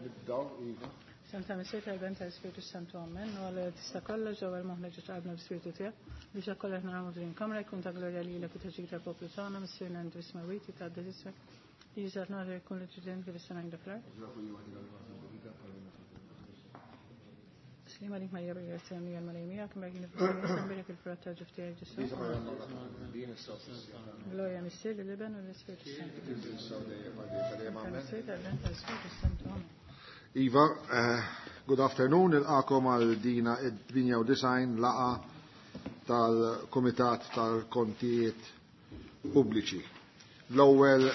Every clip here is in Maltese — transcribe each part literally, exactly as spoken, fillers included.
Nibdaw, Iva. Santa Missier tal-Ben tal-Spiritu Santu Amen, u għal tista kollox ġewwa l-moħħna ġo tqabna b'Spiritu tiegħek, biex dak kollha naramu din kamra jkun ta' glorja lilek u taġik tal-poplu tagħna, Missierna inti smawiti ta' ismek, li jiżgħat nagħtu jkun li tridin kif is-sena għandha fl-art. Slima lik Marija bil-grazzja mija l-Malej miegħek, imberkin nifhem il-frott ta' ġuf tiegħek Ġesù. Glorja Missier lill-Iben u l-Ispiritu Santu. Missier tal-Ben tal-Spiritu Santu. Amen. Iva, eh, good afternoon, nilqagħkom għal dina id-tmienja u disgħin laqgħa tal-Komitat tal-Kontijiet Pubbliċi. L-ewwel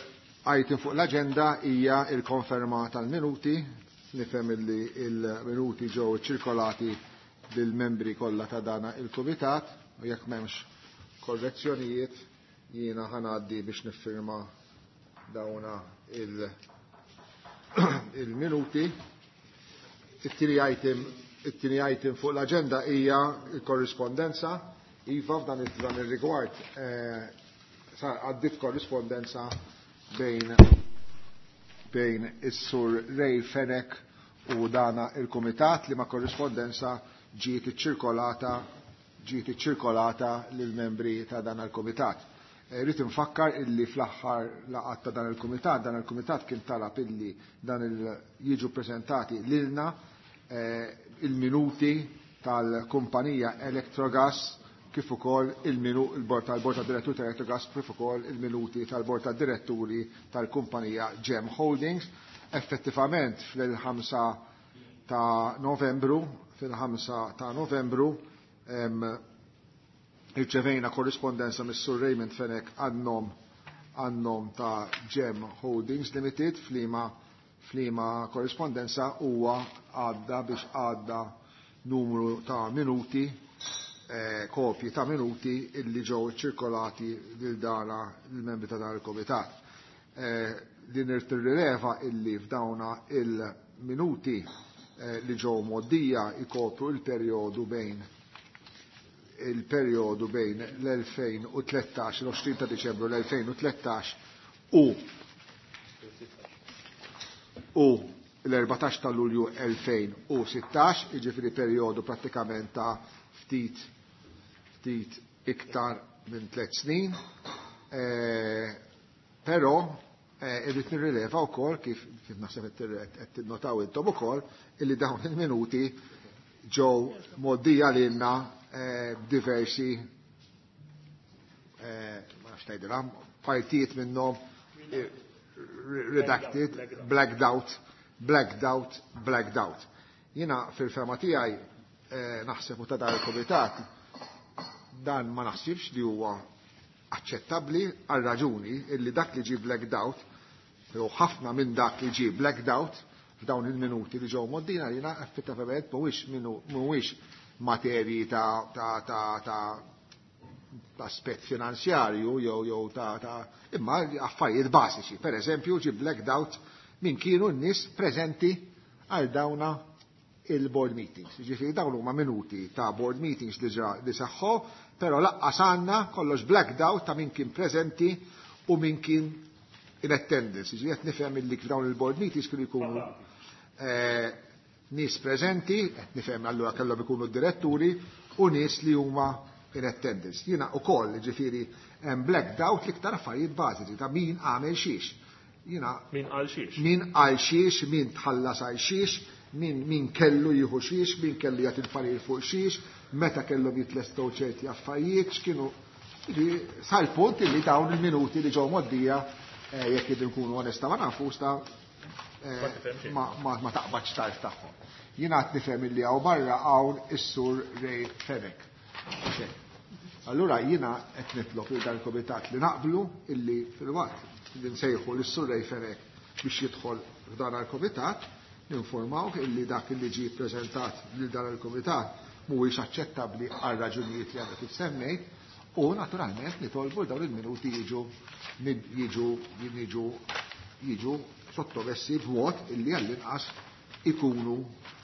item fuq l-aġenda hija il-konferma tal-minuti. Nifhem illi il-minuti ġew ċirkolati lill-membri kollha ta' dana il-Kumitat u jekk m'hemmx korrezzjonijiet jiena ħa ngħaddi biex niffirma dawna il- il-minuti. It-tieni item, it-tieni item fuq l-aġenda hija l-korrispondenza. Iva, f'dan f'dan ir-rigward eh, sar għaddit korrispondenza bejn bejn is-sur Ray Fenech u dana il-kumitat li ma korrispondenza ġiet iċċirkolata ġiet iċċirkolata lill-membri ta' dan il-kumitat. Rrid infakkar illi fl-aħħar laqgħat ta' dan il-kumitat, dan il-kumitat kien talab illi dan il jiġu preżentati lilna eh, il-minuti tal-kumpanija Electrogas kif ukoll il-minu il-bord tal-bord tad diretturi tal-Electrogas kif ukoll il-minuti tal-bord tad diretturi tal-kumpanija Gem Holdings. Effettivament fil-ħamsa ta' Novembru, fil-ħamsa ta' Novembru em, irċevejna korrispondenza mis-Sur Raymond Fenech għan-nom għan-nom ta' Gem Holdings Limited f'liema f'liema korrispondenza huwa għadda biex għadda numru ta' minuti, eh, kopji ta' minuti illi ġew ċirkolati lil dana il-membri ta' dan il-komitat. Eh, li nirrileva illi f'dawna il-minuti eh, li ġew mgħoddija ikopru il-perjodu bejn il-perjodu bejn l-elfejn u tlettax, l-għoxrin ta' Diċembru l-elfejn u tlettax u u l-erbatax ta' Lulju elfejn u sittax, jiġifieri perjodu prattikament ta' ftit ftit iktar minn tliet snin. Eh, però eh, irrid nirrileva wkoll kif kif naħseb qed tinnotaw intom ukoll illi dawn il-minuti ġew mgħoddija lilna eh, diversi, eh, ma nafx tgħidilha, partijiet minnhom eh, redacted, blacked out, blacked out, blacked out. Jiena fil-fehma tiegħi eh, naħseb u ta' dan il-komitat dan ma naħsibx li huwa aċċettabbli għal raġuni illi dak li ġi blacked out, jew ħafna minn dak li ġi blacked out f'dawn il-minuti li ġew mgħoddina lilna effettivament mhuwiex minu mhuwiex materji ta' ta' ta' ta' ta' aspett finanzjarju jew jew ta' ta' imma affarijiet bażiċi. Per eżempju, ġi blacked out min kienu n-nies preżenti għal dawna il-board meetings. Ġifieri dawn huma minuti ta' board meetings li ġa li saħħu, però lanqas għandna kollox blacked out ta' min kien preżenti u min kien in attendance. Ġifieri qed nifhem illi f'dawn il-board meetings kienu jkunu eh, nies preżenti, qed nifhem allura kellhom ikunu diretturi u nies li huma in attendance. Jiena ukoll, ġifieri hemm blacked out l-iktar affarijiet bażiċi ta' min għamel xiex. Jiena Min għal xiex? Min għal xiex, min tħallas għal xiex, min, min kellu jieħu xiex, min kellu jagħti l-parir fuq xiex, meta kellhom jitlestew ċerti affarijiet, x'kienu sal-punt li dawn il-minuti li ġew mgħoddija, eh, jekk irridu nkunu onesta ma nafux ta' eh, Ma tifhem xejn. ma, ma, ma taqbadx tarf tagħhom. Jiena qed nifhem illi hawn barra hawn is-Sur Ray Fenech. Xejn. Allura jiena qed nitlob lil dan il-komitat li naqblu illi fil-waqt li nsejħu lis-Sur Ray Fenech biex jidħol f'dan il-komitat, ninformawh illi dak li ġie ppreżentat lil dan il-komitat mhuwiex aċċettabbli għal raġunijiet li għadha kif semmejt u naturalment nitolbu dawn il-minuti jiġu jiġu jiġu jiġu sottomessi b'mod illi għall-inqas ikunu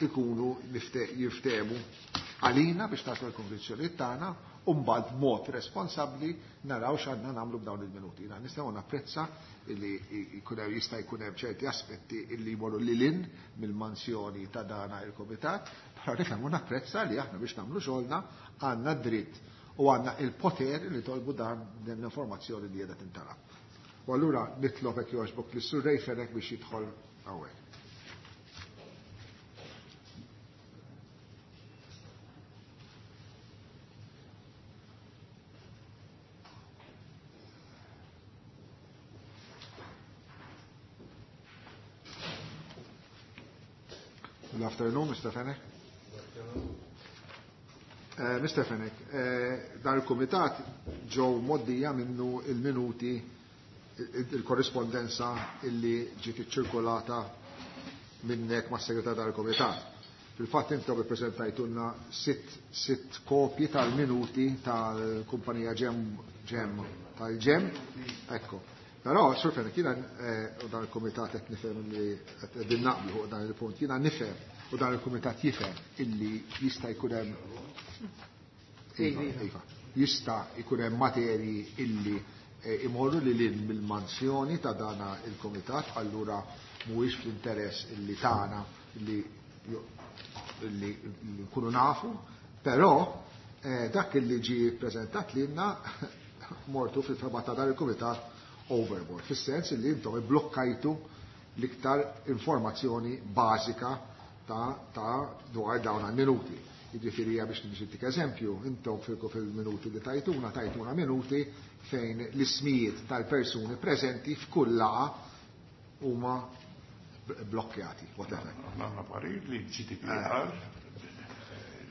ikunu jiftehmu għalina biex taslu l-konvinzjoni tagħna U mbagħad b'mod responsabbli naraw x'għandna nagħmlu b'dawn il-minuti. Jiena nistgħu napprezza li jkun hemm jista' jkun hemm ċerti aspetti illi jmorru lil hinn mill-mansjoni ta' dana il-kumitat, però nifhem u napprezza li aħna biex nagħmlu xogħolna għandna dritt u għandna il-poter li tolbu dan din l-informazzjoni li qiegħda tintalab. U allura nitlob hekk jogħġbok lis Sur Ray Fenech biex jidħol hawnhekk. Good afternoon, Mister Fenech. Uh, Mister Fenech, uh, dan il-kumitat ġew moddija minnu il-minuti il-korrispondenza illi ġiet iċċirkolata minnek ma' segretar tal-kumitat. Fil-fatt intom ippreżentajtulna sitt, sitt kopji tal-minuti tal-kumpanija Gem, Gem tal-Gem, ekko. Però, Sur Fenech, jiena u dan il-kumitat qed nifhem li qegħdin naqblu fuq dan il-punt, jiena nifhem u dan il-kumitat jifhem illi jista' jkun hemm iva, jista' jkun hemm materji illi imorru lil hinn mill-mansjoni ta' dana il-kumitat, allura mhuwiex fl-interess illi tagħna li li nkunu nafu, però dak illi ġie ppreżentat lilna mortu fil-fema ta' dan il-kumitat overboard, fis-sens li intom ibblokkajtu l-iktar informazzjoni bażika ta', ta dwar dawn għal-minuti. Jiġifieri biex nixittik eżempju, intom fil-minuti li tajtuna, tajtuna minuti fejn l-ismijiet tal-persuni preżenti f'kull laqgħa huma blokkjati, whatever. Għandna parir li G D P R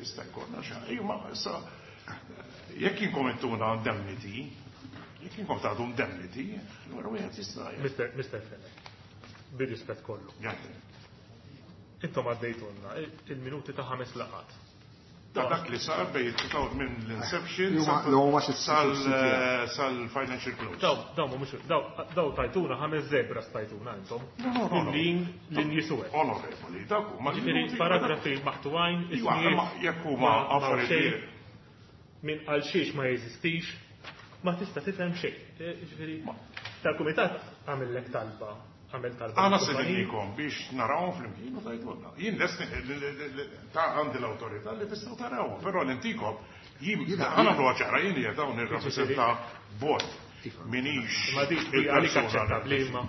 jista' jkollna xi ma issa jekk inkomentuna indemnity, jekk inkom tagħtu indemnity, allura wieħed jista' Mister Mister Fenech, bir-rispett kollu. Intom għaddejtulna il-minuti ta' ħames laqgħat. Ta' dak li sar bejn minn l-inception sal-financial close. Daw, daw mhumiex daw daw tajtuna ħames zebra stajtuna intom. Lin lin jisuwek. Onorevoli, dak huma Ġifieri paragrafi maqtuwajn, ismijiet jekk huma affarijiet min għal xiex ma jeżistix, ma tista' tifhem xejn. Ġifieri tal-kumitat għamillek talba. Għamel talba. Għana sedinnikom biex narawhom flimkien u tgħidulna. Jien lest ta' għandi l-awtorità li tistgħu tarawhom, però l-intikom jien għana ċara jien qiegħed hawn nirrappreżenta bord minix. Ma dik għalik aċċettabbli imma.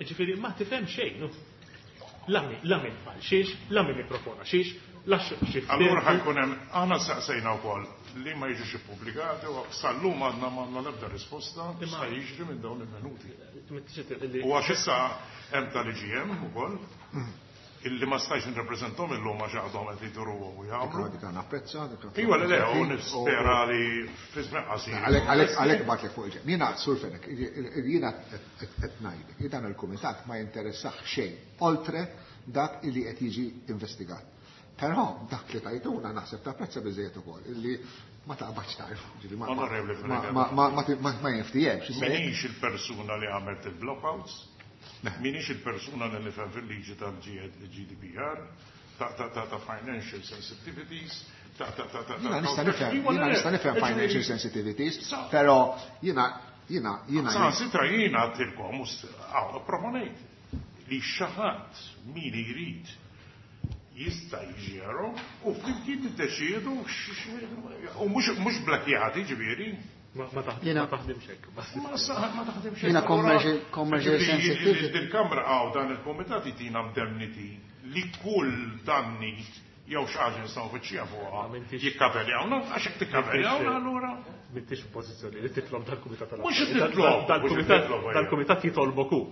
Ġifieri ma tifhem xejn. La min qal xiex, la min ippropona xiex, la xi. Allura ħajkun hemm aħna saqsejna wkoll li ma jiġux ippubblikati u sal-lum għandna m'għandna l-ebda risposta x'sa jiġri minn dawn il-minuti. U għax issa hemm tal-I G M ukoll illi ma stajx nirrappreżentom illum għax għadhom qed jduruhom u jagħmlu. Dik napprezza, dik Iva le le, u nispera li fi żmien qasir. Għalhekk għalhekk bagħtlek fuq il-ġenb. Jiena Sur Fenech, jiena qed ngħidlek, dan il-kumitat ma jinteressax xejn oltre dak illi qed jiġi investigat. Però dak li tajtuna naħseb tapprezza biżejjed ukoll illi ma taqbadx tarf, ġifieri ma ma ma ma jinftihemx. Minix il-persuna li għamlet il-blockouts, minix il-persuna li nifhem fil-liġi tal-G D P R, ta' ta' ta' financial sensitivities, ta' ta' ta' ta' Jiena nista' nifhem, jiena nista' nifhem financial sensitivities, però jiena jiena jiena. Sa sitra jiena għadtilkom proponejt li xi ħadd min irid jista' jiġi u flimkien niddeċiedu u mhux blakjati ġifieri. Ma taħdimx hekk. Ma taħdimx hekk. Jiena commercial sensitivity. Dil-Kamra hawn dan il-kumitat jtina indemnity li kull danni jew xi ħaġa nistgħu nfittxija fuqha jikkaverjawna għax hekk tikkaverjawna allura. M'intix f'pożizzjoni li titlob dal-kumitat tal Mhux titlob, dal-kumitat jitolbok hu.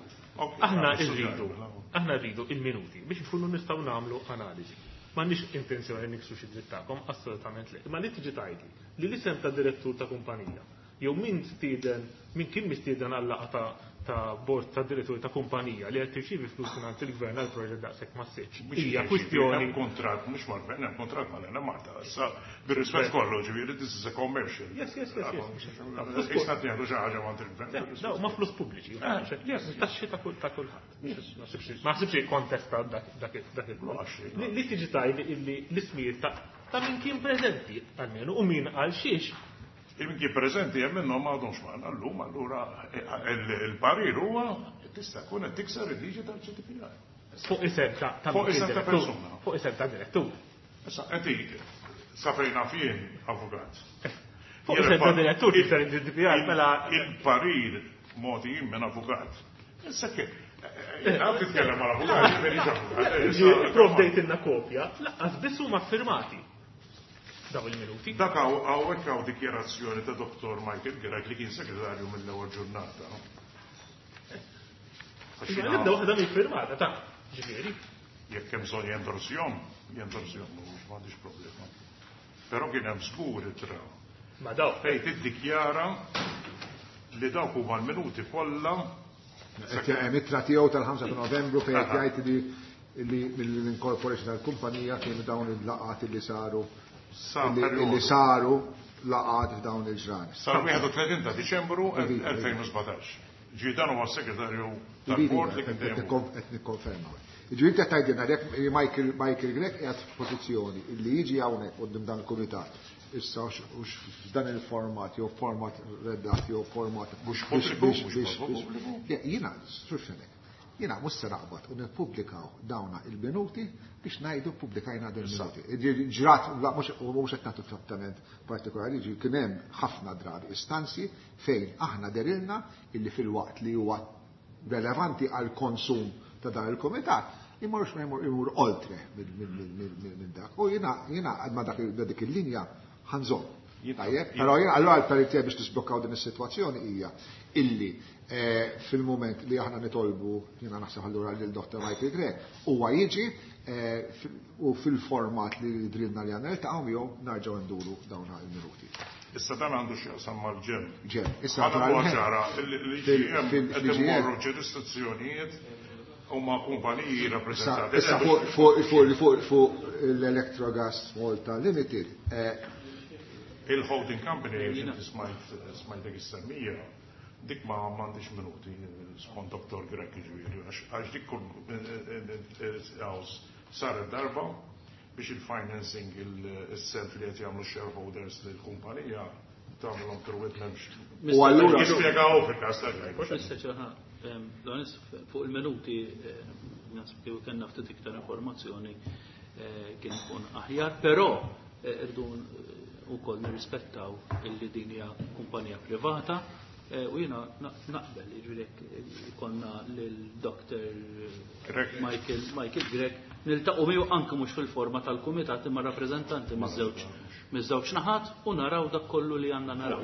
Aħna rridu, aħna rridu il-minuti biex nkunu nistgħu nagħmlu analiżi. M'għandniex intenzjoni niksu xi dritt tagħkom, assolutament le. Imma li tiġi tgħidli li l-isem ta' direttur ta' kumpanija jew min stieden, min kien mistieden għal laqgħa ta' ta' bord ta' direttur ta' kumpanija li qed tirċievi flus mingħand il-gvern għal proġett daqshekk massiċ. Hija kwistjoni. Hemm kuntratt mhux mal-gvern, hemm kuntratt mal-Enemalta. Issa bir-rispett kollu, ġifieri this is a commercial. Yes, yes, yes. Issa qed nieħdu xi ħaġa mingħand il-gvern. Daw ma flus pubbliċi. Taxxi ta' kull ta' kulħadd. Ma ħsibx kontesta dak dak il-punt. Li tiġi tgħid illi l-ismijiet ta' ta' min kien preżenti almenu u min għal xiex. Il-min kien preżenti hemm minnhom m'għadhomx magħna llum, allura il-parir huwa tista' tkun qed tikser il-liġi tal-G D P R. Fuq isem ta' Fuq isem ta' persuna. Fuq isem ta' direttur. Issa qed sa fejn naf jien avukat. Fuq isem ta' direttur tikser il-G D P R mela. Il-parir mogħti minn avukat. Issa kif? Għad titkellem mal avukat, jiġifieri avukat. Provdejt kopja, lanqas biss huma firmati daw il-minuti. Dak hawnhekk hawn dikjarazzjoni ta' Dottor Michael Grech li kien segretarju mill-ewwel ġurnata. Nibda waħda mill-firmata ta' ġifieri. Jekk hemm bżonn jendorsjom, jendorsjom, mhux m'għandix problema. Però kien hemm żgur ittra. Ma daw. Fejn tiddikjara li dawk huma l-minuti kollha. Hemm ittra tiegħu tal-ħamsa ta' Novembru fejn qed jgħid li li mill-incorporation tal-kumpanija kienu dawn il-laqat li saru li saru laqat f'dawn il-ġranet. Sar wieħed u tletin ta' Diċembru elfejn u sbatax. Ġi dan huwa s-segretarju tal-bord li kien dejjem. Qed nikkonferma. Ġi inti tgħidilna jekk Michael Michael Grech qiegħed f'pożizzjoni li jiġi hawnhekk quddiem dan il-kumitat issa hux f'dan il-format jew format redat jew format mhux pubbliku, mhux pubbliku. Jiena, struxxenek. Jiena mhux se naqbad u nippubblikaw dawna il-minuti biex ngħidu pubblikajna din il-minuti. Ġrat mhux mhux qed nagħtu trattament partikolari, ġi kien hemm ħafna drabi istanzi fejn aħna derilna illi fil-waqt li huwa relevanti għal konsum ta' dan il-komitat, imorx ma jmur imur oltre minn dak. U jiena jiena ma dak dik il-linja ħa nżomm. Tajjeb, però jiena allura l-parir biex tisblokkaw din is-sitwazzjoni hija illi eh, fil-moment li aħna nitolbu, jiena naħseb allura lil Dottor Michael Grech, huwa jiġi eh, u fil-format li drilna li għandna niltaqgħu miegħu narġgħu nduru dawn il-minuti. Issa dan għandu x'jaqsam mal-G E M. G E M. Issa ċara, l-G E M qed imorru ġurisdizzjonijiet huma kumpaniji rappreżentati. Issa fuq fuq fuq l-Electrogas Malta Limited. Eh, Il-holding company, inti smajt smajtek is-semmija, dik ma m'għandix minuti skont Dottor Grech, ġifieri, għax dik kull saret darba biex il-financing, il-self li qed jagħmlu shareholders lill-kumpanija tagħmilhom through it m'hemmx. U allura jispjegaw fil-każ ta' Fuq il-minuti naħseb kieku kellna ftit iktar informazzjoni kien ikun aħjar, però irdu wkoll nirrispettaw illi din hija kumpanija privata u jiena naqbel jiġifieri konna lil Doctor Michael Michael Grech niltaqgħu miegħu anke mhux fil-forma tal-kumitat imma rappreżentanti miż-żewġ miż-żewġ naħat u naraw dak kollu li għandna naraw.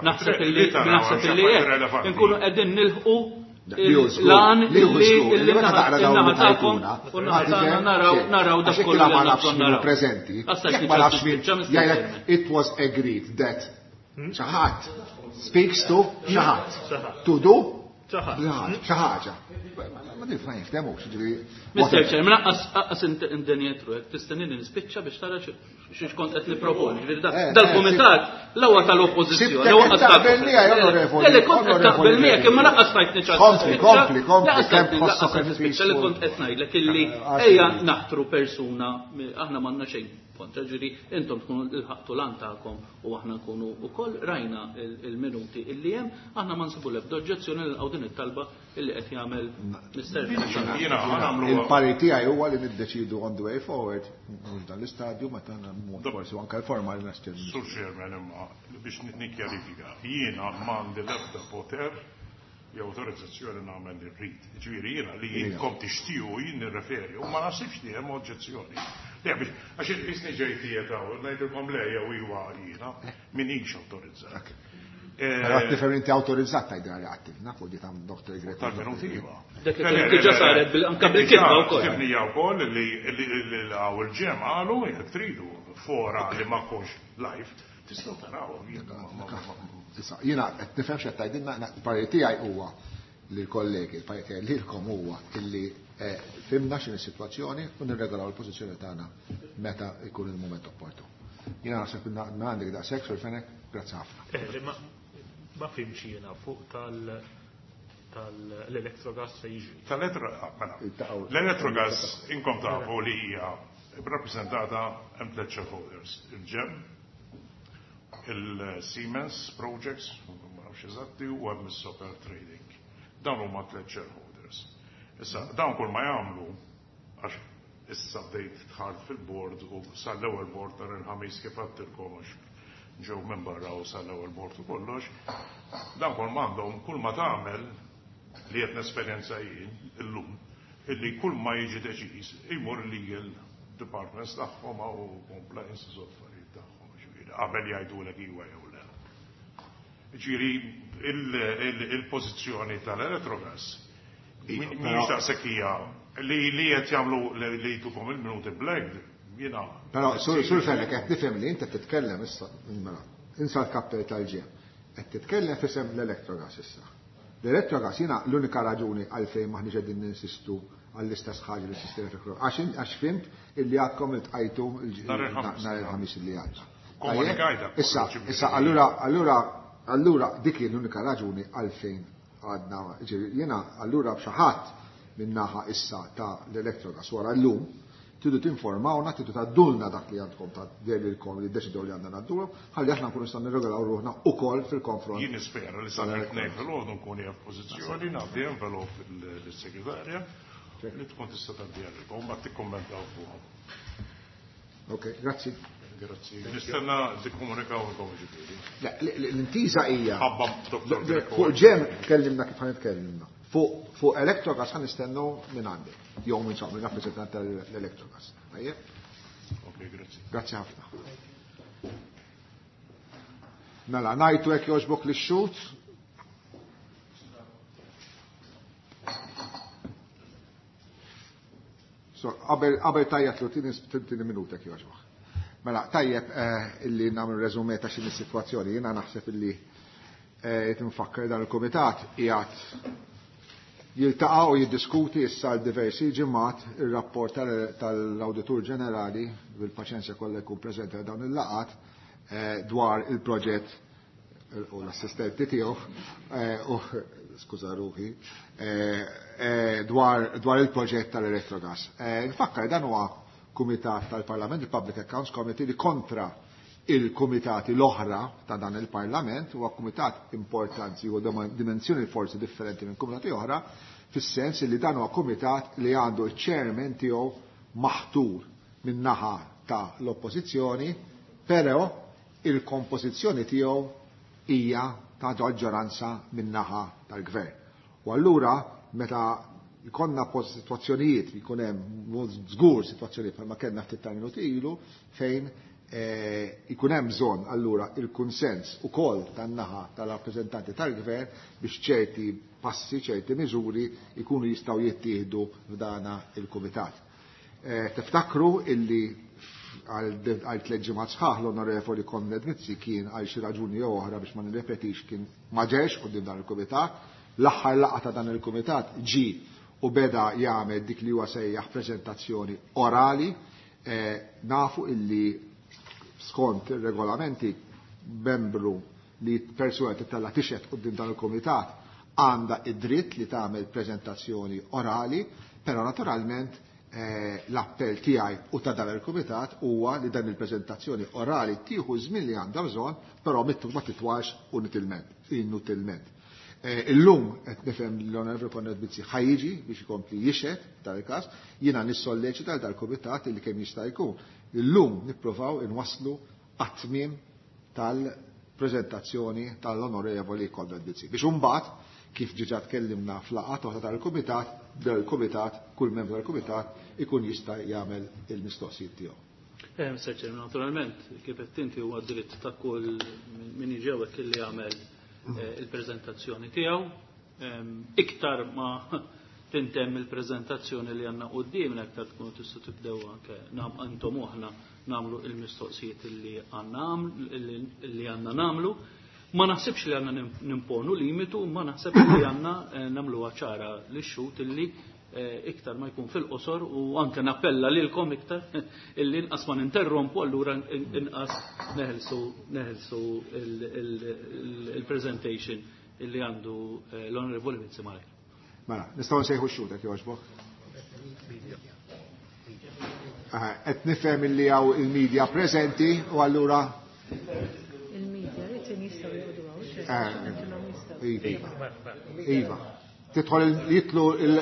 Naħseb illi naħseb illi hekk inkunu qegħdin nilħqu l-għan li naħa tagħkom u naħa naraw naraw dak kollu li ma nafx min preżenti. Jekk ma nafx min jgħidlek it was agreed that xi ħadd speaks to xi ħadd. To do xi ħaġa. Ma nif ma jiftemux, ġifieri. Mister Chair, mela qas indenjetru, tistennini nispiċċa biex tara xiex kont qed niproponi. Ġifieri dal-kumitat l-ewwel tal-oppożizzjoni, l-ewwel taqbel miegħi, onorevoli. Le, kont qed taqbel miegħek, imma lanqas tajtni ċans. Kompli, kompli, kompli, kemm tħossok nispiċċa li kont qed ngħidlek illi ejja naħtru persuna, aħna m'għandna xejn kontra, ġifieri intom tkunu lħaqtu l-għan tagħkom u aħna nkunu wkoll rajna il-minuti illi hemm, aħna ma nsibu l-ebda oġġezzjoni lil din it-talba illi qed jagħmel Mister Il-parir tiegħi huwa li niddeċidu on the way forward, mhux dan l-istadju, meta forsi anke l-forma li nastil. Sur Chairman, imma biex nikkjarifika, jiena m'għandi l-ebda poter jew autorizzazzjoni nagħmel li rrid. Ġifieri jiena li jinkom tixtiequ jien nirreferi u ma naħsibx li hemm oġġezzjoni. Le biex għax isni ġej tiegħek ngħidilkom le jew iwa jiena minix awtorizzat. Però tifhem inti awtorizzat tgħidilha li għattilna fuq di ta' Doctor Grech. Tal-minuti iva. Dak diġà saret anke bil-kitba wkoll. Ktibnija wkoll li għaw il-G E M qalu jekk tridu fora li ma kunx live tistgħu taraw. Issa, jiena qed nifhem x'qed tgħidilna, il-parir tiegħi huwa li l-kollegi, il-parir tiegħi lilkom huwa illi fhimna x'inhi s-sitwazzjoni u nirregolaw il-pożizzjoni tagħna meta jkun il-mument opportun. Jiena naħseb ma għandek daqshekk, Sur Fenech, grazzi ħafna. Ma fhimx jiena fuq tal tal-Electrogas se jiġri. Tal-Electrogas inkom tafu li hija Rappresentata hemm tliet shareholders, il-GEM, il-Siemens Projects, ma nafx eżatti, u hemm is-Soper Trading. Dawn huma tliet shareholders. Issa, dawn kull ma jagħmlu, għax issa bdejt dħalt fil-board u sal-ewwel board tar il-ħamis kif għadtilkom għax ġew minn barra u sal-ewwel board u kollox, dawn kull ma għandhom, kull ma tagħmel li qed nesperjenza jien illum, illi kull ma jiġi deċiż imur legal departments tagħhom u compliance u affarijiet tagħhom, ġifieri qabel jgħidulek iwa jew le. Ġifieri il-pożizzjoni tal-Electrogas mhix daqshekk hija li li qed jagħmlu li jtukom il-minuti black jiena. Però sur sur Fenech qed nifhem li inti titkellem issa mela, insa l-kapital tal-ġem. Qed titkellem f'isem l-Electrogas issa. L-Electrogas jiena l-unika raġuni għalfejn maħniex qegħdin ninsistu għall-istess ħaġa li sistema tal għax għax fimt illi għadkom iltqajtu nhar il-ħamis li għadda. Komunikajta. Issa, issa allura allura allura dik hi l-unika raġuni għalfejn għadna, jiena allura b'xi ħadd min-naħa issa ta' l-Electrogas wara llum tridu tinformawna, tridu tgħaddulna dak li għandkom ta' lilkom li ddeċidew li għandna ngħaddulhom, ħalli aħna nkunu nistgħu nirregolaw ruħna ukoll fil-konfront. Jien nispera li sa tnejn filgħodu nkun hija f'pożizzjoni ngħaddi envelope lis-segretarja li tkun tista' tgħaddiha lilkom mbagħad tikkommentaw fuqha. Ok, grazzi. Grazzi. Nistenna tikkomunikaw ilkom ġifieri. L-intiża hija. Ħabba Doktor Greco. Fuq ġem tkellimna kif ħanitkellmna. Fuq Electrogas ħan nistennu minn għandek. Jew minn minn rappreżentant tal-Electrogas. Tajjeb? Ok, grazzi. Grazzi ħafna. Mela, ngħidu hekk jogħġbok lix-xhud. So, qabel qabel tajjatlu tieni minuta jekk jogħġbok. Mela, tajjeb illi nagħmlu reżumé ta' x'inhi s-sitwazzjoni. Jiena naħseb illi qed nfakkar dan il-kumitat qiegħed jiltaqa' u jiddiskuti issa għal diversi ġimgħat ir-rapport tal-Awditur Ġenerali bil-paċenzja kollha jkun preżenti għal dawn il-laqgħat dwar il-proġett u l-assistenti tiegħu u skuża ruħi dwar dwar il-proġett tal-Electrogas. Nfakkar dan huwa kumitat tal-Parlament, il-Public Accounts Committee, li kontra il-kumitati l-oħra ta' dan il-Parlament huwa kumitat importanti u dimensjoni forsi differenti minn kumitati oħra, fis-sens li dan huwa kumitat li għandu ċ-chairman tiegħu maħtur min naħa ta' l-oppożizzjoni, però il-kompożizzjoni tiegħu hija ta' maġġoranza min naħa tal-gvern. U allura meta jkollna sitwazzjonijiet, jkun hemm żgur sitwazzjonijiet bħalma kellna ftit ta' minuti ilu fejn ikun hemm bżonn allura il-kunsens ukoll tan-naħa tal-rappreżentanti tal-gvern biex ċerti passi, ċerti miżuri jkunu jistgħu jittieħdu f'dana il-kumitat. Tiftakru illi għal tliet ġimgħat sħaħ l-Onorevoli Konrad Mizzi kien għal xi raġuni jew oħra biex ma nirrepetix kien ma ġex quddiem dan il-kumitat. L-aħħar laqgħa ta' dan il-kumitat ġie u beda jagħmel dik li huwa sejjaħ preżentazzjoni orali. Nafu illi skont ir-regolamenti membru li persuna titella tixhed quddiem dan il-kumitat għandha id-dritt li tagħmel preżentazzjoni orali, però naturalment l-appell tiegħi u ta' dan il-kumitat huwa li dan il-preżentazzjoni orali tieħu żmien li għandha bżonn, però ma titwax inutilment. Illum qed nifhem l-Onorevoli Konrad Mizzi ħajjiġi biex ikompli jixhed dan il-każ, jiena nissolleċita dal-kumitat li kemm jista' jkun. Illum nippruvaw inwasslu għat-tmiem tal-preżentazzjoni tal-Onorevoli Konrad Mizzi. Biex imbagħad kif ġiġa tkellimna fl-laqgħat oħra tal-kumitat, dal-kumitat, kull membru tal-kumitat ikun jista' jagħmel il-mistoqsijiet tiegħu. Eh, Mister Chairman, naturalment, kif qed inti huwa dritt ta' kull min jiġi hawnhekk illi jagħmel il-preżentazzjoni tiegħu. Iktar ma tintemm il-preżentazzjoni li għandna quddiemna iktar tkunu tistgħu tibdew anke intom aħna nagħmlu il-mistoqsijiet li għandna li għandna nagħmlu. Ma naħsibx li għandna nimponu limitu, ma naħseb li għandna nagħmluha ċara lix-xhud illi iktar ma jkun fil-qosor u anke nappella lilkom iktar illi inqas ma ninterrompu allura inqas neħelsu neħelsu il-presentation illi għandu l-Onorevoli Mizzi Malajr. Mela, nistgħu nsejħu x-xhud jekk jogħġbok. Qed nifhem illi hawn il-media preżenti u allura il-media jistgħu joqogħdu hawn. Iva. Iva. Tidħol jitlu il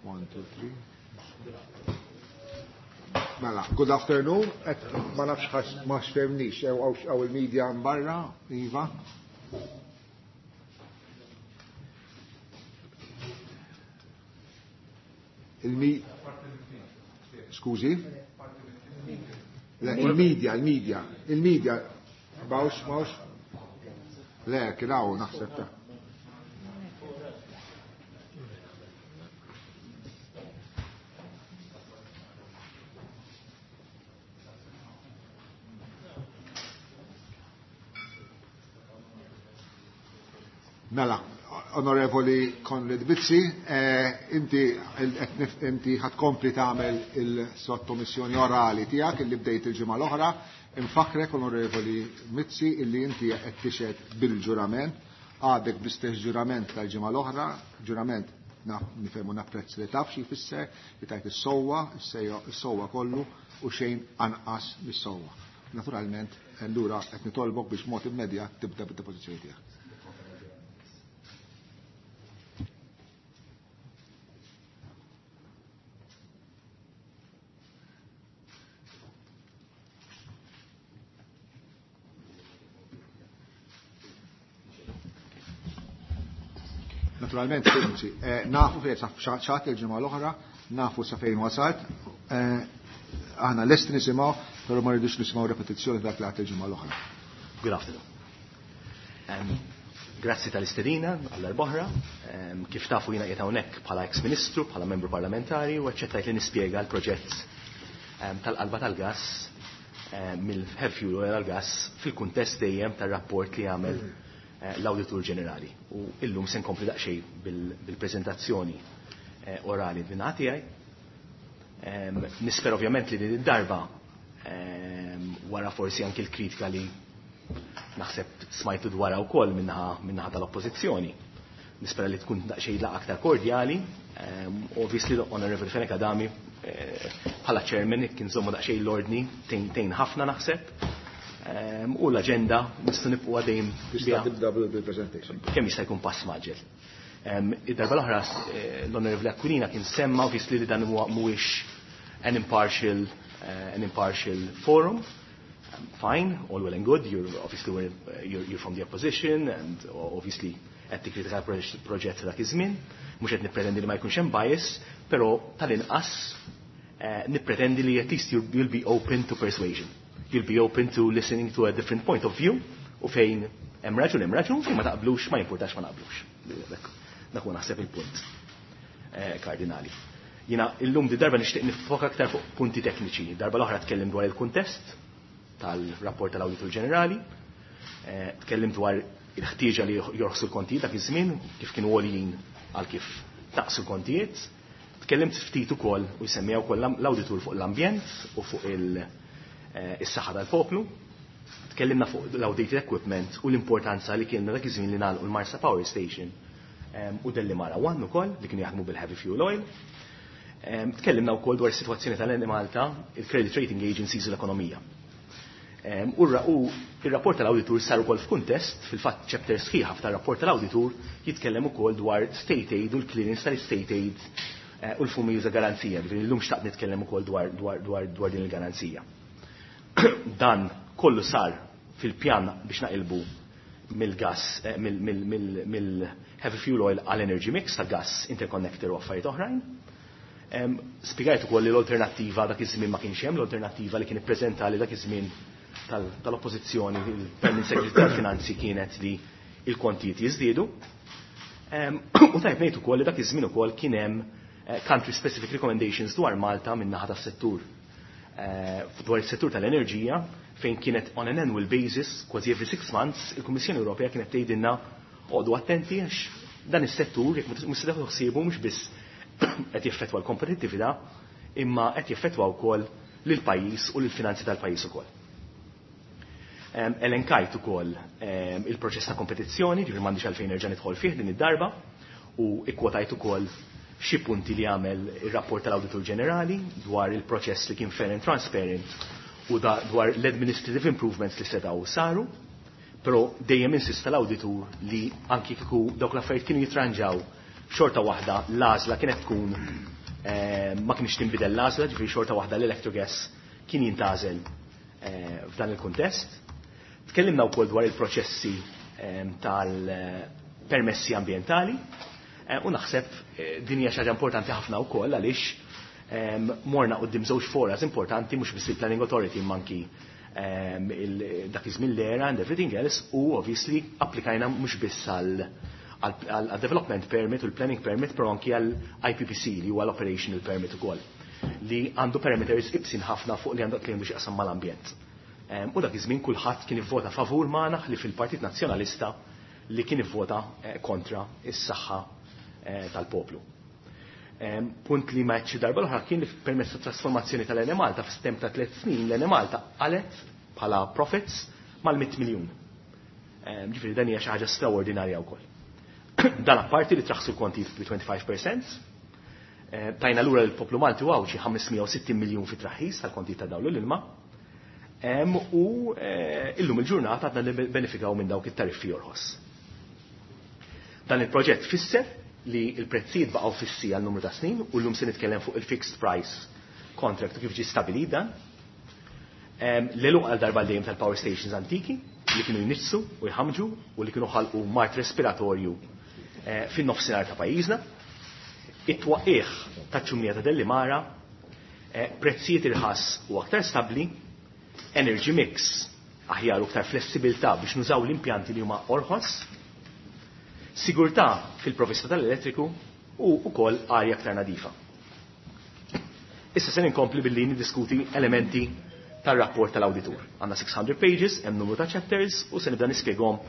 One, two, three. Mela, good afternoon. Et ma nafx ma xfemnix, għaw il-media barra, Iva. Il-mi... Skużi? Le, il-media, il-media, il-media. Bawx, bawx. Le, kien hawn naħseb ta' Mela, Onorevoli Konrad Mizzi, inti inti ħatkompli tagħmel il-sottomissjoni orali tiegħek illi bdejt il-ġimgħa l-oħra. Infakrek, Onorevoli Mizzi, illi inti qed tixhed bil-ġurament, għadek bl-istess ġurament tal-ġimgħa l-oħra, ġurament nifhemu napprezz li taf xi jfisser li tajt is-sewwa, is-sewwa kollu u xejn anqas mis-sewwa. Naturalment, allura qed nitolbok biex mod immedjat tibda bid-depożizzjoni tiegħek. Naturalment, nafu fejn ċaħat il-ġimgħa l-oħra, nafu sa fejn wasalt, aħna lest nisimgħu, però ma rridux nisimgħu repetizzjoni dak li għat il-ġimgħa l-oħra. Good afternoon. Um, grazzi tal-istedina għall-arboħra. Um, kif tafu jiena qiegħed hawnhekk bħala ex-ministru, bħala membru parlamentari u aċċettajt li nispjega l-proġett um, tal-qalba tal-gas um, mill-heavy fuel oil għall-gas fil-kuntest dejjem tar-rapport li għamel l-Awditur Ġenerali. U illum se nkompli daqsxejn bil-preżentazzjoni orali din tiegħi. Nisper ovvjament li din id-darba wara forsi anki l-kritika li naħseb smajtu dwarha wkoll minnaħa tal-Oppożizzjoni. Nispera li tkun daqsxejn laqgħa aktar kordjali. Obviously Honorable Fenech Adami bħala chairman kien żommu daqsxejn l-ordni tejn ħafna naħseb. U l-agenda nistgħu nibqgħu għadejn tista' tibda bil-presentation. Kemm jista' jkun pass maġel. Id-darba l-oħra l-Onorevoli Aquilina kien semma obviously li dan huwa mhuwiex an impartial an impartial forum. Fine, all well and good. You're obviously you're, you're from the opposition and obviously qed tikkritika proġett dak iż-żmien, mhux qed nippretendi li ma jkunx hemm bias, però tal-inqas nippretendi li at least you'll be open to persuasion. You'll be open to listening to a different point of view u fejn hemm raġun hemm raġun fejn ma taqblux ma jimpurtax ma naqblux. Dak huwa naħseb il-punt kardinali. Jiena illum di darba nixtieq nifoka aktar fuq punti tekniċi. Darba l-oħra tkellim dwar il-kuntest tal-rapport tal-Awditur Ġenerali, tkellim dwar il-ħtieġa li jorħsu l-kontijiet dak iż-żmien, kif kienu għoljin għal kif taqsu l-kontijiet. Tkellimt ftit ukoll u jsemmija wkoll l-awditur fuq l-ambjent u fuq il- is-saħħa tal-poplu. Tkellimna fuq l-outdated equipment u l-importanza li kienna dak iż-żmien li nagħlqu l-Marsa Power Station u Dellimara One ukoll li kienu jaħdmu bil-heavy fuel oil. Tkellimna wkoll dwar is-sitwazzjoni tal-Enemalta, il-credit rating agencies u l-ekonomija. U ir-rapport tal-awditur sar ukoll f'kuntest, fil-fatt chapter sħiħa tar-rapport tal-awditur jitkellem ukoll dwar state aid u l-clearance tal-state aid u l-fumi juża garanzija. Ġifieri llum xtaqt nitkellem ukoll dwar dwar din il-garanzija. Dan kollu sar fil-pjan biex naqilbu mill-gas, mill-heavy fuel oil għal energy mix ta' gas interconnector u affarijiet oħrajn. Spjegajt ukoll li l-alternattiva dak iż-żmien ma kienx hemm, l-alternattiva li kien ippreżentali dak iż-żmien tal-oppożizzjoni, il-Permanent Secretary tal-Finanzi kienet li il-kontijiet jiżdiedu. U tajb ngħid ukoll li dak iż-żmien ukoll kien hemm country specific recommendations dwar Malta min-naħa tas-settur dwar is-settur tal-enerġija fejn kienet on an annual basis, kważi every six months, il-Kummissjoni Ewropea kienet tgħidilna oqgħodu attenti għax dan is-settur jekk mhux se tieħdu ħsiebu mhux biss qed jeffettwa l-kompetittività imma qed jeffettwa wkoll lill-pajjiż u lill-finanzi tal-pajjiż ukoll. Elenkajt ukoll il-proċess ta' kompetizzjoni, ġifieri m'għandix għalfejn nerġa' nidħol fih din id-darba, u ikkwotajt ukoll xi punti li għamel ir-rapport tal-Awditur Ġenerali dwar il-proċess li kien fair and transparent u dwar l-administrative improvements li setgħu saru, però dejjem insista l-awditur li anki kieku dawk l-affarijiet kienu jitranġaw xorta waħda l-għażla kienet tkun ma kienx tinbidel l-għażla, ġifieri xorta waħda l-electrogas kien jintgħażel f'dan il-kuntest. Tkellimna wkoll dwar il-proċessi tal-permessi ambjentali u naħseb din hija xi ħaġa importanti ħafna wkoll għaliex morna quddiem żewġ foras importanti mhux biss il-Planning Authority imma anki dak iż-żmien l-era and everything else, u obviously applikajna mhux biss għal development permit u l-planning permit, però anki għal I P P C li huwa l-operational permit ukoll, li għandu parameters ibsin ħafna fuq li għandu li għandu x'jaqsam mal-ambjent. U dak iż-żmien kulħadd kien ivvota favur magħna li fil-Partit Nazzjonalista li kien ivvota kontra is-saħħa tal-poplu. Punt li ma għedx darba l-oħra kien li permezz ta' trasformazzjoni tal-Enemalta f'stem ta' tliet snin l-Enemalta qalet bħala profits mal-mitt miljun. Ġifieri dan hija xi ħaġa straordinarja wkoll. Dan apparti li traħsu l-konti bi twenty-five percent, tajna lura l-poplu Malti u xi ħames mija u sittin miljun fi traħħis tal-konti ta' dawl l-ilma. U illum il-ġurnata għadna nibbenefikaw minn dawk it-tariffi jorħos. Dan il-proġett fisser li l-prezzijiet baqgħu fissi għal numru ta' snin u llum se nitkellem fuq il-fixed price contract u kif ġie stabilit dan. L-għeluq għal darba dejjem tal-power stations antiki li kienu jniġsu u jħamġu u li kienu ħalqu mart respiratorju fin-nofsinhar ta' pajjiżna. It-twaqqigħ taċ-ċumnija ta' Dellimara, prezzijiet irħas u aktar stabbli, energy mix aħjar u aktar flessibilità biex nużaw l-impjanti li huma orħos, sigurtà fil-provvista tal-elettriku u wkoll arja aktar nadifa. Issa se ninkompli billi niddiskuti elementi tar-rapport tal-awditur. Għandna six hundred pages, hemm numru ta' chapters u se nibda nispjegahom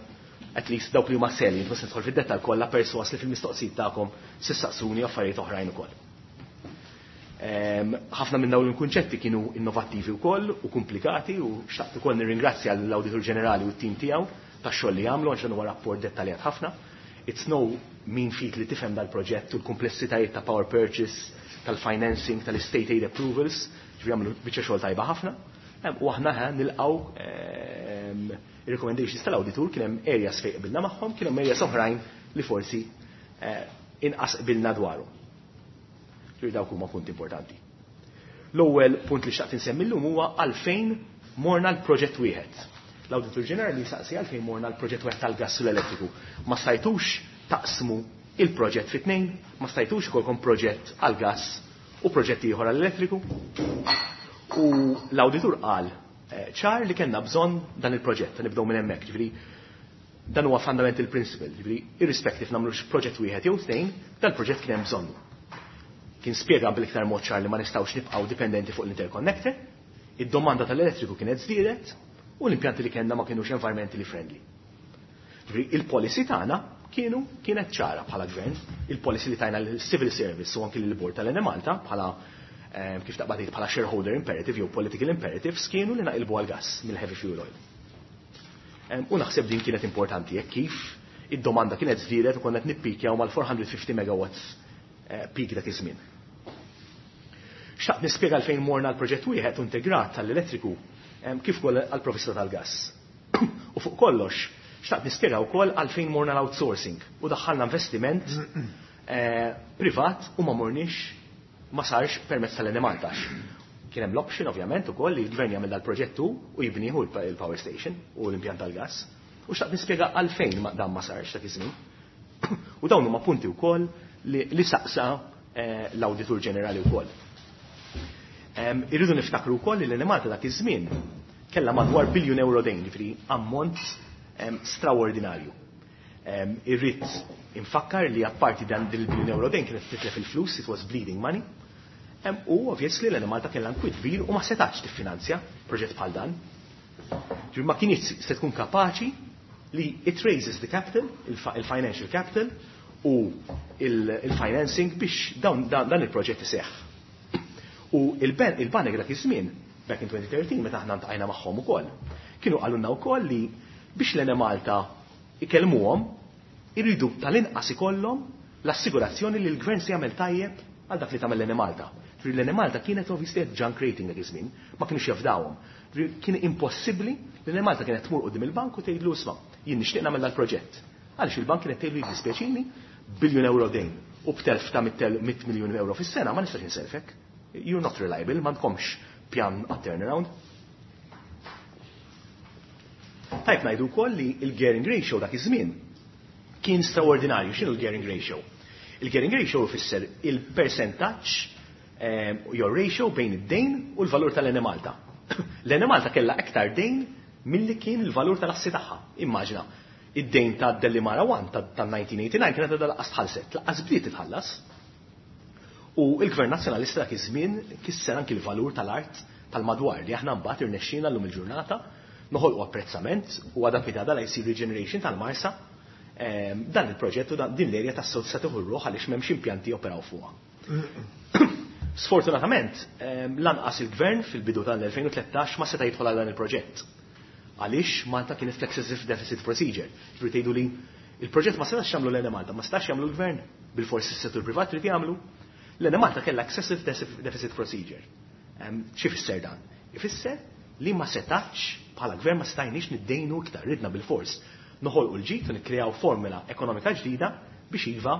at least dawk li huma salient, ma se nidħol fid-dettall kollha perswas li fil-mistoqsijiet tagħkom se ssaqsuni affarijiet oħrajn ukoll. Ħafna minn dawn il-kunċetti kienu innovattivi wkoll u komplikati u xtaqt ukoll nirringrazzja l-Awditur Ġenerali u t-tim tiegħu tax-xogħol li għamlu għax dan huwa rapport dettaljat ħafna. It's no mean feat li tifhem dal-proġett u l-komplessitajiet ta' power purchase, tal-financing, tal-state aid approvals, ġifieri għamlu biċċa xogħol tajba ħafna. U aħna ħa nilqgħu ir-recommendations tal-awditur, kien hemm areas fejn qbilna magħhom, kien hemm areas oħrajn li forsi inqas qbilna dwarhom. Ġifieri dawk huma punti importanti. L-ewwel punt li xtaqt insemmi llum huwa għalfejn morna l-proġett wieħed. L-Awditur Ġenerali saqsi għalfejn morna l-proġett wieħed tal-gass u l-elettriku. Ma stajtux taqsmu il-proġett fi tnejn, ma stajtux ikolkom proġett għall-gass u proġett ieħor għall-elettriku. U l-awditur qal ċar li kellna bżonn dan il-proġett, nibdew minn hemmhekk, ġifieri dan huwa fundamental principle, ġifieri irrispective nagħmlux proġett wieħed jew tnejn, dan il-proġett kien hemm bżonnu. Kien spjega bil-iktar mod ċar li ma nistgħux nibqgħu dipendenti fuq l-interconnector, id-domanda tal-elettriku kienet żdiedet u l-impjanti li kellna ma kienux environmentally friendly. Ġifieri il-policy tagħna kienu kienet ċara bħala gvern, il-policy li tajna l-civil service u anki l-board tal-Enemalta bħala kif taqbad tgħid bħala shareholder imperative jew political imperatives kienu li naqilbu għall-gas mill-heavy fuel oil. U naħseb din kienet importanti jekk kif id-domanda kienet żdiedet u konna qed nippikjaw mal-four hundred fifty megawatts peak dak iż-żmien. Xtaqt nispjega għalfejn morna l-proġett wieħed integrat tal-elettriku kif ukoll għall-provvista tal-gas. U fuq kollox, xtaqt nispjega wkoll għalfejn morna l-outsourcing u daħħalna investiment privat u ma morniex ma sarx permezz tal-Enemalta. Kien hemm l-option ovvjament ukoll li l-gvern jagħmel dal-proġett hu u jibnieħu il-power station u l-impjant tal-gas. U xtaqt nispjega għalfejn dan ma sarx dak iż-żmien. U dawn huma punti wkoll li, li saqsa l-Awditur Ġenerali wkoll. Irridu niftakru wkoll li l-Enemalta dak iż-żmien kellha madwar biljun euro dejn, jiġifieri ammont straordinarju. Irrid infakkar li apparti dan dil-biljun euro dejn kienet titlef il-flus, it was bleeding money. U obviously l-Enemalta kellha nkwiet kbir u ma setax tiffinanzja proġett bħal dan. Ġifieri ma kienx se tkun kapaċi li it raises the capital, il-financial capital u il-financing biex dan il-proġett iseħħ. U il-banek dak iż-żmien, back in twenty thirteen, meta aħna ntqajna magħhom ukoll, kienu qalulna wkoll li biex l-Enemalta ikellmuhom, irridu tal-inqas ikollhom l-assigurazzjoni li l-gvern se jagħmel tajjeb għal dak li tagħmel l-Enemalta. L-Enemalta kienet obviously junk rating dak iż-żmien, ma kienux jafdawhom. Kien impossibbli li l-Enemalta kienet tmur quddiem il-bank u tgħidlu isma' jien nixtieq nagħmel dal-proġett. Għaliex il-bank kienet tgħidlu jiddispjaċini biljun euro dejn u b'telf ta' mitt miljun euro fis-sena ma nistax inselfek. You're not reliable, m'għandkomx pjan għat-turnaround. Tajb ngħidu wkoll li l-gearing ratio dak iż-żmien kien straordinarju. X'inhu l-gearing ratio? Il-gearing ratio ifisser il-percentaġġ your ratio bejn id-dejn u l-valur tal-Enemalta. L-Enemalta kellha aktar dejn milli kien il-valur tal-assi tagħha. Immaġina, id-dejn ta' Delimara one ta' nineteen eighty-nine kienet għadha laqqas tħallset, laqqas bdiet titħallas. U l-Gvern Nazzjonalista dak iż-żmien kisser anki l-valur tal-art tal-madwar li aħna mbagħad irnexxielna llum il-ġurnata noħolqu apprezzament u għadha pitgħada la jsir regeneration tal-Marsa. Dan il-proġett u din l-erja tas-sod se tieħu ruħ għaliex m'hemmx impjanti operaw fuqha. Sfortunatament, lanqas il-gvern fil-bidu tal-elfejn u tlettax ma seta' jidħol għal dan il-proġett. Għaliex Malta kienet fl-excessive deficit procedure. Ġifieri tgħidu li il-proġett ma setax jagħmlu l-Enemalta, ma setax jagħmlu l-gvern, bil-forsi s-settur privat trid jagħmlu. L-Enemalta kellha excessive deficit procedure. Xi fisser dan? Ifisser li ma setax bħala gvern ma stajniex niddejnu iktar, ridna bil-fors noħolqu l-ġid u nikkreaw formula ekonomika ġdida biex iva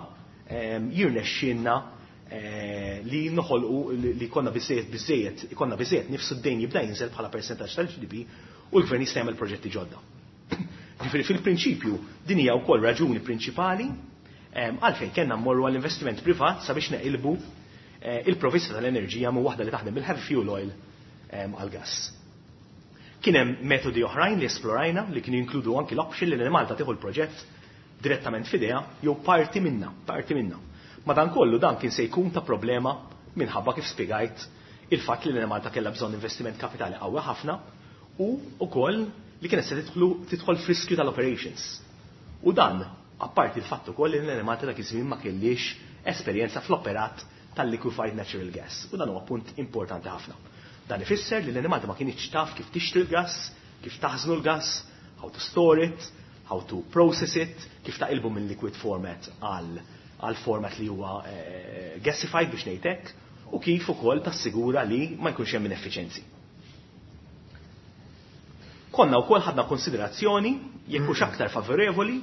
jirnexxielna li noħolqu li konna biżejjed biżejjed ikonna biżejjed nifsu d-dejn jibda jinżel bħala percentaġġ tal-G D P u l-gvern jista' jagħmel proġetti ġodda. Ġifieri fil-prinċipju din hija wkoll raġuni prinċipali għalfejn kellna mmorru għall-investiment privat sabiex neqilbu il-provvista tal-enerġija minn waħda li taħdem bil-heavy fuel oil għall-gass. Kien hemm metodi oħrajn li esplorajna li kienu jinkludu anki l-option li l-Enemalta tieħu l-proġett direttament f'idejha jew parti minna, parti minna. Madankollu dan kien se jkun ta' problema minħabba kif spjegajt il-fatt li l-Enemalta kellha bżonn investiment kapitali qawwi ħafna u wkoll li kienet se tidħol f'riskju tal-operations. U dan apparti l-fatt ukoll li l-Enemalta dak iż-żmien ma kellix esperjenza fl-operat tal-liquefied natural gas. U dan huwa punt importanti ħafna. Dan ifisser li l-Enemalta ma kienx taf kif tixtri l-gas, kif taħżnu l-gas, how to store it, how to process it, kif taqilbu minn liquid format għal għal format li huwa gasified biex ngħid hekk, u kif ukoll tassigura li ma jkunx hemm ineffiċenzi. Konna wkoll ħadna konsiderazzjoni jekk hux aktar favorevoli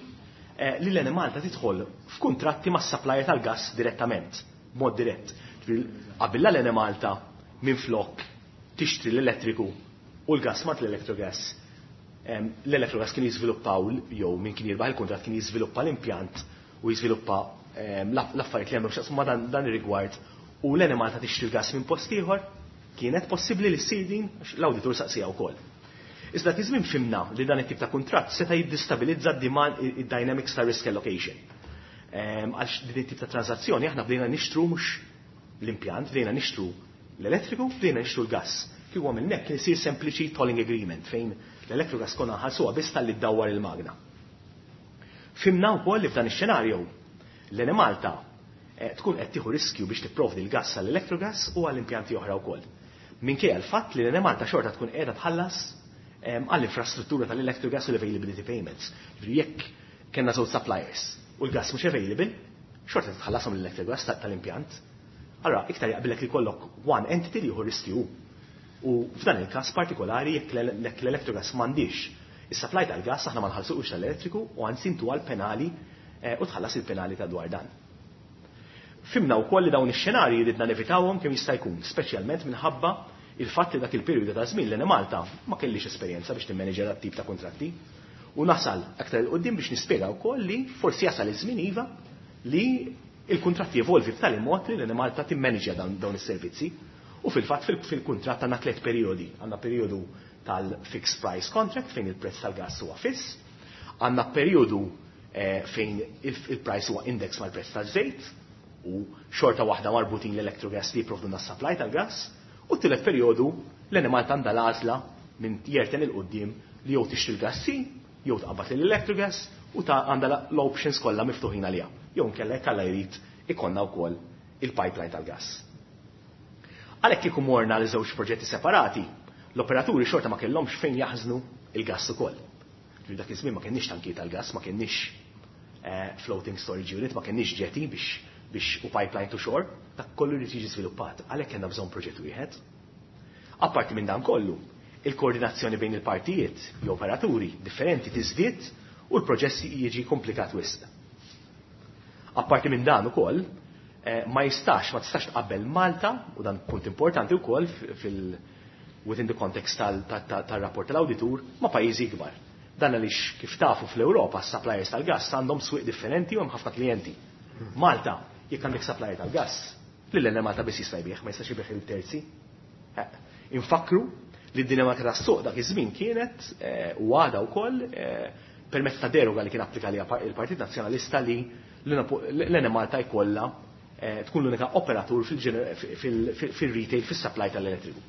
li l-Enemalta tidħol f'kuntratti mas-supplier tal-gas direttament, b'mod dirett. Qabel l-Enemalta minflok tixtri l-elettriku u l-gas mat l-electrogas. L-electrogas kien jiżviluppaw jew min kien jirbaħ il-kuntratt kien jiżviluppa l-impjant u jiżviluppa l-affarijiet li għandhom x'jaqsmu ma' dan ir-rigward u l-Enemalta tixtri l-gas minn post ieħor, kienet possibbli li ssir din għax l-awditur saqsija wkoll. Iżda dak iż-żmien fhimna li dan it-tip ta' kuntratt seta' jiddistabilizza d-dynamics ta' risk allocation. Għax din it-tip ta' transazzjoni aħna bdejna nixtru mhux l-impjant, bdejna nixtru l-elettriku, bdejna nixtru l-gas. Kieku għamilna hekk kien isir sempliċi tolling agreement fejn l-elettrogas konna nħallsuha biss talli ddawwar il-magna. Fhimna wkoll li f'dan ix-xenarju l-Enemalta tkun qed tieħu riskju biex tipprovdi l-gas għall-electrogas u għall-impjanti oħra wkoll. Minkejja l-fatt li l-Enemalta xorta tkun qiegħda tħallas għall-infrastruttura tal-electrogas u l-availability payments. Ġifieri jekk kellna żewġ suppliers u l-gas mhux available, xorta titħallashom l-electrogas tal-impjant. Allora, iktar jaqbilek li kollok one entity li jieħu riskju. U f'dan il-każ partikolari jekk l-electrogas m'għandix is-supply tal-gas aħna ma nħallsuqux tal-elettriku u anzi intu għal penali u tħallas il-penali ta' dwar dan. Fhimna wkoll li dawn ix-xenarji ridna nevitawhom kemm jista' jkun, speċjalment minħabba il-fatt li dak il-perjodu ta' żmien l-Enemalta ma kellix esperjenza biex timmaneġġja dat tip ta' kuntratti. U nasal aktar il quddiem biex nispjega wkoll li forsi jasal iż-żmien iva li il-kuntratti jevolvi b'tali mod li l-Enemalta timmaneġġja dawn is-servizzi. U fil-fatt fil-kuntratt għandna tliet perjodi. Għandna perjodu tal-fixed price contract fejn il-prezz tal-gas huwa fiss, għandna perjodu fejn il-price huwa index mal-prezz taż-żejt u xorta waħda marbutin l-electrogas li jipprovduna s-supply tal-gas, u t-tielet perjodu l-Enemalta għandha l-għażla minn jerten il-qudiem li jew tixtri l-gas si, jew tqabbad lill-electrogas u ta' għandha l-options kollha miftuħin għaliha. Jew inkella jekk Alla jrid ikollna wkoll il-pipeline tal-gas. Għalhekk kieku morna li żewġ proġetti separati, l-operaturi xorta ma kellhomx fejn jaħżnu il-gass ukoll. Ġifieri dak iż-żmien ma kenniex tankijiet tal-gass, ma kenniex floating storage unit, ma kenniex jetty biex biex u pipeline to shore, dak kollu li tiġi żviluppat, għalhekk kellna bżonn proġett wieħed. Apparti minn dan kollu, il-koordinazzjoni bejn il-partijiet, jew operaturi differenti tiżdied u l-proċess jiġi komplikat wisq. Apparti minn dan ukoll, ma jistax, ma tistax tqabbel Malta, u dan punt importanti wkoll fil within the context tal-rapport tal-awditur, ma' pajjiżi ikbar. Dan għaliex kif tafu fl-Ewropa s-suppliers tal-gas għandhom swieq differenti u hemm ħafna klijenti. Malta, jekk għandek supplier tal-gas, lil Malta biss jista' jbigħ, ma jistax jbigħ il-terzi. Infakru li d-dinamika tas-suq dak iż-żmien kienet u għadha wkoll permezz ta' deroga li kien applika li il-Partit Nazzjonalista li l-Enemalta jkollha tkun l-unika operatur fil-retail fis-supply tal-elettriku.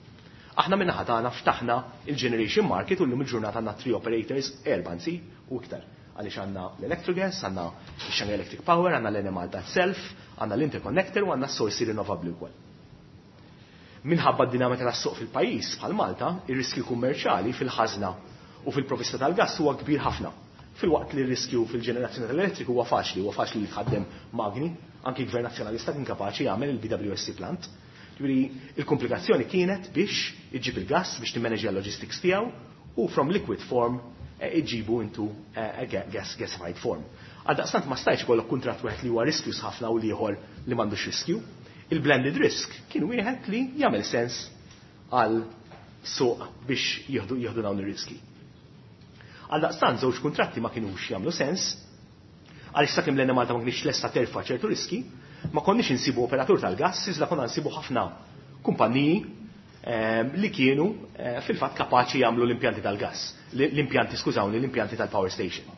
Aħna minna tagħna ftaħna il-generation market u llum il-ġurnata għandna three operators, erba' anzi u iktar. Għaliex għandna l-Electrogas, għandna x-Shanghai Electric Power, għandna l-Enemalta itself, għandna l-Interconnector u għandna s-sorsi rinnovabbli wkoll. Minħabba d-dinamika tas-suq fil-pajjiż bħal Malta, ir-riskju kummerċjali fil-ħażna u fil-provvista tal-gass huwa kbir ħafna. Fil-waqt li r-riskju fil-ġenerazzjoni tal-elettriku huwa faċli, huwa faċli li tħaddem magni, anki l-Gvern Nazzjonalista kien kapaċi jagħmel il-B W S C plant. Ġifieri il-komplikazzjoni kienet biex iġġib il-gass biex timmaneġġja l-logistics tiegħu u from liquid form iġibu into a gas gasified form. Għaldaqstant ma stajtx ikollok kuntratt wieħed li huwa riskjus ħafna u ieħor li m'għandux riskju. Il-blended risk kien wieħed li jagħmel sens għal suq biex jieħdu jieħdu dawn ir-riski. Għaldaqstant żewġ kuntratti ma kinux jagħmlu sens, għaliex sakemm l-Enemalta ma kienx lesta terfa' ċertu riski, ma konniex insibu operatur tal-gass, iżda konna nsibu ħafna kumpaniji li kienu fil-fatt kapaċi jagħmlu l-impjanti tal-gass, l-impjanti, skużawni, l-impjanti tal-power station.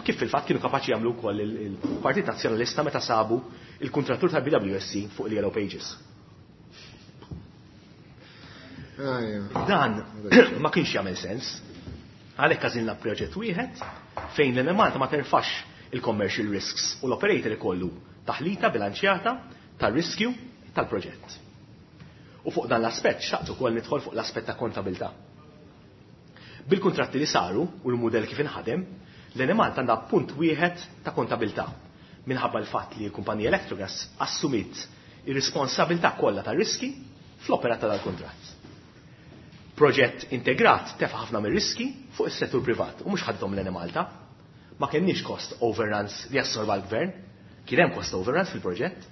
Kif fil-fatt kienu kapaċi jagħmlu wkoll il-Partit Nazzjonalista meta sabu il-kuntrattur tal-B W S C fuq il-Yellow Pages. Dan ma kienx jagħmel sens. Għalhekk għażilna proġett wieħed fejn l-Enemalta ma terfax il-commercial risks u l-operator ikollu taħlita bilanċjata tar-riskju tal-proġett. U fuq dan l-aspett xtaqt ukoll nidħol fuq l-aspett ta' kontabilità. Bil-kuntratti li saru u l-mudell kif inħadem, l-Enemalta għandha punt wieħed ta' kontabilità minħabba l-fatt li l-kumpanija Electrogas assumiet ir-responsabilità kollha tar-riski fl-opera tal-kuntratt. Proġett integrat tefa' ħafna mir-riski fuq is-settur privat u mhux ħadhom l-Enemalta. Ma kenniex cost overruns li assorba l-gvern, kien hemm cost overruns fil-proġett,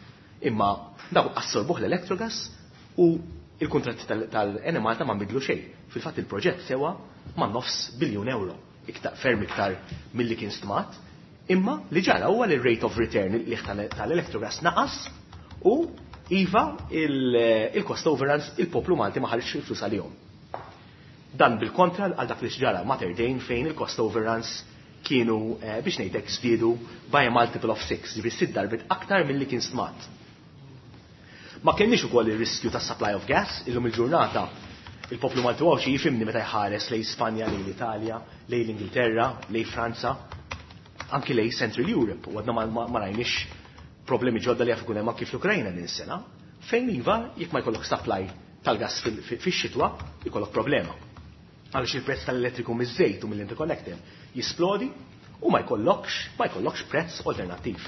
imma dawk assorbuh l-Electrogas u il-kuntratti tal-Enemalta ma nbidlu xejn. Fil-fatt il-proġett sewa ma' nofs biljun euro, iktar ferm iktar milli kien stmat, imma li ġara huwa li rate of return li tal-Electrogas naqas u iva il-cost overruns il-poplu Malti ma ħareġx il-flus għalihom. Dan bil-kontra għal dak li ġara Mater Dei fejn il-cost overruns kienu biex ngħidlek żdiedu by a multiple of six, ġifieri sitt darbit aktar milli kien stmat. Ma kenniex ukoll ir-riskju ta' supply of gas, illum il-ġurnata il-poplu Malti Għawdxi jifhimni meta jħares lejn Spanja, lejn l-Italja, lejn l-Ingilterra, lejn Franza, anki lejn Central Europe, u għadna ma rajniex problemi ġodda li jaf ikun hemm anki fl-Ukrajna din is-sena, fejn iva jekk ma jkollok supply tal-gas fix-xitwa jkollok problema. Għaliex il-prezz tal-elettriku miż-żejt u mill-interconnector jisplodi u ma jkollokx ma jkollokx prezz alternattiv.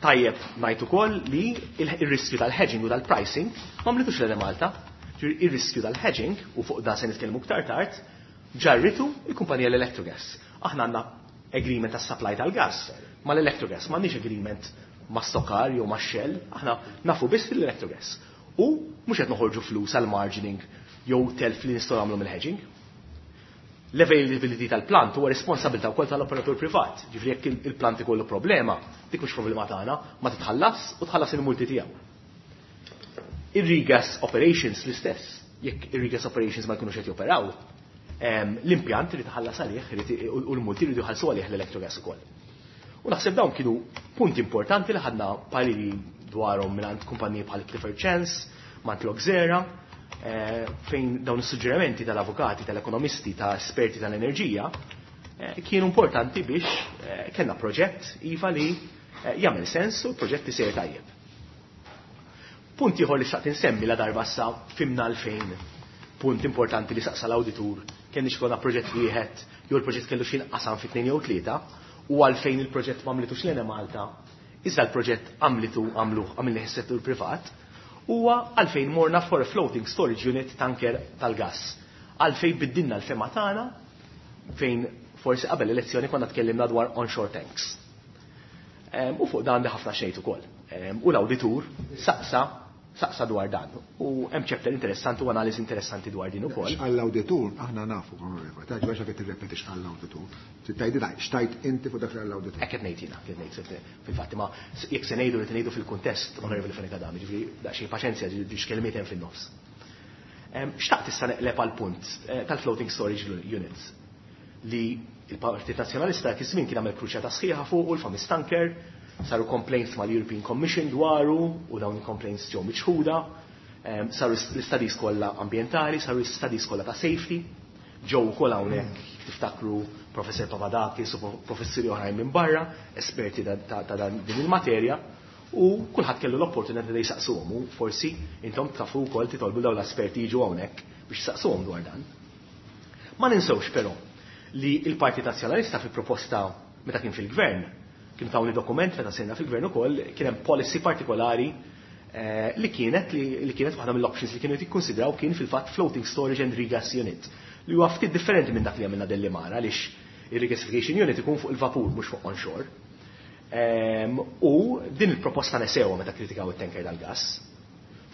Tajjeb ngħid ukoll li il-riskju tal-hedging u tal-pricing ma mlitux l-Enemalta. Ir-riskju tal-hedging, u fuq dan se nitkellmu iktar tard, ġarritu il-kumpanija l-Electrogas. Aħna għandna agreement tas-supply tal-gas mal-Electrogas, m'għandniex agreement ma' Stockar jew ma' Shell, aħna nafu biss fil-Electrogas. U mhux qed noħorġu flus għal margining jew telf li nistgħu nagħmlu mill-hedging. L-availability tal-plant huwa responsabilità wkoll tal-operatur privat. Ġifieri jekk il-plant ikollu problema, dik mhux problema tagħna, ma titħallas u tħallas il-multi tiegħu. Ir-regas operations l-istess. Jekk ir-regas operations ma jkunux qed joperaw, l-impjant irid iħallas għalih u l-multi jridu jħallsu għalih l-Electrogas ukoll. U naħseb dawn kienu punti importanti li ħadna pariri dwarhom mingħand kumpaniji bħal Clifford Chance, mingħand Loxera, fejn dawn is-suġġerimenti tal-avukati, tal-ekonomisti, ta' esperti tal-enerġija kienu importanti biex kellna proġett iva li jagħmel sens u l-proġett isir tajjeb. Punt ieħor li xtaqt insemmi la darba sa fimna għalfejn. Punt importanti li saqsa l-awditur kien ikollna proġett wieħed jew il-proġett kellu xi qasam fi tnejn jew tlieta u għalfejn il-proġett m'għamlitux l-Enemalta, iżda l-proġett għamlitu għamluh għamilni s-settur privat, huwa għalfejn morna for a floating storage unit tanker tal-gas. Għalfejn biddilna l-fehma tagħna fejn forsi qabel elezzjoni konna tkellimna dwar onshore tanks. U fuq dan li ħafna xejn ukoll. U l-awditur saqsa saqsa dwar dan. U hemm chapter interessanti u analiżi interessanti dwar din ukoll. Għall-awditur aħna nafu, taġ biex qed tirrepetix għall-awditur. Tgħidi daj, xtajt inti fuq dak l-awditur. Hekk qed ngħid jiena, qed ngħid fil-fatt ma jekk se ngħidu li ngħidu fil-kuntest Onorevoli Fenech Adami, ġifieri daqsxejn paċenzja ġiex kelmiet hemm fin-nofs. Xtaqt issa neqleb għal punt tal-floating storage units li il-Partit Nazzjonalista dak iż-żmien kien għamel kruċjata sħiħa fuq u l-famous tanker, saru complaints mal-European Commission dwaru u dawn il-complaints ġew miċħuda, saru l-studies kollha ambjentali, saru l-studies kollha ta' safety, ġew ukoll hawnhekk tiftakru Professor Papadakis u professuri oħrajn minn barra, esperti ta' din il-materja, u kulħadd kellu l-opportunità li jsaqsuhom u forsi intom tafu wkoll titolbu dawn l-esperti jiġu hawnhekk biex jsaqsuhom dwar dan. Ma ninsewx però li il-Partit Nazzjonalista fi proposta meta kien fil-gvern, kien tawni dokument meta sirna fil-gvern ukoll, kien hemm policy partikolari eh, li kienet li, kienet waħda mill-options li kienu jikkonsidraw kien fil-fatt floating storage and regas unit li huwa ftit differenti minn dak li għamilna Delimara għaliex il-regasification unit ikun fuq il-vapur mhux fuq onshore. Um, u din il-proposta nesewha meta kritikaw it-tanker tal-gas.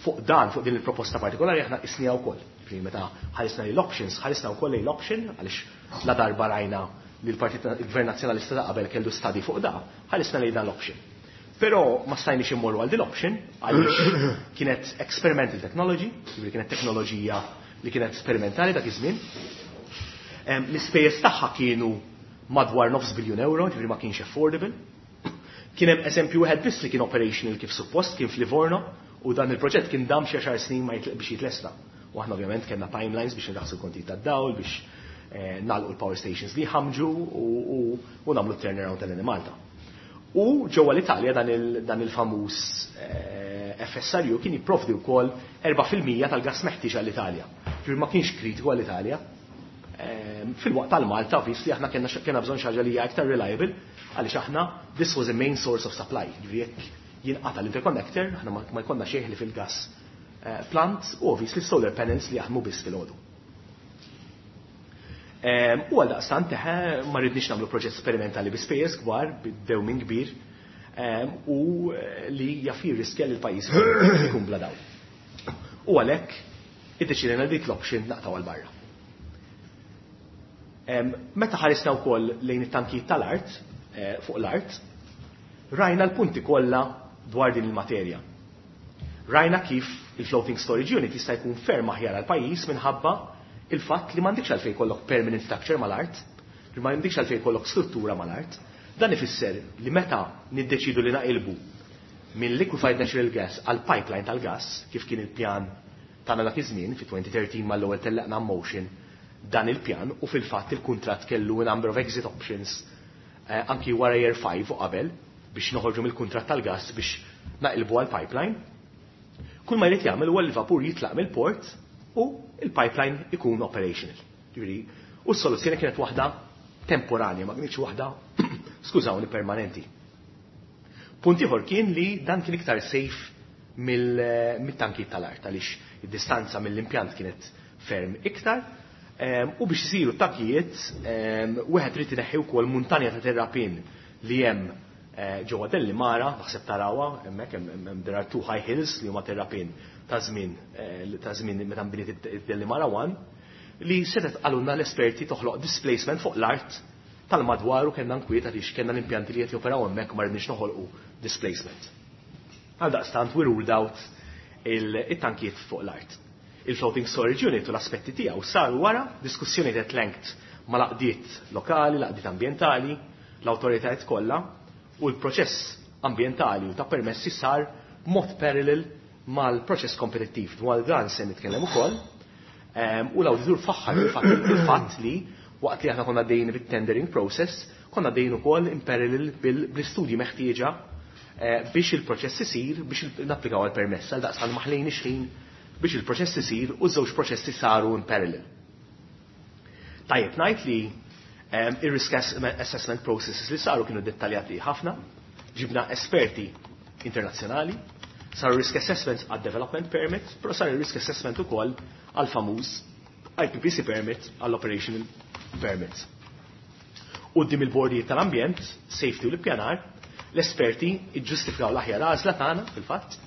Fuq dan, fuq din il-proposta partikolari aħna qisniha wkoll. Meta ħarisna l-options, ħarisna wkoll l-option għaliex la darba rajna li l-Partit il-Gvern Nazzjonalista ta' qabel kellu study fuq da, ħarisna lejn dan l-option. Però ma stajniex immorru għal din l-option għaliex kienet experimental technology, jiġifieri kienet teknoloġija li kienet sperimentali dak iż-żmien. L-ispejjeż tagħha kienu madwar nofs biljun euro, ġifieri ma kienx affordable. Kien hemm eżempju wieħed biss li kien operational kif suppost, kien f'Livorno, u dan il-proġett kien dam xi għaxar snin ma biex jitlesta. U aħna ovvjament kellna timelines biex nraħsu l-kontijiet tad-dawl, biex eh, nagħlqu l-power stations li ħamġu u nagħmlu turnaround tal-Enemalta. U ġewwa l-Italja dan il-famuż eh, F S R U kien jipprovdi wkoll erba' fil-mija tal-gas meħtieġ għall-Italja. Ġifieri ma kienx kritiku għall-Italja. Ehm, fil-waqt tal-Malta, obviously, aħna kellna kellna bżonn xi ħaġa li hija aktar reliable għaliex aħna this was a main source of supply. Ġifieri jekk jinqata l-interconnector, aħna ma jkollna xejn li fil-gas eh, plant u obviously solar panels li jaħdmu biss fil-għodu. Ehm, u għal daqstant teħe ma rridniex nagħmlu proġett sperimentali bi spejjeż kbar, bid-dewmin kbir, ehm, u li jaf jirriskja li l-pajjiż ikun bla dawl. U għalhekk iddeċidejna dik l-option naqtaw għal barra. Meta ħarisna wkoll lejn it-tankijiet tal-art, eh, fuq l-art, rajna l-punti kollha dwar din il-materja. Rajna kif il-floating storage unit jista' jkun ferm aħjar għal pajjiż minħabba il-fatt li m'għandekx għalfejn jkollok permanent structure mal-art, li m'għandekx għalfejn jkollok struttura mal-art. Dan ifisser li meta niddeċidu li naqilbu minn liquefied natural gas għal pipeline tal-gas, kif kien il-pjan tagħna dak iż-żmien fi elfejn u tlettax mal-ewwel tellaqna motion dan il-pjan u fil-fatt il-kuntratt kellu a number of exit options eh, anki wara year five u qabel biex noħorġu mill-kuntratt tal-gas biex naqilbu għal pipeline. Kull ma jrid jagħmel huwa l-vapur jitlaq mill-port u il-pipeline ikun operational. Ġifieri, u s-soluzzjoni kienet waħda temporanja, ma kienx waħda, skużawni, permanenti. Punt ieħor kien li dan kien iktar safe mill-tankijiet tal-art għaliex id-distanza mill-impjant kienet ferm iktar. U biex isiru tankijiet, wieħed irid ineħħi wkoll muntanja ta' terrapin li hemm eh, ġewwa Delimara, naħseb tarawha hemmhekk hemm there are two high hills li huma terrapin ta' żmien eh, ta' żmien meta nbniet Delimara one li setet qalulna l-esperti toħloq displacement fuq l-art tal-madwar u kellna nkwiet għaliex kellna l-impjanti li qed joperaw hemmhekk u ma rridniex noħolqu displacement. Għal daqstant we ruled out il-tankijiet fuq l-art. Il-floating storage unit u l-aspetti tiegħu saru wara diskussjoni at length ma' l-għaqdiet lokali, l-għaqdiet ambjentali, l-awtoritajiet kollha u l-proċess ambjentali u ta' permessi sar mod parallel mal-proċess kompetittiv. Dwar dan se nitkellem ukoll. U l-awditur faħħar il-fatt li waqt li aħna konna dejn bit-tendering process, konna dejn ukoll in parallel bil-istudji meħtieġa eh, biex il-proċess isir biex napplikaw għal-permess, għal daqstan ma ħlejniex ħin biex il-proċess isir u żewġ proċessi saru in parallel. Tajjeb ngħid li um, ir-risk assessment processes li saru kienu dettaljati ħafna, ġibna esperti internazzjonali, saru risk assessments għad development permit, però saru risk assessment ukoll għal famuż I P P C permit, għall operational permit. Quddiem il-bordijiet tal-ambjent, safety u l-ippjanar, l-esperti iġġustifikaw l-aħjar għażla tagħna fil-fatt,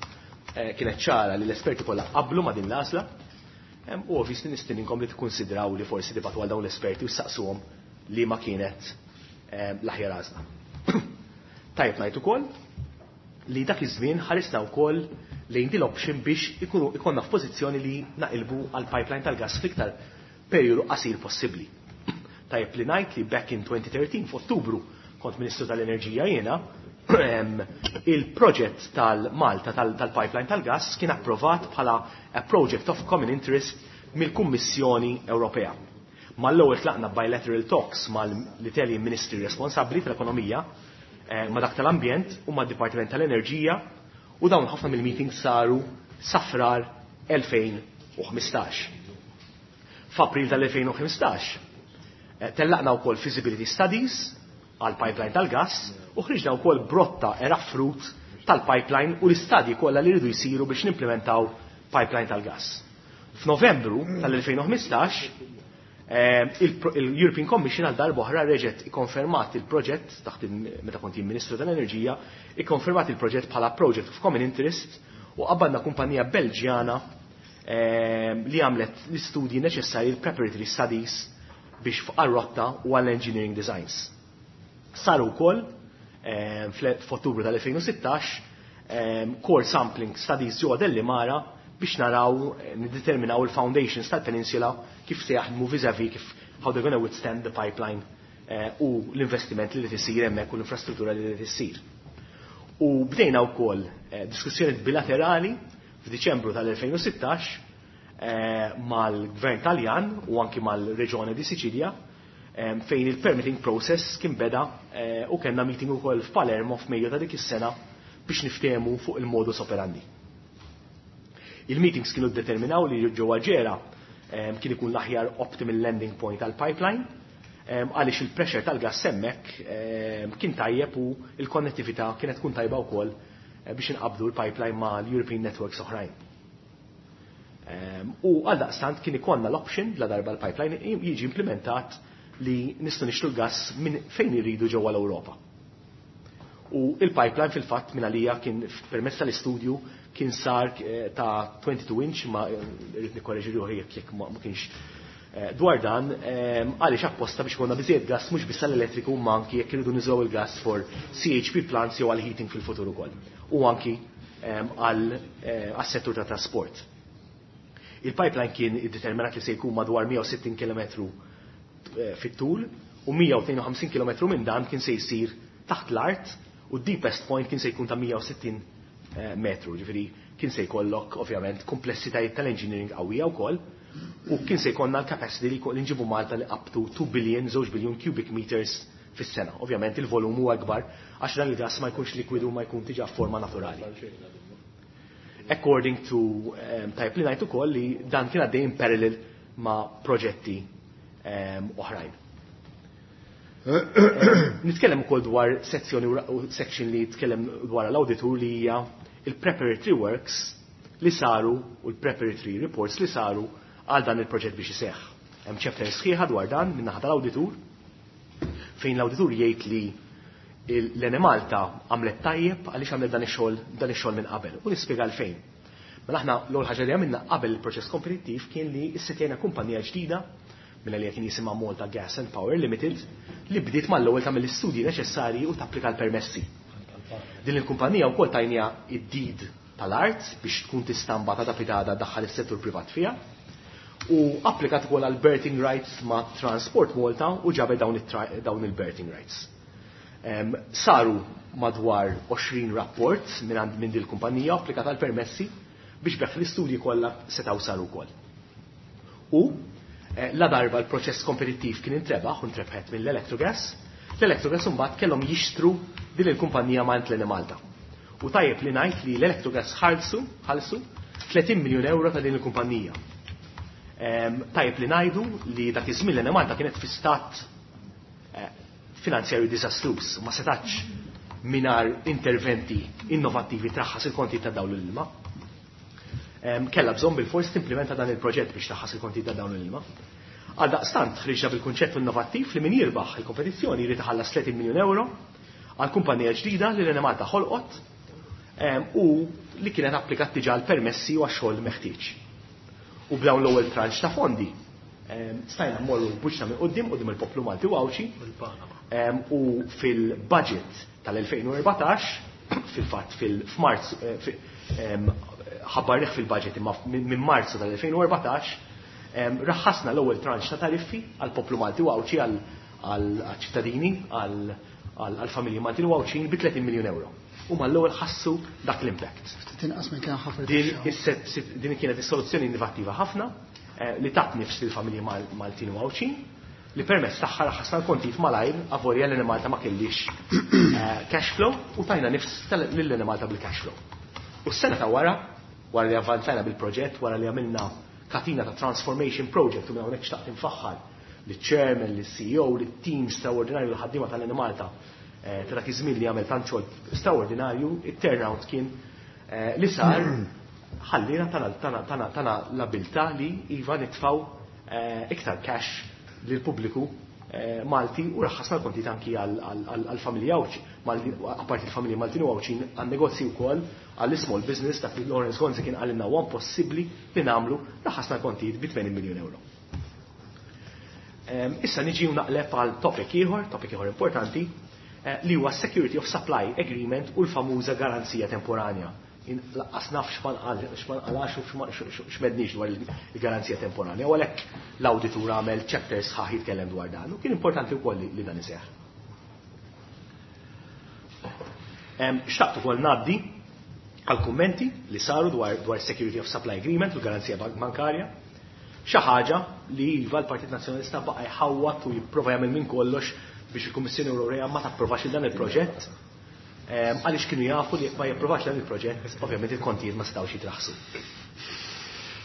eh, kienet ċara li l-esperti kollha qablu ma' din l-għażla, u obviously nistedinkom li tikkonsidraw li forsi tibagħtu għal dawn l-esperti u saqsuhom li ma kienet l-aħjar għażla. Tajjeb ngħid ukoll li dak iż-żmien ħarisna wkoll lejn din l-option biex ikunu ikonna f'pożizzjoni li naqilbu għal pipeline tal-gas fl-iktar perjodu qasir possibbli. Tajjeb li ngħid li back in twenty thirteen, f'Ottubru, kont Ministru tal-Enerġija jiena, il-proġett tal-Malta tal-pipeline tal-gas kien approvat bħala a project of common interest mill-Kummissjoni Ewropea. Mal-ewwel tlaqna bilateral talks mal-Italian Ministry responsabbli tal-ekonomija, eh, ma dak tal-ambjent u mad-Dipartiment tal-Enerġija, u dawn ħafna mill-meetings saru sa Frar elfejn u ħmistax. F'April tal-elfejn u ħmistax eh, tellaqna wkoll feasibility studies għal pipeline tal-gas u ħriġna wkoll brotta era fruit tal-pipeline u l-istadji kollha li rridu jsiru biex nimplementaw pipeline tal-gas. F'Novembru tal-elfejn u ħmistax eh, il-European Commission għal darba reġgħet ikkonfermat il-proġett taħt meta kont Ministru tal-Enerġija, ikkonfermat il-proġett bħala project of common interest u qabbadna kumpanija Belġjana eh, li għamlet l-istudji neċessarji, il-preparatory studies biex għal-rotta u għall-engineering designs. Saru wkoll eh, f'Ottubru tal-elfejn u sittax core sampling studies ġewwa Delimara biex naraw, eh, niddeterminaw il-foundations tal-peninsula kif se jaħdmu vis-a-vis kif how they're gonna withstand the pipeline eh, u l-investiment li tisir hemmhekk u l-infrastruttura li tissir. U bdejna wkoll eh, diskussjoni bilaterali f'Diċembru tal-elfejn u sittax mal-Gvern Taljan u anki mal-Reġjoni di Sicilia, fejn il-permitting process kien beda u kellna meeting ukoll f'Palermo f'Mejju ta' dik is-sena biex niftehmu fuq il-modus operandi. Il-meetings kienu determinaw li ġewwa Ġera kien ikun l-aħjar optimal landing point għal pipeline għaliex il-pressure tal-gas hemmhekk kien tajjeb u il-konnettività kienet tkun tajba wkoll eh, biex inqabdu l-pipeline ma' l-European networks oħrajn. U għal daqstant kien ikollna l-option la darba l-pipeline jiġi implementat li nistgħu nixtru l-gas minn fejn iridu ġewwa l-Ewropa. U il-pipeline fil-fatt minn għalija kien permezz tal-istudju kien sar eh, ta' twenty-two inch, ma eh, rrid nikkoreġi ruħi jekk jekk ma kienx eh, dwar dan, għaliex apposta biex konna biżejjed gas mhux biss l-elettriku ma anki jekk iridu nużaw il-gas for C H P plants jew għal heating fil-futur ukoll. U anki għal settur ta' trasport. Il-pipeline kien iddeterminat li se jkun madwar mija u sittin kilometru fit-tul u mija u tnejn u ħamsin kilometru minn dan kien se jsir taħt l-art u deepest point kien se jkun ta' mija u sittin Eh, metru, ġifieri kien se jkollok ovvjament komplessitajiet tal-engineering qawwija wkoll u kien se jkollna l-capacity li nġibu Malta li up to two billion, żewġ biljun cubic meters fis-sena. Ovvjament il-volum huwa akbar għax dan il-gas ma jkunx likwidu, ma jkun diġà forma naturali. According to um, tajjeb li ngħid ukoll li dan kien għaddej in parallel ma' proġetti um, oħrajn. Nitkellem ukoll dwar sezzjoni u section li tkellem dwar l-auditur li hija il-preparatory works li saru u l-preparatory reports li saru għal dan il-proġett biex iseħħ. Hemm chapter sħiħa dwar dan minn naħa tal-awditur fejn l-awditur jgħid li l-Enemalta għamlet tajjeb għaliex għamlet dan ix-xogħol dan ix-xogħol minn qabel u nispjega għalfejn. Mela aħna l-ewwel ħaġa li għamilna qabel il-proċess kompetittiv kien li issetjajna kumpanija ġdida minn li kien jisimha Malta Gas and Power Limited li bdiet mal-ewwel tagħmel l-istudji neċessarji u tapplika l-permessi. Din il-kumpanija wkoll tajnieha id-deed tal-art biex tkun tista' mbagħad ta' pitgħada daħħal is-settur privat fiha. U applikat ukoll għal berthing rights ma' Transport Malta u ġabet dawn, dawn il-berthing rights. Um, saru madwar għoxrin rapport minn għand minn din kumpanija applikat għal permessi biex b'hekk l-istudji kollha setgħu saru wkoll. U eh, la darba l-proċess kompetittiv kien intrebaħ u ntrebħet mill-Electrogas, l-Electrogas mbagħad kellhom jixtru din il-kumpanija ma' Malta. U tajjeb li ngħid li l-Electrogas ħallsu ħallsu tletin miljun euro ta' din il-kumpanija. Tajjeb li ngħidu li dak iż-żmien l-Enemalta kienet fi stat finanzjarju diżastruż, ma setax mingħajr interventi innovattivi traħħas il-konti ta' dawl l-ilma. Kellha bżonn bil-fors timplementa dan il-proġett biex traħħas il-konti ta' dawl l-ilma. Għaldaqstant ħriġna bil-kunċett innovattiv li min jirbaħ il-kompetizzjoni jrid iħallas tletin miljun euro għal kumpanija ġdida li l-Enemalta ħolqot u li kienet applikat diġà l-permessi u għax-xogħol meħtieġ. U b'dawn l-ewwel tranċ ta' fondi stajna mmorru buċna minn quddiem quddiem il-poplu Malti u Għawdxi u fil-budget tal-elfejn u erbatax, fil-fatt fil-Marzu ħabbarnih fil-budget imma minn Marzu tal-elfejn u erbatax raħħasna l-ewwel tranċ ta' tariffi għall-poplu Malti u Għawdxi għall-ċittadini, għall-familji Maltin u Għawdxin bi tletin miljun euro. U mal-ewwel ħassu dak l-impact. Tinqas minn kemm ħafna. Din kienet is-soluzzjoni innovattiva ħafna li tat nifs lill-familji Maltin u Għawdxin li permezz tagħha raħħasna l-kontijiet malajr avolja l Enemalta ma kellix cash flow u tajna nifs lil Enemalta bil-cash flow. U s-sena ta' wara, wara li avvanzajna bil-proġett, wara li għamilna katina ta' transformation project u minn hawnhekk xtaqt infaħħar liċ-chairman, lis-C E O, lit-team straordinarju l-ħaddiema tal-Enemalta ta' dak iż-żmien li għamel tant xogħol straordinarju, it-turnout kien li sar ħallina tana tana tana l-abilità li iva nitfaw iktar cash lill-pubbliku Malti u raħħasna l-kontijiet anki għall-familji Għawdxi, apparti l-familji Maltin u Għawdxin għan-negozji wkoll għall-small business dak li Lawrence Gonzi kien qalilna huwa impossibbli li nagħmlu, raħħasna l-kontijiet bi tmenin miljun euro. Issa niġi u naqleb għal topic ieħor, topic ieħor importanti, li huwa Security of Supply Agreement u l-famuża garanzija temporanja. Laqqas naf x'ma nqalax u x'medniex dwar il-garanzija temporanja, u għalhekk l-awditur għamel chapter sħaħ jitkellem dwar dan, u kien importanti wkoll li dan iseħħ. Xtaqt ukoll ngħaddi għal kummenti li saru dwar dwar Security of Supply Agreement u l-garanzija bankarja, xi ħaġa li iva l-Partit Nazzjonalista baqa' jħawwat u jipprova jagħmel minn kollox biex il-Kummissjoni Ewropea ma tapprovax dan il-proġett. Għaliex kienu jafu li jekk ma japprovax dan il-proġett, ovvjament il-kontijiet ma setgħux jitraħsu.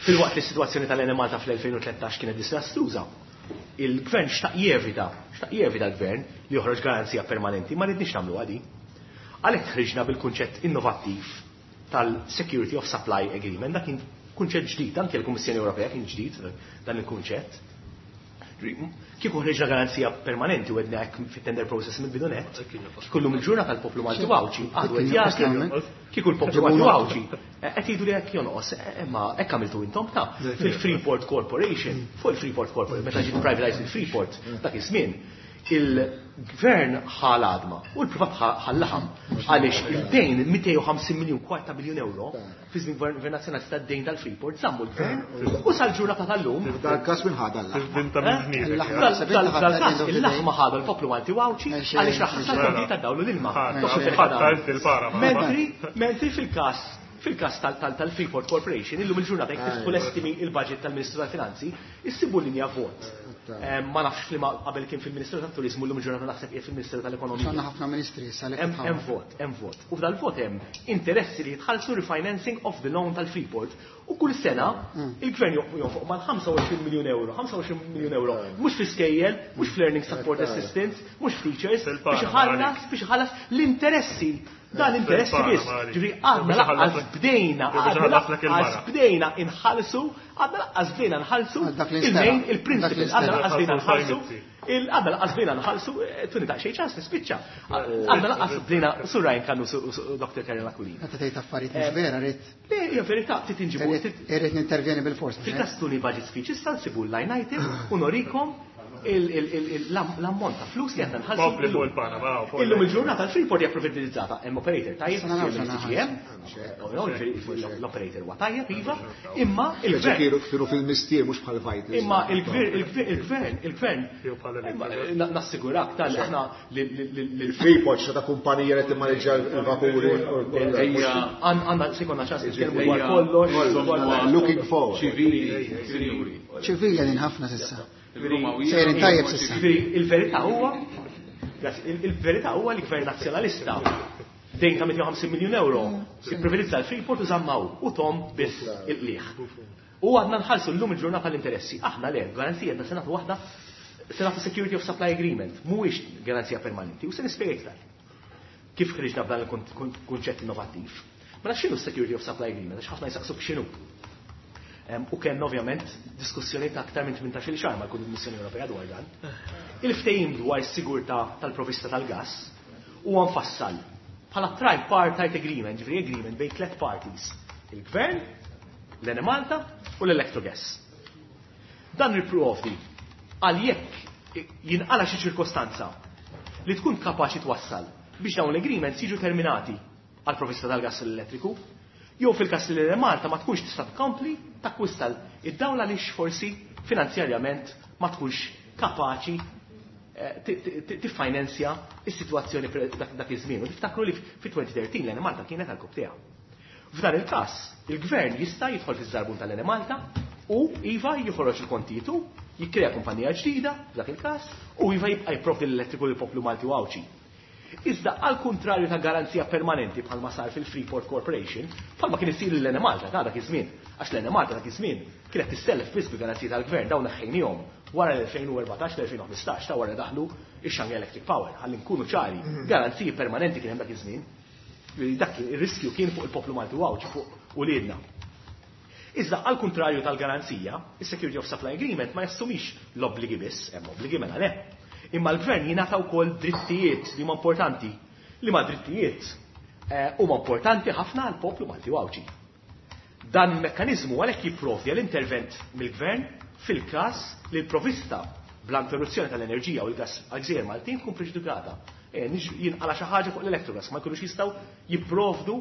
Filwaqt li s-sitwazzjoni tal-Enemalta fl-elfejn u tlettax kienet disastruża, il-gvern xtaq jevita, xtaq jevita l-gvern li joħroġ garanzija permanenti, ma rridniex nagħmlu għadi. Għalhekk ħriġna bil-kunċett innovattiv tal-Security of Supply Agreement, dak kien kunċett ġdid, anke l-Kummissjoni Ewropea kien ġdid dan il-kunċett. Kieku ħriġna garanzija permanenti u għedna hekk fit-tender process mill-bidu nett, kieku llum il-ġurnata tal-poplu Malti u Għawdxi, għadu qed jgħidu, kieku l-poplu Malti u Għawdxi, qed jgħidu li hekk jonqos, imma hekk għamiltu intom ta' fil-Freeport Corporation, fuq il-Freeport Corporation, meta ġiet privatized il-Freeport dak iż-żmien, il-gvern ħal għadma u l-privat ħal laħam għaliex il-dejn mitejn u ħamsin miljun kwarta biljun euro fi żmien gvern nazzjonalista d-dejn tal-Freeport żammu l-gvern u sal-ġurnata tal-lum. Dal-każ min ħadha l-laħma? Dal-każ il-laħma ħadha l-poplu Malti u Għawdxi għaliex raħħas l-kontijiet tad-dawl u l-ilma. Mentri, mentri fil-każ fil-każ tal-Freeport Corporation, illum il-ġurnata jekk tiftħu l-estimi il-budget tal-Ministru tal-Finanzi, issibu linja vot. Ma nafx li qabel kien fil-Ministeru tat-Turizmu, llum il-ġurnata naħseb qiegħed fil-Ministeru tal-Ekonomija. Għandna ħafna ministri issa li Hemm hemm vot, hemm vot. U f'dal-vot hemm interessi li jitħallsu refinancing of the loan tal-Freeport. U kull sena il-gvern jonfoq mal-ħamsa u għoxrin miljun euro, ħamsa u għoxrin miljun euro, mhux fl-iskejjel, mhux fl-learning support assistance, mhux teachers, biex iħallas, biex iħallas l-interessi. Dan l-interessi biss. Ġifieri għadna laqqas bdejna, għadna laqqas bdejna inħallsu, għadna laqqas bdejna nħallsu il-main, il-principal, għadna laqqas bdejna nħallsu, għadna laqqas bdejna nħallsu, tuni daqsxejn ċans nispiċċa. Għadna laqqas bdejna Sur Ryan Canu u Doctor Karen Aquilina. Meta tgħid affarijiet mhux vera, rrid. Le, hija verità, trid inġibu. Irrid nintervjeni bil-fors. Fil-każ tuni budget speech, issa nsibu l-line item u norikom l-ammont ta' flus li għandna nħallsu. Kompli fuq il-Panama, fuq Illum il-ġurnata l-Freeport hija privatizzata, hemm operator tajjeb, Issa nagħmlu C G M, l-operator huwa tajjeb, iva, imma il-gvern. Kienu kienu fil-mistier mhux bħal Vitals. Imma il-gvern, il-gvern, il-gvern, Jew bħal imma nassigurak tal aħna li il-Freeport xi ta' kumpanija li timmaneġġja l-vapuri. Ejja. Għandna se jkollna ċans nitkellmu dwar kollox, dwar Looking forward. Ċivili, sinjuri. Ċivili għadin ħafna s'issa. Sejrin tajjeb s'issa. Ġifieri, il-verità huwa, il-verità huwa li gvern nazzjonalista Dejn ta' mitejn u ħamsin miljun euro, ipprivatizza l-Freeport u żammaw u tom biss il-qliħ. U għadna nħallsu llum il-ġurnata l-interessi. Aħna le, garanzija ta' senatu waħda, senatu Security of Supply Agreement, mhuwiex garanzija permanenti, u se nispjega iktar kif ħriġna b'dan il-kunċett innovattiv. Mela x'inhu Security of Supply Agreement? Għax ħafna jisaqsuk x'inhu. U kien ovvjament diskussjoni ta' aktar minn tmintax-il xahar mal-Kummissjoni Ewropea dwar dan. Il-ftehim dwar is-sigurtà tal-provista tal-gas huwa mfassal bħala tripartite agreement, ġifieri agreement bejn tliet parties: il-Gvern, l-Enemalta u l-Electrogas. Dan jipprovdi għal jekk jinqala xi ċirkostanza li tkun kapaċi twassal biex dawn l-agreements jiġu terminati għal provista tal-gas l-elettriku, jew fil-kas li l-Malta ma tkunx tista' tkompli takkwista id-dawl għaliex forsi finanzjarjament ma tkunx kapaċi tiffinanzja is-sitwazzjoni dak iż-żmien. U tiftakru li fi elfejn u tlettax l-Enemalta kienet għal tiegħu. F'dan il-każ, il-gvern jista' jidħol fiż-żarbun tal-Enemalta u iva joħroġ il-kontitu, jikkrea kumpanija ġdida f'dak il-każ u iva jibqa' jipprovdi l-elettriku lill-poplu Malti u Għawdxi. Iżda għal kontrarju ta' garanzija permanenti bħalma sar fil-Freeport Corporation, bħalma kien isir l-Enemalta ta' dak iż-żmien, għax l-Enemalta dak iż-żmien kienet tissellef biss bi garanzija tal-gvern, dawn neħħejnihom wara l-elfejn u erbatax l-elfejn u ħmistax ta' wara daħlu ix-Shanghai Electric Power, ħalli nkunu ċari, garanziji permanenti kien hemm dak iż-żmien. Dak ir-riskju kien fuq il-poplu Malti u Għawdxi, fuq uliedna. Iżda għal kontrarju tal-garanzija, is-Security of Supply Agreement ma jassumix l-obbligi biss, hemm obbligi mela le. Imma l-gvern jingħata wkoll drittijiet li huma importanti, li ma drittijiet eh, huma importanti ħafna għal poplu Malti u Għawdxi. Dan il-mekkanizmu għalhekk jipprovdi għall-intervent mill-gvern fil-każ li l-provista bla interruzzjoni tal-enerġija u l-gas għal-gżejjer Maltin tkun preġudikata. E, jinqala xi ħaġa fuq l-Electrogas, ma jkunux jistgħu jipprovdu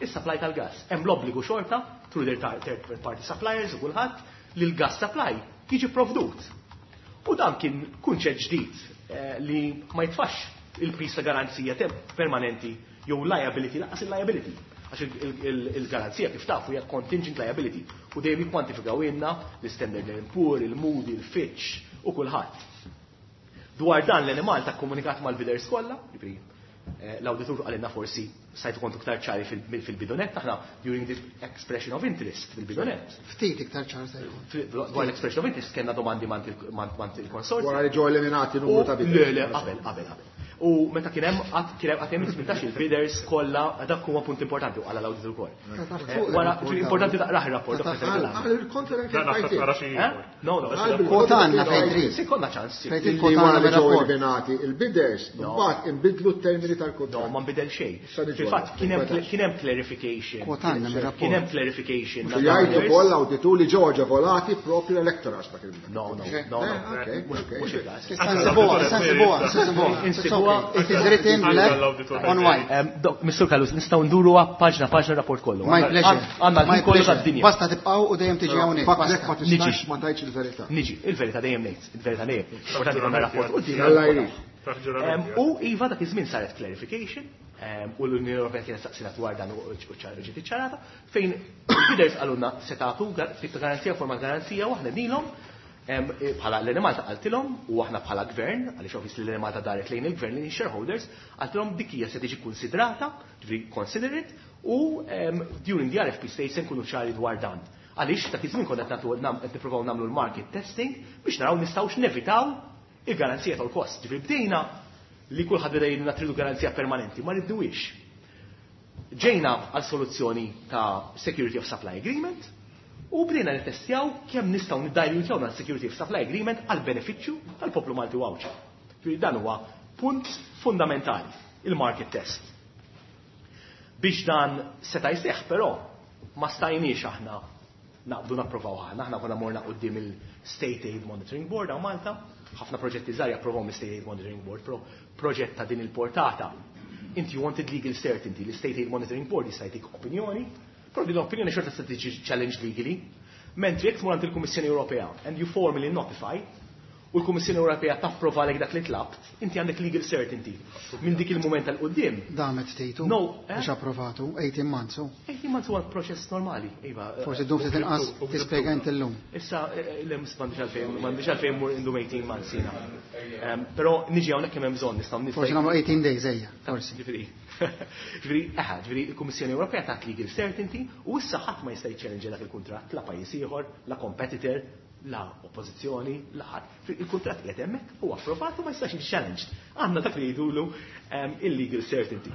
is-supply tal-gas. Hemm l-obbligu xorta through their third party suppliers u kulħadd li l-gas supply jiġi provdut. U dan kien kunċett ġdid eh, li ma jitfax il-piż ta' garanzija permanenti jew liability, lanqas il-liability. Għax il-garanzija kif tafu hija contingent liability u dejjem jikkwantifikaw ilna l-Standard and Poor, il-Moody, il-Fitch u kulħadd. Dwar dan l-Enemalta komunikat mal-bidders kollha, jiġifieri, eh, l-auditur qalilna forsi stajtu kontu iktar ċari fil-bidu nett, aħna during the expression of interest fil-bidu nett. Ftit iktar ċar se jkun. Dwar l-expression of interest kellna domandi mant il-konsorzju. Wara li ġew eliminati numru ta' bidders. Le, le, qabel, qabel, qabel. U meta kien hemm qatt kien hemm qatt hemm tmintax il-bidders kollha, dak huwa punt importanti u qala l-auditur ukoll. Eh, wara, importanti taqrah ir-rapport. No, no, Kwotanna fejn trid. Se konna ċans. Fejn trid Wara kwotanna li ġew mir-rapport. eliminati il-bidders, mbagħad inbidlu t-termini tal-kuntratt. No, ma nbidel xejn. Issa niġu Fil-fatt kien hemm għal- kien hemm clarification. Kwotanna mir-rapport. Kien hemm clarification. Jgħidu wkoll l-awditur li ġew aġevolati propju l-Electrogas dak il No, no, no, no. Eh, ok, Mhux ok. mhux il-każ. Issa nsibuha, issa nsibuha, issa nsibuha. It's okay. It is written black on white. Em, Dok, Mister Callus, nistgħu nduru paġna paġna rapport kollu. My pleasure. Għandna My l-ħin kollu pleasure. tad-dinja. Basta tibqgħu u dejjem tiġi hawnhekk. Fakrek ma Basta. tistax ma tgħidx il-verità. Niġi, il-verità dejjem ngħid, il-verità dejjem. Importanti konna rapport quddiem. Alla jrid. Em, U iva dak iż-żmien saret clarification em, u l-Unjoni Ewropea kienet saqsina dwar dan u ċar ġiet iċċarata fejn il-bidders qalulna se tagħtu gar- tip ta' garanzija, forma ta' garanzija, u aħna nilhom em, eh, bħala l-Enemalta qaltilhom u aħna bħala gvern, għaliex obviously l-Enemalta daret lejn il-gvern, lejn shareholders, qaltilhom dik hija se tiġi konsidrata, ġifieri consider it, u em, during the R F P stage se nkunu ċari dwar dan. Għaliex dak iż-żmien konna qed nagħtu- nam- qed nippruvaw nagħmlu l-market testing biex naraw nistgħux nevitaw il-garanzija tal-kost. Ġifieri bdejna li kulħadd beda jgħidilna tridu garanzija permanenti, ma rridduhiex. Ġejna għal soluzzjoni ta' Security of Supply Agreement u bdejna nittestjaw kemm nistgħu niddilutjaw dan Security of Supply Agreement għal benefiċċju tal-poplu Malti u Għawdxi. Ġifieri dan huwa punt fundamentali, il-market test. Biex dan seta' jseħħ però ma stajniex aħna naqbdu napprovaw aħna, aħna konna morna quddiem il-State Aid Monitoring Board hawn Malta, ħafna proġetti żgħar japprovaw mill-State Aid Monitoring Board, però proġett ta' din il-portata, inti you wanted legal certainty, l-State Aid Monitoring Board jista' jtik opinjoni, però din l-opinjoni xorta se tiġi challenged legally, mentri jekk tmur għand il-Kummissjoni Ewropea and you formally notify, u l-Kummissjoni Ewropea tapprova lek dak li tlabt, inti għandek legal certainty. Minn dik il-mument tal qudiem. Damet ftejtu No, eh? biex approvatu, eighteen months. u. eighteen months huwa proċess normali. Iva, eh, Forsi ddum ftit inqas tispjega inti llum. Issa, eh, le, m'għandix għalfejn, m'għandix għalfejn mur indum eighteen months jiena. Ehm, però niġi hawnhekk kemm hemm bżonn nistgħu nistgħu. Forsi nagħmlu eighteen days ejja, forsi. Ġifieri, ġifieri, aha, ġifieri il-Kummissjoni Ewropea tat legal certainty u issa ħadd ma jista' jiċċellenġa dak il-kuntratt, la pajjiż ieħor, la competitor, la oppożizzjoni, la ħadd. Il-kuntratt qiegħed hemmhekk huwa approvat u ma jistax jiġi challenged. Għandna dak li jgħidulu, ehm, illegal certainty.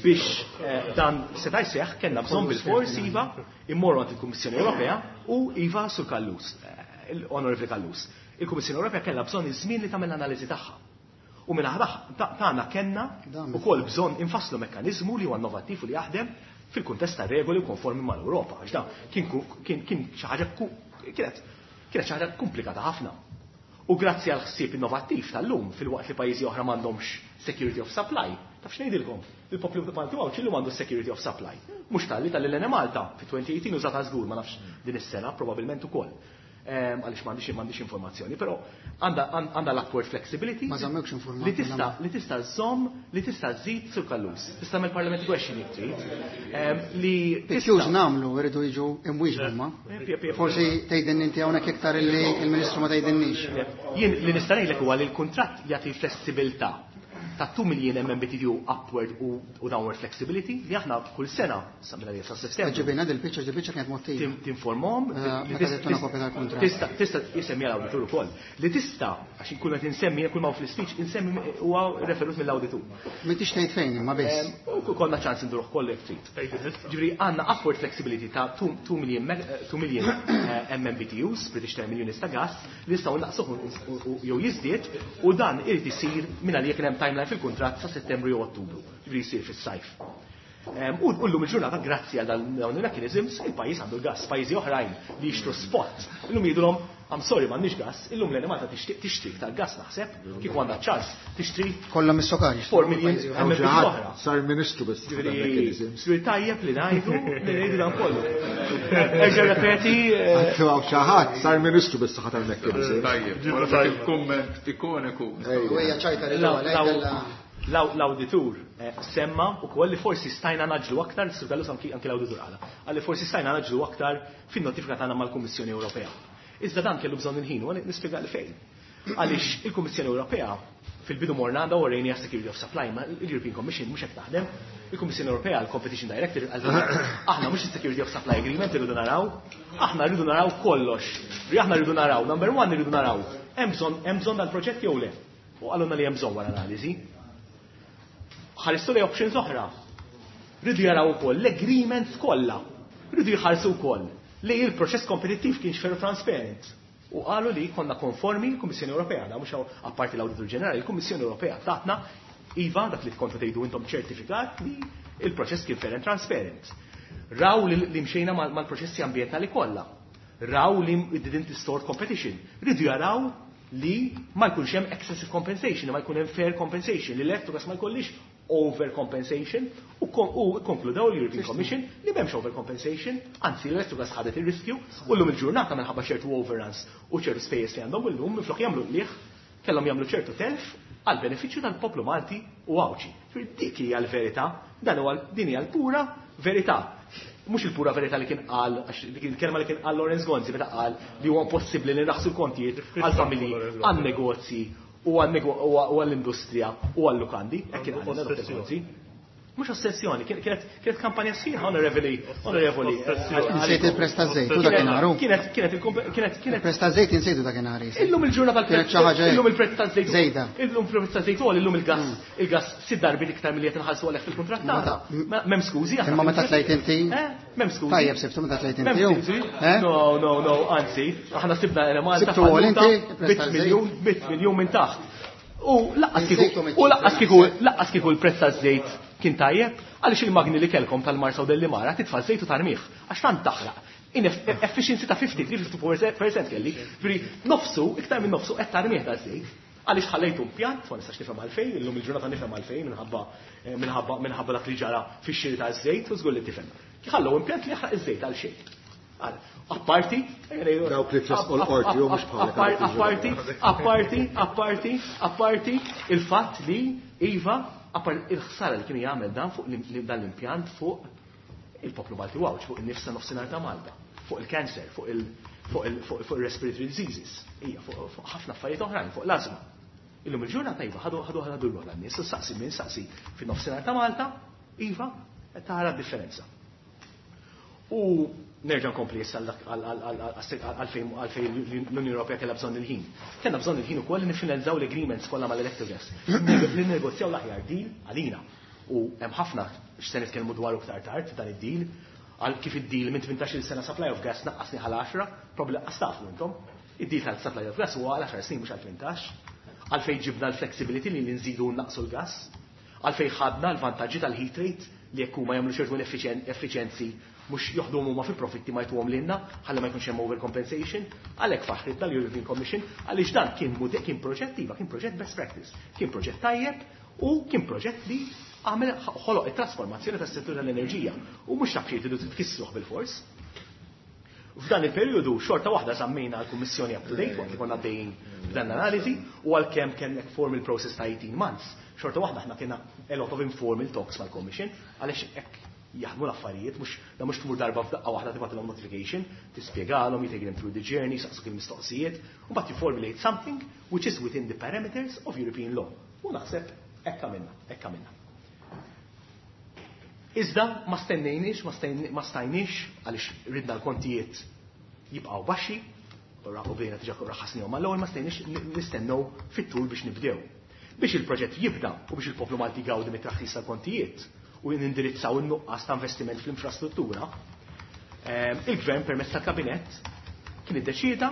Biex, eh, dan seta' jseħħ kellna bżonn bil-fors iva immorru għand il-Kummissjoni Ewropea u iva sur Callus, eh, l-Onorevoli Callus. Il-Kummissjoni Ewropea kellha bżonn iż-żmien li tagħmel l-analiżi tagħha. U minn aħna tagħna kellna Dan. ukoll bżonn infasslu mekkaniżmu li huwa innovattiv u li jaħdem fil-kuntest ta' regoli u konformi mal-Ewropa. Għax dan kien ku-, kien, kien xi ħaġa ku-, kienet, kienet xi ħaġa komplikata ħafna. U grazzi għal ħsieb innovattiv tal-lum fil-waqt li pajjiżi oħra m'għandhomx security of supply. Taf x'ngħidilkom? Il-poplu Malti Għawdxi llum għandu security of supply. Mhux talli tal-Enemalta fi twenty eighteen użata żgur, ma nafx din is-sena probabbilment ukoll. Ehm, għaliex m'għandix, m'għandix informazzjoni, però għandha, għandha l-upward flexibility Ma żammewx informati, li tista' la. li tista' żżomm, li tista' żżid sur Callus. Tista' tagħmel parliament question jekk trid. Ehm, li Pictures tista' nagħmlu jridu jiġu imwieġbu ma. Eh, pie, pie, pie. Forsi tgħidilni inti hawnhekk iktar illi il-Ministru ma tgħidilniex. Jien li nista' ngħidlek huwa li l-kuntratt jagħti flessibilità ta' two million M M B T U upward u, u downward flexibility li aħna kull sena sa minn sa Settembru. Ġibina dil-biċċa, dil-biċċa kienet mottija. Tim-, tinformhom, Eh, li meta tista' tagħtuna kopja tal-kuntratt. tista', tista' jisemmi l-awditur ukoll. Li tista', għax kull meta insemmi, kull ma hu fl-speech, insemmi huwa referut mill-awditur. M'intix tgħid fejn imma biss. Em, u konna ċans induruh koll jekk trid. Ġifieri għandna upward flexibility ta' two, two million meg-, eh, two million, eh, M M B T Us, British Thermal Units ta' gas, li nistgħu naqsuh u, u, u, jew jiżdied, u dan irid isir minn għalija kien hemm timeline fil-kuntratt sa' Settembru jew Ottubru, ġifieri jsir fis-sajf. Em, u, u llum il-ġurnata, grazzi għal dan, dawn il-mechanisms, il-pajjiż għandu l-gas, pajjiżi oħrajn li jixtru spot. Illum jgħidulhom, I'm sorry, m'għandniex gas, illum l-Enemalta tixtieq tixtri iktar gas naħseb, kieku għandha ċans tixtri Kollha mis-sokar jixtru. four million Pajjiżi M M B T Ġaħat, oħra. Sar ministru biss Ġifieri, mechanisms. ġifieri tajjeb li ngħidu, li ngħidu dan kollu. Erġa' repeti, eh, Għattu għaw xaħat, sar ministru bis saħħa tal-mechanisms. Tajjeb, wara dak il-kumment ikoniku. U hija ċajta li Law- ġewwa lejk law- kellha law-, l-awditur, eh, semma u koll li forsi stajna naġlu aktar, Sur Callus anki, anki l-awditur għala, għalli forsi stajna naġlu aktar fin-notifika tagħna mal-Kummissjoni Ewropea. Iżda dan kellu bżonn il-ħin, u nispjega li fejn. Għaliex il-Kummissjoni Ewropea fil-bidu morna għandha warrejni għas Security of Supply, ma l-European Commission mhux hekk taħdem. Il-Kummissjoni Ewropea, l-Competition Director, għal aħna mhux is-Security of Supply Agreement irridu naraw, aħna rridu naraw kollox. Ri aħna rridu naraw, number one rridu naraw, hemm bżonn, hemm bżonn dal-proġett jew le. U qalulna li hemm bżonn wara analiżi. Ħaristu li options oħra. Rridu jaraw ukoll l-agreements kollha. Rridu jħarsu wkoll li il-proċess kompetittiv kienx fair u transparent. U qalu li konna konformi l-Kummissjoni Ewropea, da mhux hawn apparti l-Awditur Ġenerali, il-Kummissjoni Ewropea tatna iva dak li kontu tgħidu intom ċertifikat li il-proċess kien fair and transparent. Raw li, li mxejna mal-, mal-proċessi ambjentali kollha. Raw li it didn't distort competition. Rridu jaraw li ma jkunx hemm excessive compensation, ma jkun hemm fair compensation, li l-Electrogas ma jkollix overcompensation, u kon-, u konkludaw l-European Commission li m'hemmx overcompensation, anzi l-Electrogas ħadet ir-riskju, u llum il-ġurnata minħabba ċertu overruns u ċertu spejjeż li għandhom illum minflok jagħmlu qligħ, kellhom jagħmlu ċertu telf għal benefiċċju tal-poplu Malti u Għawdxi. Ġifieri dik hija l-verità, dan huwa din hija l-pura verità. Mhux il-pura verità li kien qal, għax dik il-kelma li kien qal Lawrence Gonzi meta qal li huwa impossibbli li naħsu l-kontijiet għall-familji, għan-negozji u għan-nego-, u għall-industrija u għall-lukandi, hekk kien qal Lawrence Gonzi. Mhux ossessjoni, kien-, kienet, kienet kampanja sħiħa, onorevoli, onorevoli. Ossessjoni. Insejt il-prezz taż-żejt, u dakinhar. Kienet, kienet il-komp-, kienet, kienet Il-prezz taż-żejt insejtu dakinhar, jisir. Illum il-ġurnata tal-prezz Kienet xi ħaġa illum il-prezz taż-żejt. Żejda. Illum il-prezz taż-żejt u illum il-gas, Mm. il-gas sitt darbiet iktar milli qed inħallsu għalih fil-kuntratt Ma tagħna. ta' Ma m'hemm skużi, aħna Imma meta fil-kuntratt. tlajt inti? Eh? M'hemm skużi. Tajjeb sibtu meta tlajt M'hemm inti, ju? skużi. Eh? No, no, no, anzi, aħna sibna Enemalta Sibtu għol falluta inti, il-prezz bit taż-żejt? miljun, bit miljun minn taħt. U laqqas kieku, Insejtu u laqqas kieku, miċ-ċifra. laqqas kieku l-prezz taż-żejt kien tajjeb, għaliex il-magni li kellkom tal-Marsa u Dellimara titfa' żejt u tarmih, għax tant taħraq. In eff-, efficiency ta' fifty, three fifty four percent kelli, ġifieri nofsu, iktar minn nofsu qed tarmih ta' żejt. Għaliex ħallejtu impjant, ma nistax nifhem għalfejn, illum il-ġurnata nifhem għalfejn minħabba, eh, minħabba, minħabba dak li ġara fix-xiri ta' żejt u żgur li tifhem. Ħallew impjant li jaħraq iż-żejt għal xejn. Apparti, dawk li tressqu l-qorti u mhux bħalek. Apparti, apparti, apparti, apparti il-fatt li iva, il-ħsara li kienu jagħmel dan fuq dan l-impjant fuq il-poplu Malti u Għawdx, fuq in-nifs ta' nofsinhar ta' Malta, fuq il-cancer, fuq il-respiratory diseases, hija fuq ħafna affarijiet oħrajn, fuq l-ażma. Illum il-ġurnata iva ħadu ħadu ħadu l nies, saqsi minn saqsi fin-nofsinhar ta' Malta, iva tara d-differenza. U nerġa' nkompli issa għalfejn l-Unjoni Ewropea kellha bżonn il-ħin. Kellna bżonn il-ħin ukoll li niffinalizzaw l-agreements kollha mal-Electrogas. Li nnegozjaw l-aħjar deal għalina. U hemm ħafna x'se nitkellmu dwaru iktar tard dan id-deal, għal kif id-deal minn tmintax-il sena supply of gas naqqasni għal għaxra, probabbli laqqas tafu intom. Id-deal tal-supply of gas huwa għal għaxar snin mhux għal tmintax. Għalfejn ġibna l-flexibility li nżidu naqsu l-gas, għalfejn ħadna l-vantaġġi tal-heat rate li jekk huma jagħmlu ċertu effiċjenzi mhux joħduhom huma fi profitti ma jtuhom lilna ħalli ma jkunx hemm overcompensation, għalhekk faħrit tal-European Commission għaliex dan kien kien proġett iva, kien proġett best practice, kien proġett tajjeb u kien proġett li għamel ħoloq it-trasformazzjoni tas-settur tal-enerġija u mhux taf xi tridu tkissruh bil-fors. F'dan il-perjodu xorta waħda żammejna l-Kummissjoni up to date waqt li konna għaddejjin b'dan l-analiżi u għalkemm kellek formal process ta' eighteen months, xorta waħda aħna kienna a lot of informal talks mal-Commission għaliex hekk jaħdmu l-affarijiet, mhux da mhux tmur darba f'daqqa waħda tibgħatilhom notification, tispjegalhom, you take them through the journey, saqsuk il-mistoqsijiet, u mbagħad you formulate something which is within the parameters of European law. U naħseb hekk għamilna, hekk għamilna. Iżda ma stennejniex, ma stajniex għaliex ridna l-kontijiet jibqgħu baxxi, u bdejna diġà raħasnihom mal-ewwel ma stajniex nistennew fit-tul biex nibdew. Biex il-proġett jibda u biex il-poplu Malti jgawdi mit-traħħis tal-kontijiet u nindirizzaw in-nuqqas ta' investiment fl-infrastruttura, il-gvern permezz tal-kabinett kien iddeċieda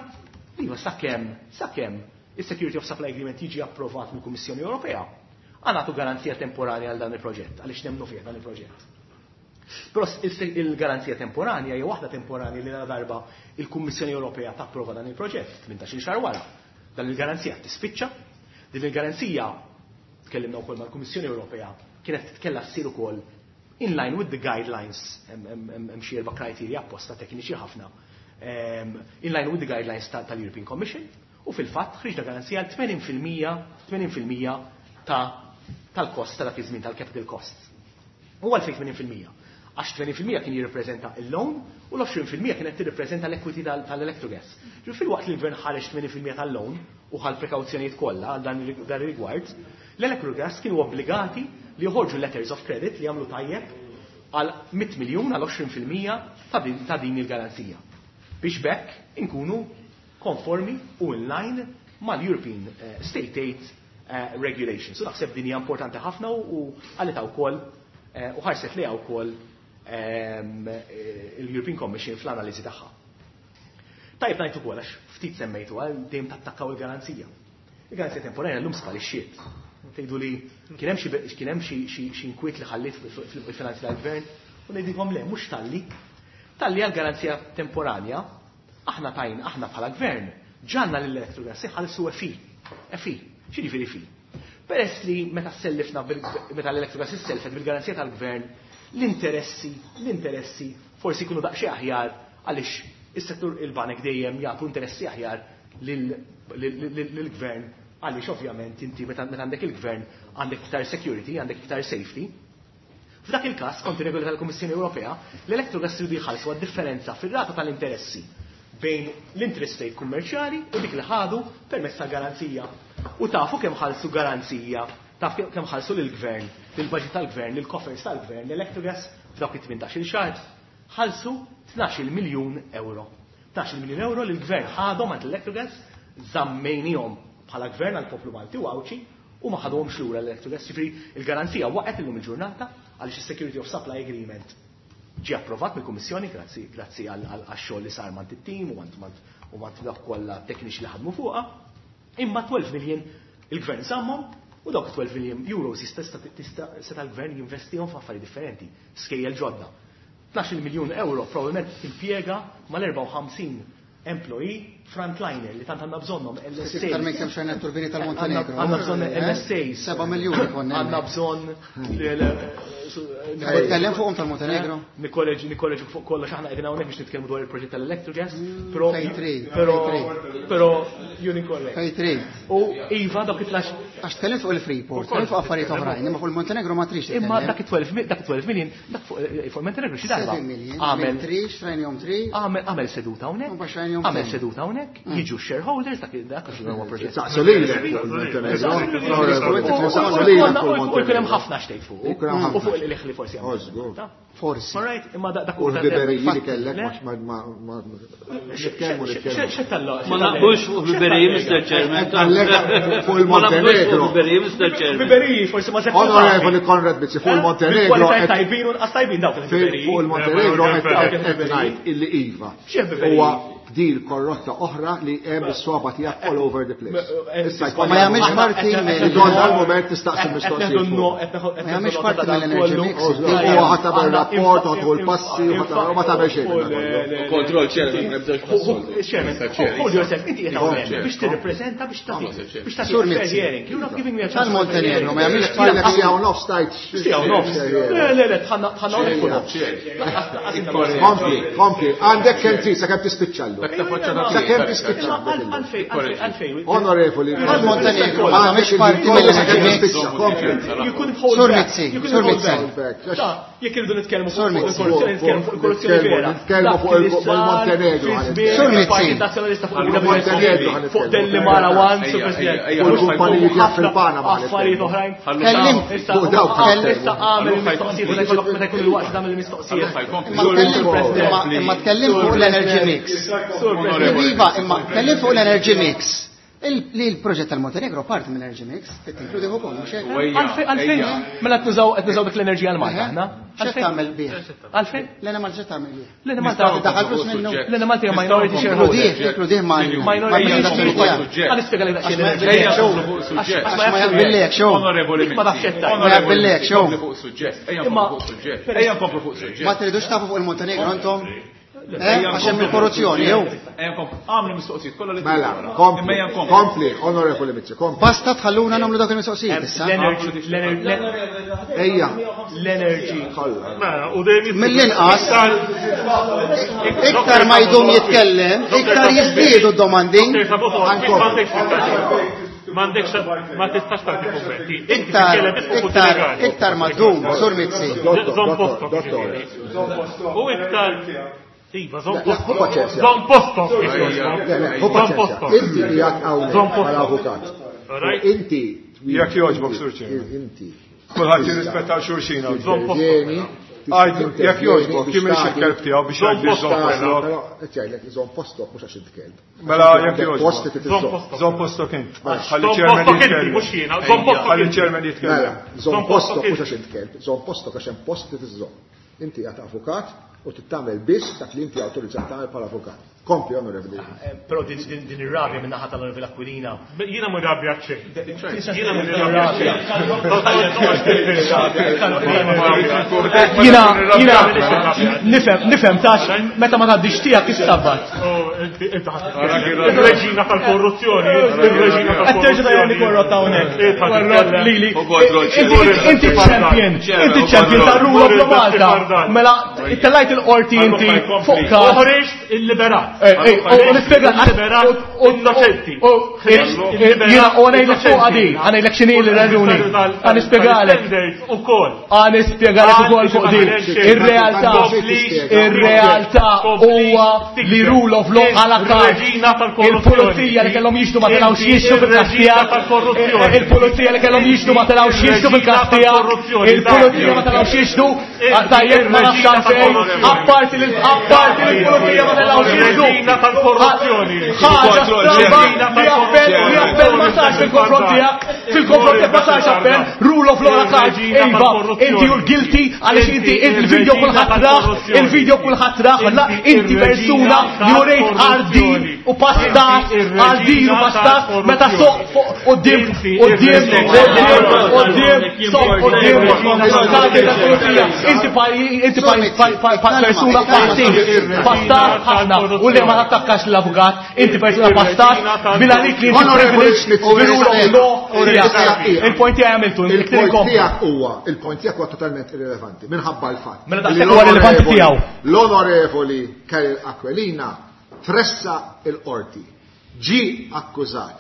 li sakemm sakemm is-Security of Supply Agreement jiġi approvat mill-Kummissjoni Ewropea, għanatu garanzija temporanja għal dan il-proġett, għaliex nemmnu fih dan il-proġett. Però il-garanzija temporanja hija waħda temporanja li la darba il-Kummissjoni Ewropea tapprova dan il-proġett tmintax-il xahar wara. Dan il-garanzija tispiċċa, din il-garanzija tkellimna wkoll mal-Kummissjoni Ewropea kienet tkella ssir ukoll in line with the guidelines, hemm xi erba' criteria apposta tekniċi ħafna, in line with the guidelines tal-European Commission, u fil-fatt ħriġna garanzija għal tmenin fil-mija, tmenin fil-mija tal-kost ta' dak iż-żmien tal-capital cost. U għalfejn tmenin fil-mija? Għax tmenin fil-mija kien jirrappreżenta il-loan u l-għoxrin fil-mija kienet tirrappreżenta l-equity tal-Electrogas. Ġifieri fil-waqt li l-gvern ħareġ tmenin fil-mija tal-loan u ħal prekawzjonijiet kollha għal dan ir-rigward, l-Electrogas kienu obbligati li joħorġu letters of credit li jagħmlu tajjeb għal mitt miljun għal għoxrin fil-mija ta' din il-garanzija. Biex bekk inkunu konformi u in line mal-European State Aid Regulations. U naħseb din hija importanti ħafna u għalita wkoll u ħarset lejha wkoll il-European Commission fl-analiżi tagħha. Tajjeb ngħid ukoll għax ftit semmejtu għal dejjem tattakkaw il-garanzija. Il-garanzija temporanja llum sparixxiet. Tgħidu li kien hemm kien hemm xi inkwiet li ħalliet fil-finanzi tal-gvern u ngħidilkom le mhux talli. Talli għall-garanzija temporanja aħna tajn aħna bħala gvern ġanna lill-Electrogas iħallsu F I. F I. X'jiġifieri F I? Peress li meta sellifna meta l-Electrogas isselfet bil-garanzija tal-gvern, l-interessi, l-interessi forsi jkunu daqsxejn aħjar għaliex is-settur il-banek dejjem jagħtu interessi aħjar lill-gvern għaliex ovvjament inti meta għandek il-gvern għandek iktar security, għandek iktar safety. F'dak il-każ, kont ir-regoli tal-Kummissjoni Ewropea, l-Electrogas jridu jħallsu għad-differenza fir-rata tal-interessi bejn l-interest rate kummerċjali u dik li ħadu permezz tal-garanzija. U tafu kemm ħallsu garanzija, taf kemm ħallsu lill-gvern, lill-budget tal-gvern, lill-coffers tal-gvern, l-Electrogas f'dawk it-tmintax-il xahar, ħallsu tnax-il miljun euro. Tnax-il miljun euro li l-gvern ħadhom għand l-Electrogas, żammejnihom bħala gvern għall-poplu Malti u Għawdxi u ma ħadhomx lura l-Electrogas. Ġifieri il-garanzija waqgħet illum il-ġurnata għaliex is-Security of Supply Agreement ġie approvat mill-Kummissjoni grazzi grazzi għax-xogħol li sar mant it-tim u mant u mant dawk kollha tekniċi li ħadmu fuqha. Imma twelve million il-gvern żammhom u dawk twelve million euros jista' seta' l-gvern jinvestihom f'affarijiet differenti, skejjel ġodda. Tnax-il miljun euro probabbilment timpjega mal-erbgħa u ħamsin Employee frontliner li tant għandna bżonnhom L S As. Iktar minn kemm xejn turbini tal-Montenegro. Għandna bżonn L S As. Seba' miljuni konna. Għandna bżonn Nitkellem fuqhom tal-Montenegro. Nikkoreġi, nikkoreġi fuq kollox, aħna qegħdin hawnhekk biex nitkellmu dwar il-proġett tal-Electrogas, però Fejn trid, però fejn trid. però you're incorrect. Fejn trid. U iva dak it-tlax Għax tkellem fuq il-Freeport, tkellem fuq affarijiet oħrajn, imma fuq il-Montenegro ma trix Imma titkellem. dak it-twelve mi-, dak it-twelve million, dak fuq, eh, fuq il-Montenegro xi darba. Seven million, Għamel minn tri, xtrajnihom tri. Għamel, għamel seduta hawnhekk. U baxx xtrajnihom Għamel ten. seduta hawnhekk, Mm. jiġu shareholders, dak dak għax huwa proġett. Saqsu lilek fuq il-Montenegro. Saqsu lilek fuq U jkun hemm il-Montenegro. ħafna xtejt fuq. U jkun hemm ħafna. U fuq il-liħ li forsi għamel. Oh, żgur. Forsi. All right, imma dak U huwa l-biberiji li Le? kellek ma ma ma nitkellmu nitkellmu. Xe talla? Ma naqbux fuq biberiji, Mister Chairman. Għallek fuq Ma naqbux fuq il-Montenegro. biberiji, Mister Chairman. Biberiji forsi ma seħħ. Onorevoli Konrad Mizzi, fuq il-Montenegro. Kwalità tajbin u nqas tajbin dawk il-biberiji. Fuq il-Montenegro qed ngħid illi iva. X'hemm biberiji? Huwa deal korrotta oħra li hemm is-swaba tiegħek all over the place. Issa Ma jagħmilx parti mill- Ikollna l-mument tistaqsi mistoqsijiet. Ma jagħmilx parti mill-energy mix. Huwa ħadd tagħmel rapport, ħadd l-passi, ħadd ma tagħmel xejn. Kontroll chairman, ma jibdax passoltu. Chairman, hold yourself, inti qed hawnhekk biex tirrippreżenta biex tagħti. Biex tagħti Sur fair Mizzi. hearing. You're not giving me a chance. Tal-Montenegro ma jagħmilx Parti parti siegħa u nofs tajt. Siegħa u nofs. Le, le, le, tħanna tħanna hawnhekk fuq nofs. Kompli, kompli. Għandek kemm trid sakemm tispiċċa llum. Sakemm tispiċċa. Għalfejn, għalfejn. Onorevoli. Tal-Montenegro ma jagħmilx parti mill-energy mix. Kompli. You couldn't hold Sur back. Mizzi, You couldn't Sur hold Mizzi. back. Ta, jekk irridu nitkellmu fuq Sur Mizzi. il-korruzzjoni, nitkellmu fuq il-korruzzjoni vera. Nitkellmu fuq Dak li sar il-Montenegro. fi żmien Sur Mizzi. il-Partit Nazzjonalista fuq Il-Montenegro il-W S P, fuq Delli Mara One, Sur President. Ejja, U l-kumpaniji tiegħek fil-Panama. Affarijiet oħrajn. Kellim. Issa Fuq dawk. issa għamel il-mistoqsijiet meta jkollok meta jkun il-waqt tagħmel il-mistoqsijiet. Imma tkellim imma- imma tkellim fuq l-energy mix. Sur President. Iva, imma tkellim fuq l-energy mix. Il- Li l-proġett tal-Montenegro parti mill-energy mix, tinkludi ukoll, mhux hekk? Għalfejn, għalfejn, mela qed nużaw qed nużaw dik l-enerġija għal Malta aħna. X'qed tagħmel bih? Għalfejn? L-Enemalta x'qed tagħmel bih? L-Enemalta Daħal flus minnu. L-Enemalta hija minority shareholder. Tinkludih, tinkludih ma' Minority ma' shareholder. Għal nispjega lek daqsxejn Għax ma l-enerġija. jaqbillek xew. Għax Għax ma jaqbillek xew. Onorevoli Ma tafx Mizzi. qed tgħid. Ma jaqbillek xew. Kompli fuq suġġett. Ejja Imma- nkomplu fuq suġġett. Ejja nkomplu fuq suġġett. Ma tridux tafu fuq il-Montenegro intom? Eh, għax hemm il-korruzzjoni, jew? Ejja nkomplu. Għamlu mistoqsijiet kollha li Mela, trid. kompli, Imma ejja nkomplu. kompli, onorevoli Mizzi, kompli. Basta tħalluna nagħmlu dawk il-mistoqsijiet issa. L-energy, l-energy, Ejja, l-energy. kollha. Mela, u dejjem jitlu- Mill-inqas, iktar ma jdum jitkellem, iktar jiżdiedu d-domandi. M'għandekx ma tistax tagħti kummenti. Inti Iktar, titkellem biss fuq iktar, legali. iktar ma ddum, Sur Mizzi. Dottor, Żomm dottor, postok, dottor. ġifieri. U iktar Iva, żomm Le, hu paċenzja. Żomm postok. Le, le, hu Żomm paċenzja. postok. Inti qiegħed hawnhekk Żomm postok. bħala avukat. Alright. Inti Jekk jogħġbok, Sur Chairman. Inti. Kulħadd jirrispetta xulxin hawn. Żomm postok. Intervjeni, Għajdu, jekk jogħġbok, kien minn xi kelb tiegħu biex Żomm jgħid li żomm postok, postok. Però qed jgħidlek żomm postok mhux għax int kelb. Mela, jekk Għandek jogħġbok. post li Żomm tiżomm. postok. Żomm postok int. Ħalli Żomm chairman postok inti, jitkellem. mhux jiena. Żomm postok Ħalli inti. chairman Mela, jitkellem. żomm Żomm postok postok mhux għax int kelb, żomm postok għax hemm post li tiżomm. Inti qiegħed avukat u tittamel biss dak li inti awtorizzat tagħmel bħala avukat. Kompli, onorevoli. Eh, Però din din- din ir-rabja minn naħa tal-Onorevoli Aquilina. Jiena mhu rabja xejn. Jiena mhu rabja xejn. Jina, jina, nifhem, nifhem tax, meta ma tgħaddix tiegħek issabbat. Oh, inti inti ħadd Il-reġina tal-korruzzjoni, il-reġina Qed terġa' tgħidli tal-korruzzjoni. korrotta hawnhekk. Eh, ħadd Korrott lili. U kontroll, Inti inti champion, inti champion ta' rule of law Malta. Mela tellajt il-qorti inti fuq każ. Uħriġt il-liberat. Eh, eh, u nispjega Il-liberat innoċenti. Jiena u ngħidlek fuq għadi, ngħidlek x'inhi l-raġuni. Ħa nispjegalek. Ukoll. Ħa nispjegalek ukoll fuq din. Ir-realtà, ir-realtà huwa li rule of law għala kart. Il-pulizija li kellhom jixtu ma telgħux jixtu fil-każ tiegħek. Il-pulizija li kellhom jixtu ma telgħux jixtu fil-każ tiegħek. Il-pulizija ma telgħux jixtu. Tajjeb ma nafx għalfejn. Apparti li apparti li l-pulizija ma telgħux jixtu. Reġina tal-korruzzjoni. Ħaġa stramba li appell li appell ma sarx sarx fil-konfront tiegħek, fil-konfront tiegħek ma sarx appell, rule of law card, iva, inti you're guilty għaliex inti il-video kulħadd rah, il-video kulħadd rah, la inti persuna li urejt għardin u pastat, għardin u pastat, meta soq fuq quddiem, quddiem, quddiem, quddiem, soq quddiem, inti inti persuna pastit, pastat ħafna, u li ma tattakkax l-avukat, inti persuna pastat, bil-għalik li inti privilege u bil-rule of law. Il-point tiegħi għamiltu, il-point tiegħek huwa, il-point tiegħek huwa totalment irrilevanti, minħabba l-fatt. Mela daqshekk huwa rilevanti tiegħu. L-Onorevoli Karol Aquilina tressa il-qorti, ġi akkużat,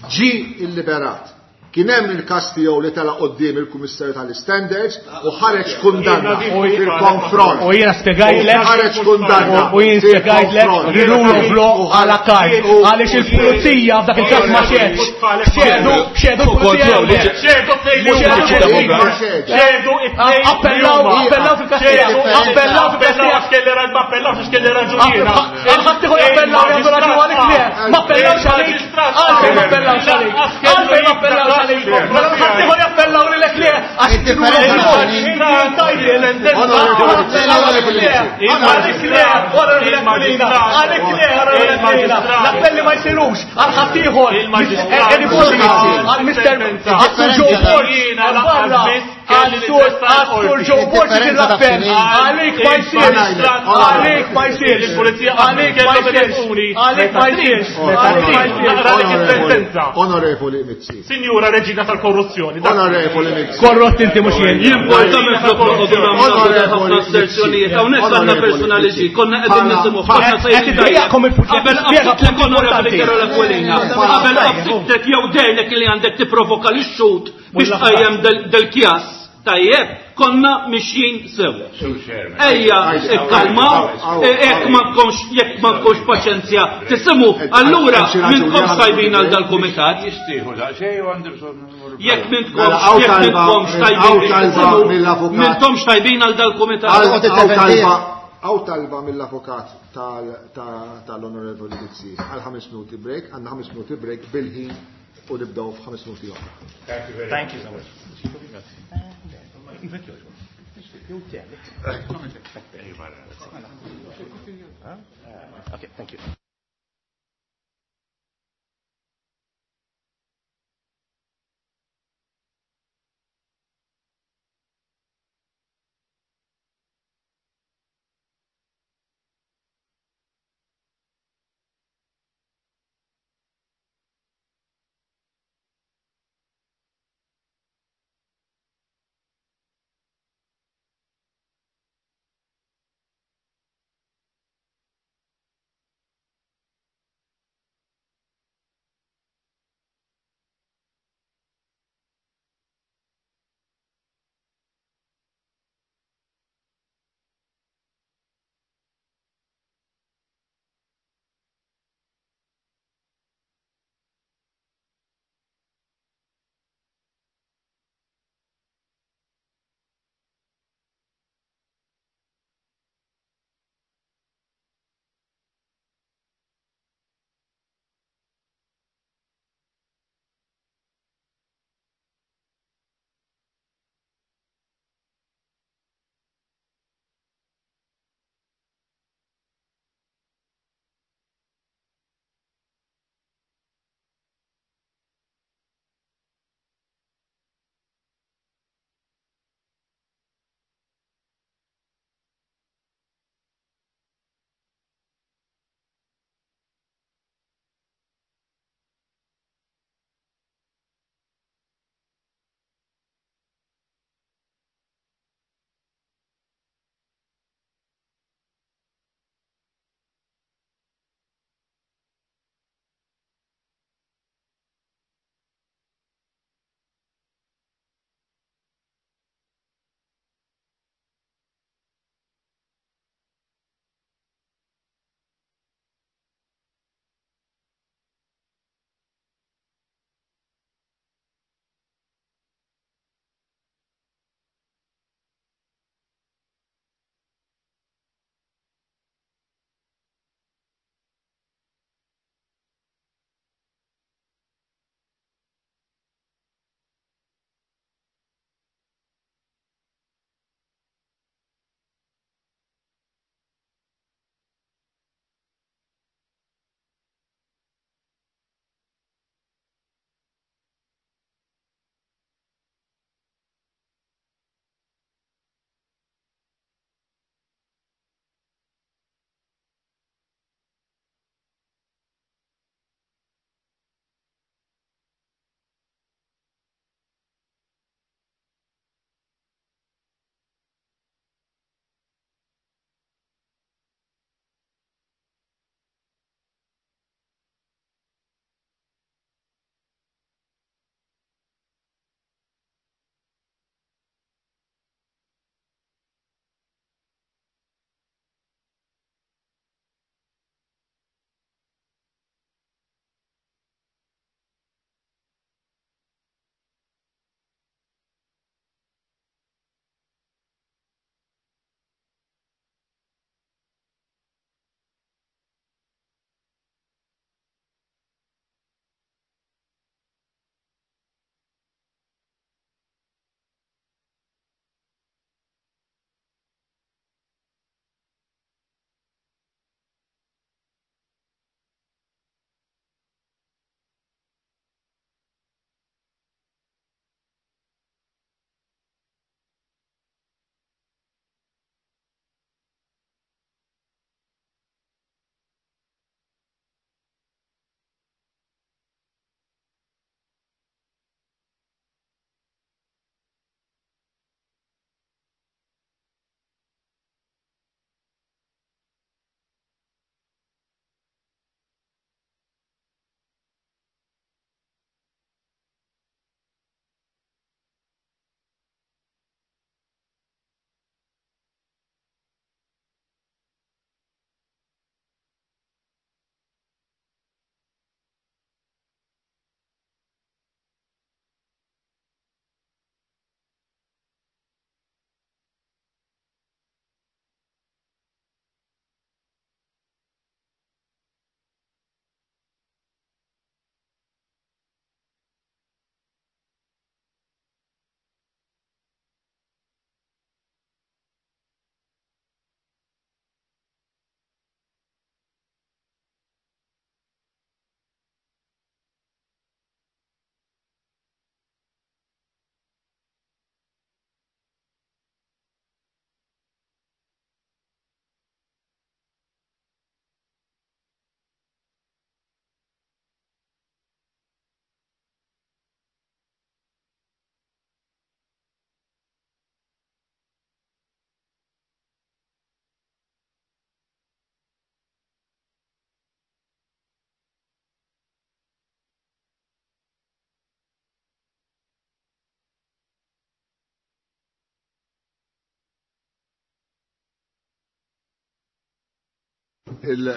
ġi illiberat. Kien hemm il-każ tiegħu li tela' quddiem il-Kummissarju tal-Standards u ħareġ kundanna fil-konfront. U jiena spjegajtlek ħareġ kundanna. U jien spjegajtlek rule of law għala kard. Għaliex il-pulizija f'dak il-każ ma xedx. Xedu, xedu l-pulizija. Xedu xedu it-tnejn. Appellaw, appellaw fil-każ tiegħek. Appellaw fil-każ tiegħek. Kelli ma appellawx għax kelli raġun jiena. Għal ħadd ieħor jappellaw jagħmlu raġun għalik le. Ma appellawx għalik. Għalfejn ma appellawx għalik. Għalfejn ma appellawx għalik. Mela ħadd ieħor jappellaw lilek le. Għax Għalik le, għalik le, l-appelli ma jsirux għal ħadd ieħor. Għal Mister Għal Joe Borg, għal barra, għal Sur Joe Borg l-appell. Għalik ma jsirx, għalik ma jsirx, għalik ma jsirx, għalik ma jsirx, għalik ma jsirx. Onorevoli Mizzi. Signora Regina tal-korruzzjoni. Onorevoli Mizzi. Korrott inti mhux jien. Jimporta minn flok noqogħdu nagħmlu ħafna asserzjonijiet. Hawnhekk għandna personali ġi, konna qegħdin nisimgħu ħafna sejrin. Qabel qabel onorevoli Karol Aquilina, qabel qabsitek jew dejlek li għandek tipprovoka lix-xut biex tqajjem del-kjas. Tajjeb, konna mixjin sew. Ejja, ikkalmaw, jekk ma tkunx jekk ma tkunx paċenzja tisimgħu, allura minnkomx tajbin għal dal-kumitat. Jekk mintkomx jekk mintkomx tajbin biex tisimgħu, mintkomx tajbin għal dal-kumitat. Għaw talba mill-avukat tal-Onorevoli Mizzi għal ħames minuti break, għandna ħames minuti break bil-ħin u nibdew f'ħames minuti oħra. Thank you so much. Okay, thank you. Il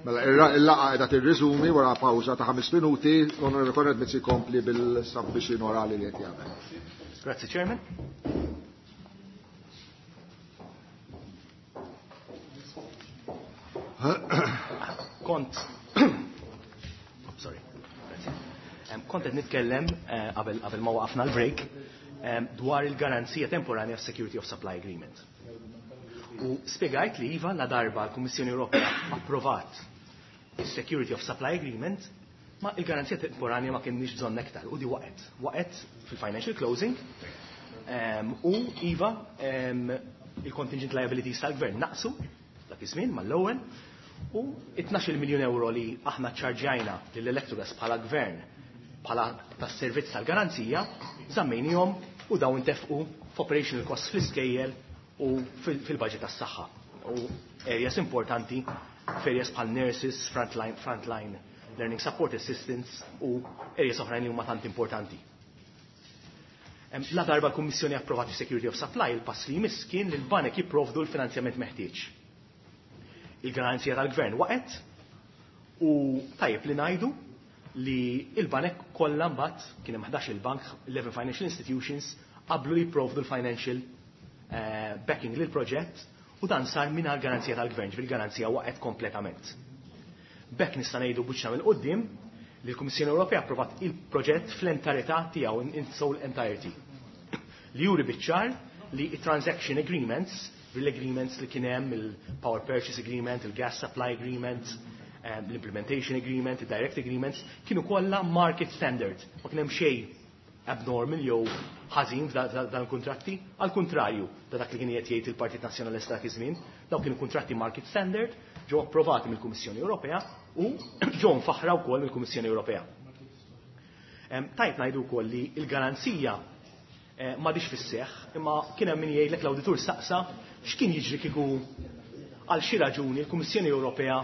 Mela, il-laqgħa qiegħda tirriżumi wara pawża ta' ħames minuti, l-Onorevoli Konrad Mizzi jkompli bil-submission orali li qed jagħmel. Grazzi, Chairman. Kont sorry. Kont qed nitkellem qabel qabel ma waqafna l-break dwar il-garanzija temporanja Security of Supply Agreement. U spiegajt li iva la darba l-Kummissjoni Ewropea approvat il-Security of Supply Agreement, ma il-garanzija temporanja ma kienx bżonn aktar u di waqgħet. Waqgħet fil-financial closing um, u iva um, il-contingent liabilities tal-gvern naqsu dak iż-żmien mal-ewwel u tnax-il miljun euro li aħna ċarġajna lill-Electrogas bħala gvern bħala tas-servizz tal-garanzija żammejnihom u dawn intefqu f'operational costs fl-iskejjel u fil-budget tas-saħħa. U areas importanti f'areas bħal nurses, frontline, frontline learning support assistants u areas oħrajn li huma tant importanti. La darba l-Kummissjoni approvat Security of Supply, il-pass li jmiss kien li l-banek jipprovdu l-finanzjament meħtieġ. Il-garanzija tal-gvern waqgħet u tajjeb li ngħidu li il-banek kollha mbagħad kien hemm ħdax il-bank, eleven financial institutions qablu li jipprovdu l-financial uh, backing lil proġett u dan sar mingħajr garanzija tal-gvern, ġifieri garanzija waqgħet kompletament. B'hekk nista' ngħidu buċċna mill-qudiem li l-Kummissjoni Ewropea approvat il-proġett fl-entarità tiegħu in sole entirety. Li juri biċ-ċar li transaction agreements, l-agreements li kien hemm il-Power Purchase Agreement, il-Gas Supply Agreement, l-Implementation Agreement, il-Direct Agreements, kienu kollha market standard. Ma kien hemm xejn abnormal jew ħażin f'dan il-kuntratti, għal kontrarju ta' dak li kien qed jgħid il-Partit Nazzjonalista dak iż-żmien, dawk kienu kuntratti market standard, ġew approvati mill-Kummissjoni Ewropea u ġew mfaħra wkoll mill-Kummissjoni Ewropea. Tajt ngħidu wkoll li l-garanzija m'għadix fis-seħħ, imma kien hemm min jgħidlek l-awditur saqsa x'kien jiġri kieku għal xi raġuni l-Kummissjoni Ewropea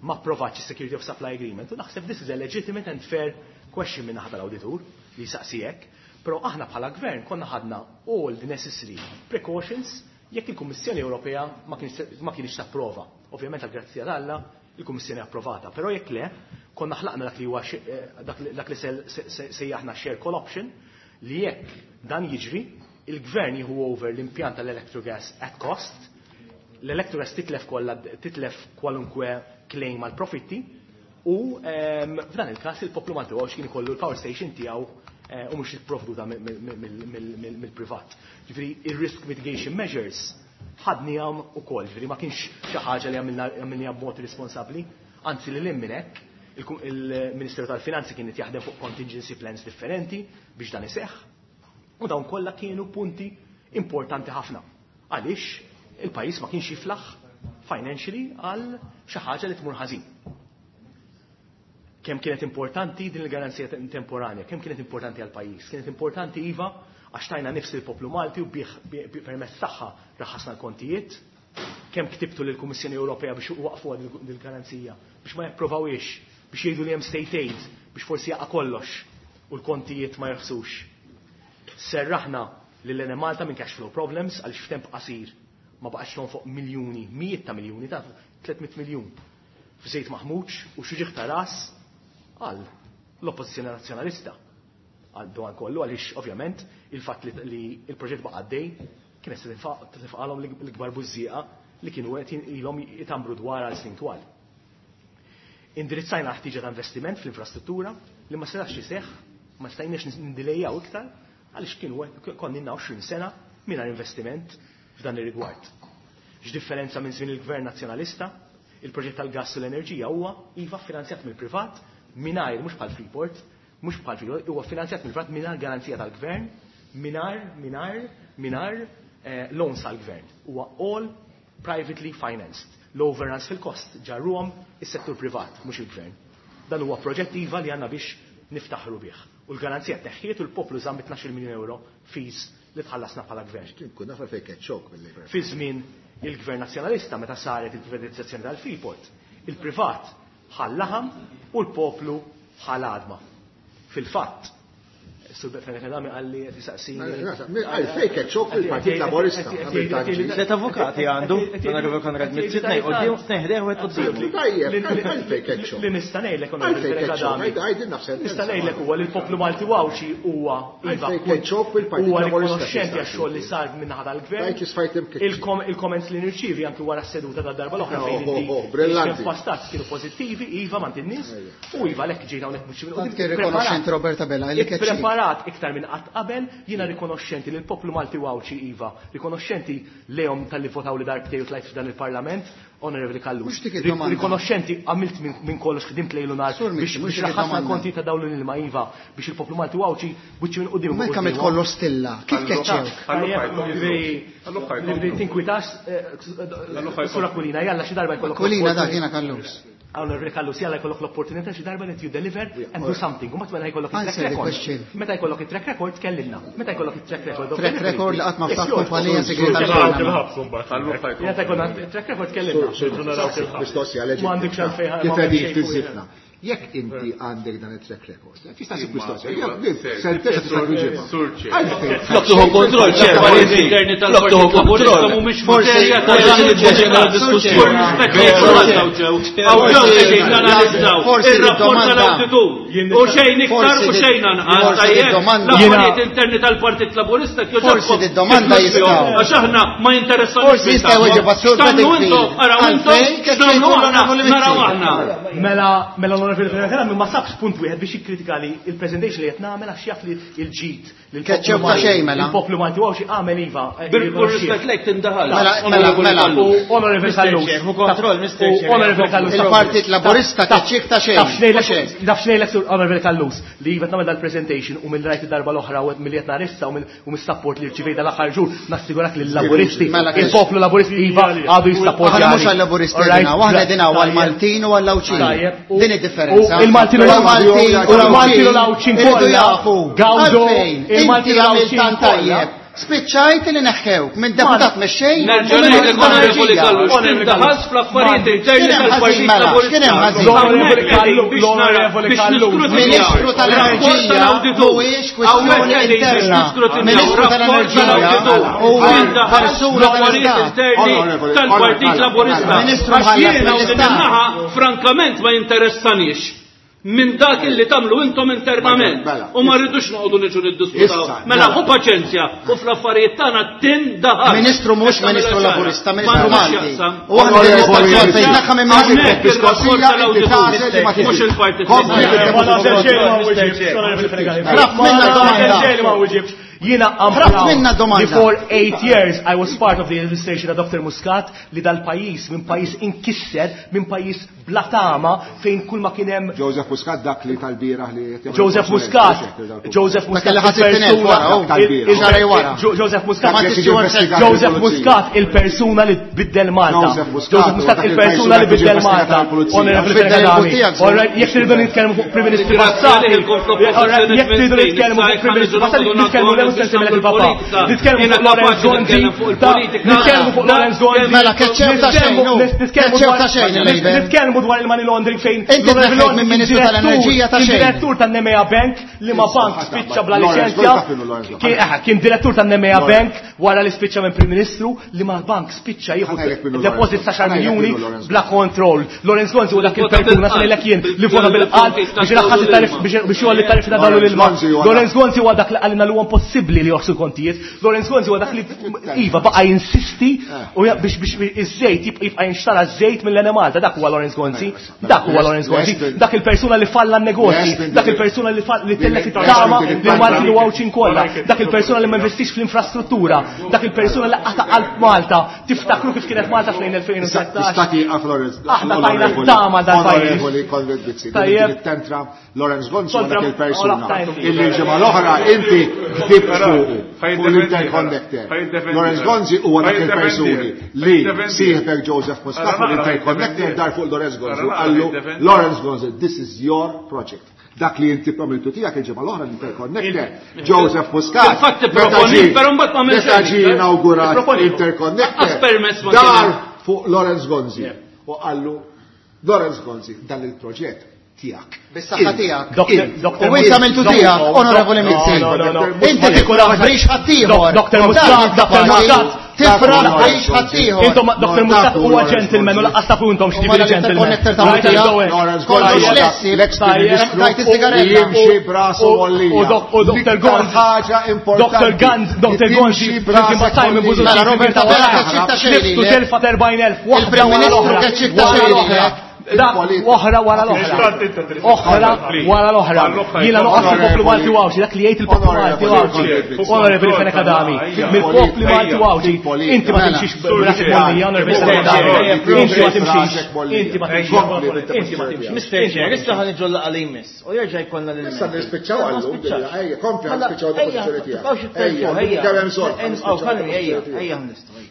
ma approvatx is-Security of Supply Agreement. U naħseb this is a legitimate and fair question minn naħa tal-awditur li jsaqsi hekk, però aħna bħala gvern konna ħadna all the necessary precautions jekk il-Kummissjoni Ewropea ma kienx tapprova. Ovvjament għal grazzja t'Alla il-Kummissjoni approvata, però jekk le konna ħlaqna dak li huwa dak li sejjaħna share call option li jekk dan jiġri il-gvern jieħu over l-impjant tal-Electrogas at cost, l-Electrogas titlef kollha titlef kwalunkwe claim għal profitti u f'dan il-każ il-poplu Malti għax kien ikollu l-power station tiegħu u mhux jipprovduta mill-privat. Ġifieri ir-risk mitigation measures ħadnihom ukoll, ġifieri ma kienx xi ħaġa li għamilniha b'mod responsabbli, anzi li lil minn hekk il-Ministeru tal-Finanzi kien qed jaħdem fuq contingency plans differenti biex dan iseħħ. U dawn kollha kienu punti importanti ħafna. Għaliex il-pajjiż ma kienx jiflaħ financially għal xi ħaġa li tmur ħażin. Kemm kienet importanti din il-garanzija temporanja, kemm kienet importanti għal pajjiż? Kienet importanti iva għax tajna nifs il-poplu Malti u bih permezz tagħha raħasna l-kontijiet. Kemm ktibtu lill-Kummissjoni Ewropea biex waqfu din il-garanzija, biex ma japprovawiex, biex jgħidu li hemm state aid, biex forsi jaqa' kollox u l-kontijiet ma jorħsux. Serraħna lil Enemalta minn cash flow problems għaliex f'temp qasir ma baqax fuq miljuni, mijiet ta' miljuni, ta' tliet mitt miljun f'żejt maħmuġ u xi ġieħ ta' ras għal l-Oppożizzjoni Nazzjonalista. Għal dan kollu għaliex ovvjament il-fatt li il-proġett baqa' għaddej kienet se tinfaqalhom l-ikbar bużżieqa li kienu qed ilhom jitambru dwar għal snin twal. Indirizzajna ħtiġa ta' investiment fl-infrastruttura li ma setax iseħħ, ma stajniex nindilejjaw iktar għaliex kienu konna għoxrin sena mingħajr investiment f'dan ir-rigward. X'differenza minn żmien il-Gvern Nazzjonalista, il-proġett tal-gass u l-enerġija huwa iva finanzjat mill-privat mingħajr mhux bħal Freeport, mhux bħal Freeport, huwa finanzjat mill-privat mingħajr garanzija tal-gvern, mingħajr mingħajr mingħajr loans tal-gvern. Huwa all privately financed. L-overruns fil-kost ġarruhom is-settur privat, mhux il-gvern. Dan huwa proġett iva li għandna biex niftaħru bih. U l-garanzija teħħiet u l-poplu żamm tnax-il miljun euro fees li tħallasna bħala gvern. Kien naf fejn kien xokk mill-Labour. Fi żmien il-Gvern Nazzjonalista meta saret il-privatizzazzjoni tal-Freeport, il-privat ħallaħam u l-poplu ħal għadma. Fil-fatt, Sur Fenech Adami qalli qed jisaqsini. Għalfejn keċċewk mill-Partit Laburista. Tliet avukati għandu, Onorevoli Konrad Mizzi, tnejn quddiem, tnejn ħdejh u wieħed quddiemu. Tajjeb, għalfejn keċċewk. Li nista' ngħidlek Onorevoli Fenech Adami. Għidilna f'sentenza. Nista' ngħidlek huwa li l-poplu Malti u Għawdxi huwa iva Għalfejn keċċewk mill-Partit huwa Laburista. rikonoxxenti għax-xogħol li sar min-naħa tal-gvern. Tajt li sfajt imkeċċi. Il-comments li nirċievi anki wara s-seduta tad-darba l-oħra fejn Oh, inti oh, oh, brillanti. kien pastat kienu pożittivi, iva m'għand in-nies, u iva għalhekk ġejna hawnhekk mhux minn Tant kien rikonoxxenti Roberta Bella li keċċi. Preparat iktar minn qatt qabel, jiena rikonoxxenti lil poplu Malti u Għawdxi iva, rikonoxxenti lejhom talli votaw li darbtej u tlajt f'dan il-Parlament, Onorevoli Callus. Mhux dik id-domanda. Rikonoxxenti għamilt minn min kollox ħdimt lejlu nhar Sur Mizzi, biex mhux biex dik raħasna id-domanda. l-konti ta' dawn l-ilma iva biex il-poplu Malti u Għawdxi buċċi minn quddiem. Ma jekk għamilt kollox stilla, kif keċċewk? Li tinkwitax, Sur Aquilina, jalla xi darba jkollok. Aquilina dak jiena Callus. Onorevoli Callus, jalla jkollok l-opportunità xi darba that you deliver and do something. U meta jkollok il-track Answer the record. question. Meta jkollok il-track record tkellimna. Meta jkollok il-track record. of Track delivery. record li qatt ma Yes, ftaħ yours. kumpanija segreta Naraw tal-Panama. il-ħabs imbagħad. Meta jkollok il-track record tkellimna. Mistoqsija leġittima. Ma għandekx għalfejn Kif ma qegħdin għandek xejn fiż-żifna. Jekk inti għandek dan it-track record, tista' ssib mistoqsija, jekk sentenza tista' tweġibha. Għalfejn. Flok tuħu kontroll, ċer, L-affarijiet interni Flok tuħu tal-Partit Laburista kontroll. mhumiex Forsi- materja ta' forsi- dan il-ġeneral Forsi- diskussjoni. Hawn ġew qegħdin nanalizzaw Forsi ir-rapport id-domanda- tal-awditur. U xejn iktar u Forsi xejn anqas forsi tajjeb. id-domanda- L-affarijiet interni tal-Partit Laburista Forsi id-domanda jistgħu. Għax aħna ma jinteressawx. Forsi jistgħu jweġibha Sur X'tagħmlu Bedingfield. intom, araw intom, Għalfejn keċċejtu x'tagħmlu aħna, l-Onorevoli Mizzi. naraw aħna. Mela, mela l-Onorevoli Fenech Adami ma sabx punt wieħed biex jikkritika li il-presentation li qed nagħmel għax jaf li l-ġid li l-poplu Keċċew ta' Malti- xejn, mela. Il-poplu Malti u Għawdxi għamel iva. eh, Bil-kull rispett lejk tindaħal. Mela, mela, mela. U Onorevoli Callus. Chair, hu kontroll, Mister U Chair. Onorevoli Callus. Il-Partit Laburista keċċiek ta' xejn. Taf xnejlek- Mhux hekk. Taf xnejlek sur Onorevoli Callus li iva nagħmel dal-presentation u mill rajt id-darba l-oħra u milli qed narissa u mill- u mis-support li rċivejt dal-aħħar ġur nassigurak li l-Laburisti Mela, kex- il-poplu Laburisti iva għadu jissapportjani. Aħna mhux għal-Laburisti qegħdin hawn, aħna qegħdin hawn għall-Maltin u għall-Għawdxin. Tajjeb, u- Din id-differenza. U il-Maltin u l-Maltin u l-Maltin u l-Għawdxin iridu kollha jafu. gawdu Għalfejn, il-Maltin inti u għamilt l-Għawdxin tant kollha. tajjeb. Spiċċajt li neħħewk minn deputat mexxej u Nerġa' minn ngħidlek Onorevoli Enerġija. Callus, Onorevoli tindaħal fl-affarijiet interni X'kien hemm ħażin tal-Partit mela? Laburista. X'kien hemm ħażin? L-Onorevoli Hawnhekk qegħdin Callus, biex nara- l-Onorevoli biex Callus. niskrutinaw Ministru rapport tal-Enerġija tal-awditur. mhuwiex kwestjoni Hawnhekk qegħdin biex interna. niskrutinaw Ministru rapport tal-Enerġija tal-awditur. huwa Tindaħal persuna fl-affarijiet tal-Istat. interni Onorevoli, tal-Partit onorevoli, Laburista. Ministru Għax mħallas jiena u din mill-Istat. in-naħa frankament ma jinteressanix minn dak illi tagħmlu intom internament Mela. u ma rridux noqogħdu niġu niddiskuta. Issa, Mela mela. hu paċenzja u fl-affarijiet tagħna tindaħal. Ministru mhux Issa Ministru mela ċara. Laburista, Ma Ministru għandux Malti. x'jaqsam. U aħna din Onorevoli nistaqsu għalfejn tneħħa minn Ministru. Hawnhekk ir-rapport Mistoqsija inti tal-awditur tagħżel li ma mhux tiġix. il-Partit Kompli Laburista. Ma nagħżel xejn ma wieġibx, Onorevoli Fenech Adami. Ħrabt minna Ma nagħżel domanda. xejn ma wieġibx. Jiena I'm Ħrabt proud minna domanda. li for eight years I was part of the administration ta' Dr. Muscat li dal-pajjiż minn pajjiż inkisser, minn pajjiż bla tama fejn kull ma kien hemm Joseph Muscat dak li tal-bieraħ li qed jagħmel Joseph konsulent, Muscat, mhux hekk, Joseph Dak Muscat, li ħadd it-tinel wara, oh. Tal-bieraħ. il- Xahar wara. Jo- Joseph Muscat, Ma Dak li jiġi investigat Joseph mill-pulizija. Muscat, il-persuna li biddel Malta. Joseph Muscat, Joseph Muscat, huwa dak il-persuna li il-persuna li biddel ġie Malta. investigat mill-pulizija. Onorevoli Biddel Fenech Adami. il-pulizija, All right, jekk tridu nitkellmu fuq Prim Ministri Grazie passati, għalih il-konfront all right, jekk tridu nitkellmu fuq Prim Ministri passati, nitkellmu l mhux semmilek il-papa. Nitkellmu Jiena fuq Lawrence kapaċi Gonzi, nitkellem fuq il-politika. nitkellmu fuq Lawrence Gonzi. Mela, keċċew ta' xejn, hu. Nitkellmu Keċċew dwar- ta' xejn, il-Labour. Nitkellmu dwar il-money laundering fejn Inti l-Onorevoli tneħħejt minn kien Ministru direttur- tal-Enerġija ta' kien xejn. direttur tan-Nemea Bank li ma bank spiċċa bla Lawrence liċenzja. Gonzi, taf minnu Lawrence Gonzi. Kien eh, kien direttur tan-Nemea Lawrence. Bank wara li spiċċa minn Prim Ministru li ma bank spiċċa jieħu Ħa ngħidlek minnu deposit Lawrence ta' xar Gonzi. Ħa ngħidlek miljuni minnu Lawrence bla kontroll. Lawrence Gonzi huwa dak Vota il-persuna bil-qalb. se jien li vota bil-qalb biex iraħħas it-tarif biex biex jgħolli t-tarif ta' dalu Lawrence l-ilma. Gonzi huwa Lawrence Gonzi huwa dak li qalilna li huwa impossibbli li joħsu kontijiet. Lawrence Gonzi huwa dak li iva baqa' jinsisti u ja- biex biex iż-żejt jibqa' jibqa' jinxtara żejt mill-Enemalta. Dak huwa Lawrence Gonzi. Dak huwa Lawrence Gonzi. Dak il-persuna li falla n-negozji. Dak il-persuna li fall- li tellef it-tama li Malti u Għawdxin kollha. Dak il-persuna li ma investix fl-infrastruttura. Dak il-persuna li qata' qalb Malta. Tiftakru kif kienet Malta fl-elfejn u tlettax. Tista' tieqaf Lawrence. Aħna tajna t-tama dal-pajjiż. Onorevoli Konrad Mizzi. Tajjeb. Din it-tentra Lawrence Gonzi huwa Kontra- dak il-persuna Ola, tajna. illi l-ġimgħa l-oħra inti kdibt fuqu fuq l-interconnector. Ħajddefendi. Lawrence Gonzi huwa dak Ħajddefendi. il-persuni li Ħajddefendi. sieħbek Joseph Muscat fuq l-interconnector dar fuq Lawrence Gonzi u qallu Ħajddefendi. Lawrence Gonzi, this is your project. Dak li inti għamiltu tiegħek il-ġimgħa l-oħra l-interconnector. Joseph Muscat. Fil-fatt meta ipproponi, ġie- però mbagħad ma għamilx Meta ġie xejn. inawgurat Ipproponi. interconnector. Lanqas permess ma Dar kien hemm. fuq Lawrence Gonzi u qallu Lawrence Gonzi dan il-proġett Tiegħek. Bis-saħħa tiegħek. U int għamiltu tiegħek, Onorevoli Mizzi. Inti tifraħ brix ħaddieħor. Doctor Muscat, Doctor Muscat. Tifraħ brix ħaddieħor. Intom Doctor Muscat huwa gentleman u laqqas tafu intom x'ġifieri gentleman. Kollox lessi, tajt is-sigaretta. Jimxi brasu għollija. U Doctor Gonzi. Ħaġa importanti. Doctor Gonzi, Doctor Gonzi, flimkien ma' Simon Busuttil. Mela Robert Abela keċċik ta' xejn. Tliftu telfa ta' erbgħin elf waħda Il-Prim wara Ministru l-oħra. keċċik ta' Wara xejn l-oħra. Dak, oħra wara l-oħra. Oħra wara l-oħra. Jiena noqgħod il-poplu Malti u Għawdxi, dak li jgħid il-poplu Malti u Għawdxi. Onorevoli Fenech Adami, mill-poplu Malti u Għawdxi. Inti ma timxix b'rasek mollija, Onorevoli Fenech Adami. Inti ma timxix. Inti ma timxix. Inti ma timxix. Mister Chair, issa ħa niġu l-laqgħa li jmiss. U jerġa' jkollna lil Issa nispiċċaw għallum, ejja, kompli Mela, nispiċċaw il-pożizzjoni tiegħek. Ejja, kemm hemm bżonn. Ejja, ejja, nistgħu.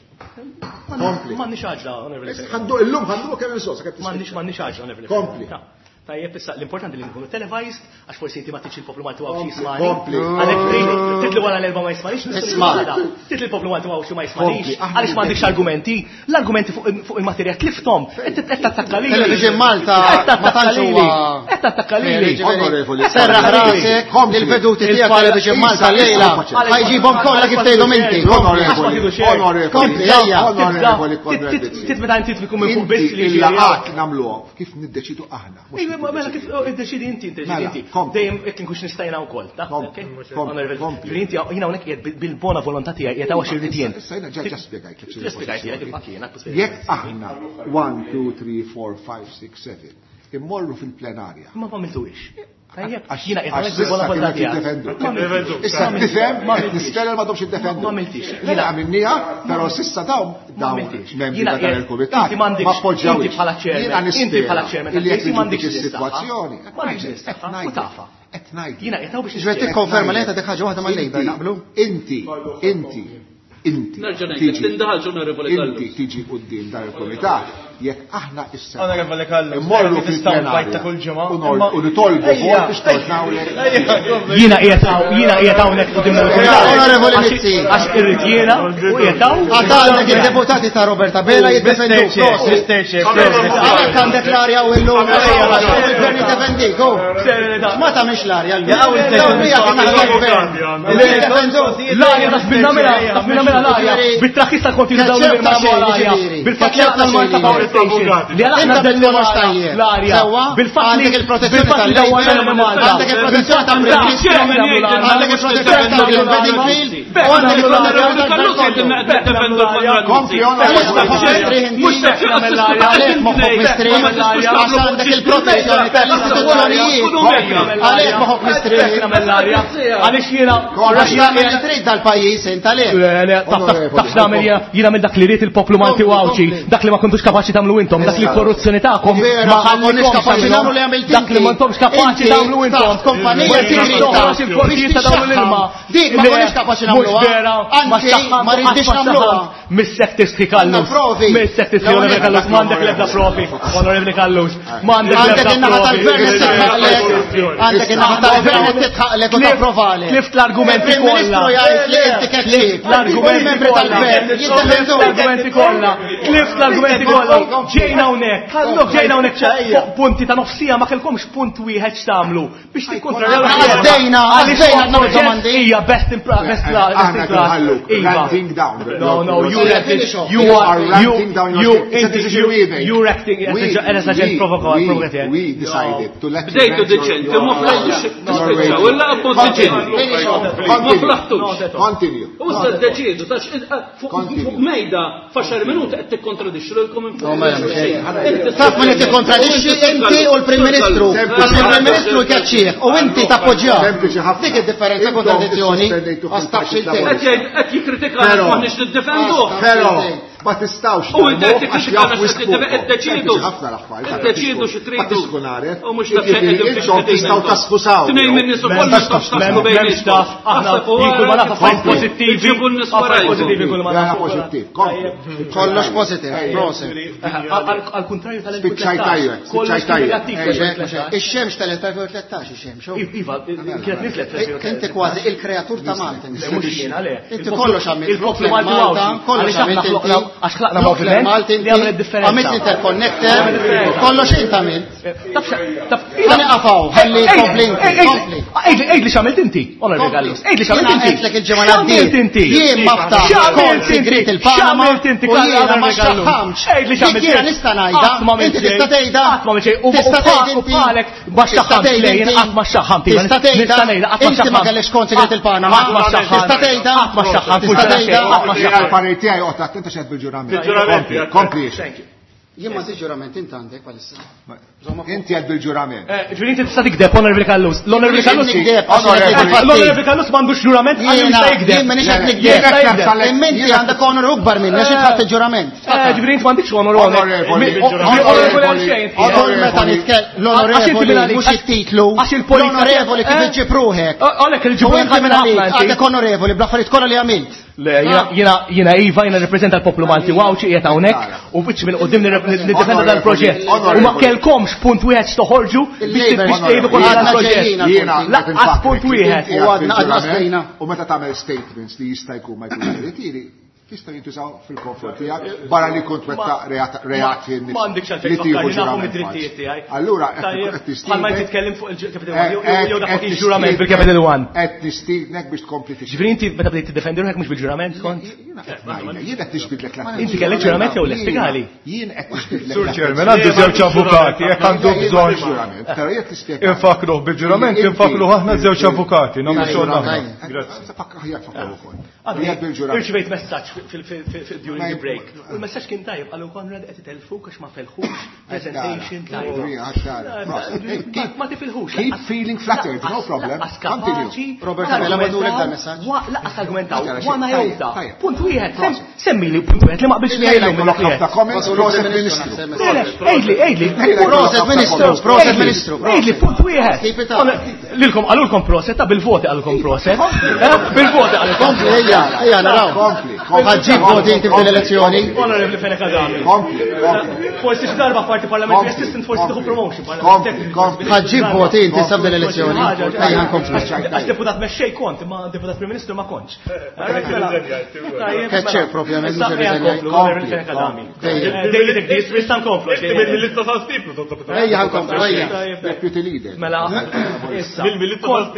Kompli. M'għandniex għaġla, Onorevoli Fenech. Ħandu illum ħandu kemm hemm bżonn sakemm M'għandniex tispiċċa. m'għandniex għaġla, Onorevoli Kompli. Fenech. Tajjeb, issa l-importanti li nkunu televised, għax forsi inti ma tridx il-poplu Malti u Għawdxi Kompli, jismani. kompli. Għalhekk trid titli wara l-erba' ma jismanix, nistgħu Isma'. nagħmlu għada. Titli l-poplu Malti u Għawdxi ma jismanix, Kompli, aħna għaliex m'għandekx niddefindu. argumenti, l-argumenti fuq fuq il-materja tliftom, qed qed tattakka lili. Television Malta Qed ma tattakka tantx lili. huwa Qed tattakka lili. Onorevoli, Serraħ rasek Kompli. il-veduti tiegħek Il-pala- Television Malta llejla. Ħajġibhom kollha kif tgħidhom inti. Onorevoli, onorevoli, Kompli, ejja. Onorevoli Konrad Mizzi. Tit meta inti tkun minn fuq biss Inti li il-laqat nagħmluhom kif niddeċidu aħna. mhux Ejwa, kif ma mela kif niddeċidu. oh, iddeċidi inti, iddeċidi Mela, inti. kompli. Dejjem jekk inkunx nistajna wkoll, ta' Kompli, ok? kompli, Onorevoli, kompli. Ġifieri inti jiena hawnhekk qiegħed bil- bil-bona volontà tiegħi qiegħed hawn għax irrid jien. Issa jiena ġa ġa spjegajtlek x'inhi Ġa spjegajt, l-pożizzjoni. jekk jiena spjegajt. Jekk aħna one, two, three, four, five, six, seven immorru fil-plenarja. Ma għamiltuhiex. Tajjeb, Għax jiena qiegħed għax hawnhekk bil-bona s'issa volontà kienu tiegħi. jiddefendu. Ma għamiltix. Issa tifhem, Ma qed għamiltix. nispera li m'għadhomx jiddefendu. Ma għamiltix. Jiena għamilniha, però s'issa dawn Ma dawn għamiltix. membri Jiena ta' dan qiegħed- il-kumitat inti m'għandekx- ma appoġġjawx. inti bħala chairman, Jiena inti nispera bħala chairman illi jekk tal-P C niġu m'għandekx dik l-istaħħa. is-sitwazzjoni. M'għandekx l-istaħħa, u tafha. Qed ngħidlek. Jiena qiegħed hawn biex Ġifieri nispjega. tikkonferma li qed ħaġa waħda mal-Labour naqblu? Inti, inti, inti. Nerġa' ngħidlek, tiġi- tindaħalx, Onorevoli Inti Callus. tiġi quddiem dan il-kumitat jekk aħna issa. Onorevoli Callus, Immorru vera tista' fil-plenarja nbajt ta' kull ġimgħa, u nor- imma- U nitolbu Ejja. vot biex tornawlek. Jiena qiegħed hawn, jiena qiegħed hawnhekk quddiem dan il-kumitat. Onorevoli Għax- Mizzi. Għax irrid jiena u qiegħed hawn. Għad għandek il-deputati ta' Robert Abela jiddefendu. Mister Chair, Mister Chair, Għalhekk għandek l-arja u llum. Il-gvern jiddefendik, oh. Ma tagħmilx l-arja llum. Jaqgħu il-session Dawn hija kien naħa tal-gvern. Jiddefendu. L-arja taf minna mela, taf minna mela l-arja. Bit-traħħis tal-kontijiet dawn Keċċeb ta' il-mirma xejn, l-arja. jiġifieri. Bil-fatt li Keċċeb aħna ta' l-Malta xejn, Power jiġifieri. Station. Li għal aħna Inta dellu bil-kollox tajjeb. l-arja. Sewwa, Bil-fatt li għandek il-protezzjoni bil-fatt li tal-Labour, dawwarna Malta. għandek il-protezzjoni tal-Prim Ministru, għandek il-protezzjoni tal-Green Bedingfield, u għandek il-protezzjoni tal-Gvern. Kompli, onorevoli. Għalhekk moħħok mistrieħ, għax għandek il-protezzjoni tal-istituzzjonijiet. Għalhekk moħħok mistrieħ. Għaliex jiena Għax tagħmel li trid dal-pajjiż int għalhekk. Le, le, taf taf taf x'nagħmel jiena jiena minn dak li ried il-poplu Malti u Għawdxi, dak li ma kontux kapaċi tagħmlu intom, dak li l-korruzzjoni tagħkom Vera, ma ma konniex ħallikomx kapaċi tagħmluhom, nagħmlu li għamilt dak li inti. ma intomx kapaċi Inti tagħmlu intom. taħt kumpanija Ma segreta toħroġ il-portijiet ta' dawn l-ilma. Dik ma Le, konniex kapaċi mhux nagħmluha. vera, ma Anzi, xtaħħant, ma rridniex qatt ma nagħmluha. xtaħħant. Missek tistħi Callus. Għandna provi. Missek tistħi L-ewwel Onorevoli Callus, m'għandek l-ebda provi. Onorevoli Callus, m'għandek Għandek l-ebda in-naħa provi. tal-gvern qed titħaqlek, għandek in-naħa tal-gvern qed titħaqlek u tapprovali. Tlift l-argumenti Il-Prim Ministru kollha. jgħid li inti keċċieb. L-argumenti membri kollha. tal-gvern Tlift jiddefendu. l-argumenti kollha. Tlift l-argumenti kollha. Ġejna hawnhekk. Ġejna hawnhekk fuq punti ta' nofsija ma kellkomx punt wieħed x'tagħmlu biex tikkontrarjaw. Għaddejna, Għaliex għaddejna huwa nagħmlu domandi. Hija best in best class. Aħna Best in class. nħalluk, Iva. ranting down. No, no, you Yeah, ranting. finish off. You You are are you ranting down your you state. It's a decision we made. You're acting as We- a as a we- provocateur. We, we decided to let you Bdejtu rant your- deċenti, your- ma flaħtux your tispiċċaw, radio. illa appunt deċenti. Finish off. Ma Continue. flaħtux. Continue. U issa ddeċiedu, tax fuq Continue. mejda f'għaxar minuti qed tikkontradixxu lilkom No, ma jagħmel xejn. Taf min qed tikkontradixxi inti u l-Prim Ministru. Għax il-Prim Ministru jkeċċih u inti tappoġġjah. Sempliċi ħafna. Dik id-differenza Intom kontradizzjoni. issospendejtu Għax taf fil-Partit x'intejn. Qed jgħid qed jikkritikana Però- m'aħniex niddefendu. Però ma tistawx U inti qed tagħmluh għax tikkritikana jaf x'qed wisq iddeċiedu. ħafna l-affarijiet. Iddeċiedu xi tridu. Ma tiskun għaref. U mhux taf xejn qegħdin fiex Intom qegħdin tistgħu intom. taskusaw. Tnejn minn nies ukoll nistgħu tasku M'hemmx taf, aħna jkun ma naf affarijiet pożittivi. Iġibu n-nies Affarijiet warajkom. pożittivi kull ma Mela naf. pożittiv. Kompli. Kollox positiv, prosit. Għal kontrarju Spiċċaj tajjeb, tal-elfejn u tlettax. Kollox spiċċaj tajjeb. negattiv Ejja. fl-elfejn u tlettax. Ix-xemx tal-elfejn u tlettax ix-xemx. oh. Iva, kienet nizlet Inti kważi il-kreatur ta' Malta. Le, mhux jiena, le. Inti kollox għamilt. Il-poplu Malti Malta, Għawdxi. kollox Għaliex aħna għamilt inti. ħloqna- Għax ħlaqna moviment li għamel differenza. Għamilt interconnector, kollox int għamilt. Ħa nieqaf hawn, ħalli kompli kompli. Għidli x'għamilt inti, Onorevoli Gallus. Għidli x'għamilt inti. Għedtlek il-ġimgħa l-għaddiet. Jien ma ftaħt kont sigriet il-Panama u jiena ma xaħħamx. Għidli x'għamilt. Jiena nista' ngħidha, inti tista' tgħidha. Qatt ma xejn. U bħalek ma xaħħamt lejn, qatt ma xaħħamt. Tista' tgħidha. Inti ma kellekx kont sigriet il-Panama. Tista' tgħidha. Qatt ma xaħħamt. Tista' tgħidha. Qatt ma xaħħamt. Il-parir tiegħi oqgħod attent għax qed bil-ġurament. Kompli. Jien ma ġurament int għandek bħalissa. Inti qed bil-ġurament. Ġifieri inti tista' tikdeb, Onorevoli Callus. L-Onorevoli Callus L-Onorevoli Callus m'għandux ġurament għalli jista' jikdeb. Jien m'iniex qed nikdeb. Imma inti għandek onor akbar minni għax int ħadt il-ġurament. Ġifieri int m'għandekx onor Onorevoli. Onorevoli għal xejn. Kull meta nitkellem l-onorevoli mhux it-titlu. L-onorevoli kif iġġib ruħek. Għalhekk il-ġib U inti minn għalik għandek onorevoli bl-affarijiet kollha li għamilt. Le, jiena jiena iva, jiena nirrappreżenta l-poplu Malti u Għawdxi qiegħed hawnhekk u biċċ minn quddiem niddefenda dal-proġett. U ma kellkomx punt wieħed x'toħorġu biex tgħidu kontra dal-proġett. Lanqas punt wieħed. U għadna għadna stejna. U meta tagħmel statements li jista' jkun ma jkunx veritieri, jistgħu jintużaw fil-konfront tiegħek barra li kont wettaq reati Ma għandekx għalfejn tfakkarni nafu mid-drittijiet tiegħi. Allura qed tistiednek. Bħalma titkellem fuq il-Capital One jew dak il-ġurament bil-Capital One. Qed nistiednek biex tkompli tixtieq. Ġifieri inti meta bdejt tiddefendi ruħek mhux bil-ġurament kont? Jien qed nixbidlek l Inti kellek ġurament jew le spjegali? Jien qed nixbidlek. Sur Chairman, għandu żewġ avukati, jekk għandu bżonn. Però jekk tispjega. Infakruh bil-ġurament, infakruh aħna żewġ avukati, nagħmlu xogħol aħna. Grazzi. Aħjar fakru ukoll. Irċivejt messaġġ during the break. U l-messaġġ kien tajjeb, qalu Konrad qed itelfuk għax ma felħux presentation tajba. Ma tifilħux. Keep feeling flattered, no problem. Continue. Robert Abela bagħtulek dal messaġġ. Lanqas argumentaw, wana jowta. Punt wieħed, semmi li punt wieħed li ma qbilx miegħi llum. Ħafna comments, proset Ministru. Għidli, għidli. Proset Ministru, proset Ministru. Għidli, punt wieħed. Lilkom qalulkom proset, ta' bil-voti qalulkom proset. Bil-voti qalulkom. Ejja, ejja, naraw. Kompli, Ħa ġġib voti inti f'din l-elezzjoni. Onorevoli Fenech Adami. Kompli, kompli. Forsi xi darba parti parliamentary assistant forsi tieħu promotion. Kompli, Ħa ġġib voti inti sa f'din l-elezzjoni. Ejja nkomplu. Għax deputat mexxej kont, imma deputat Prim Ministru ma kontx. Keċċer propjament mhux irriżenjajt. Onorevoli Fenech Adami. Issa nkomplu. Ejja nkomplu, ejja. Deputy leader. Mela, issa.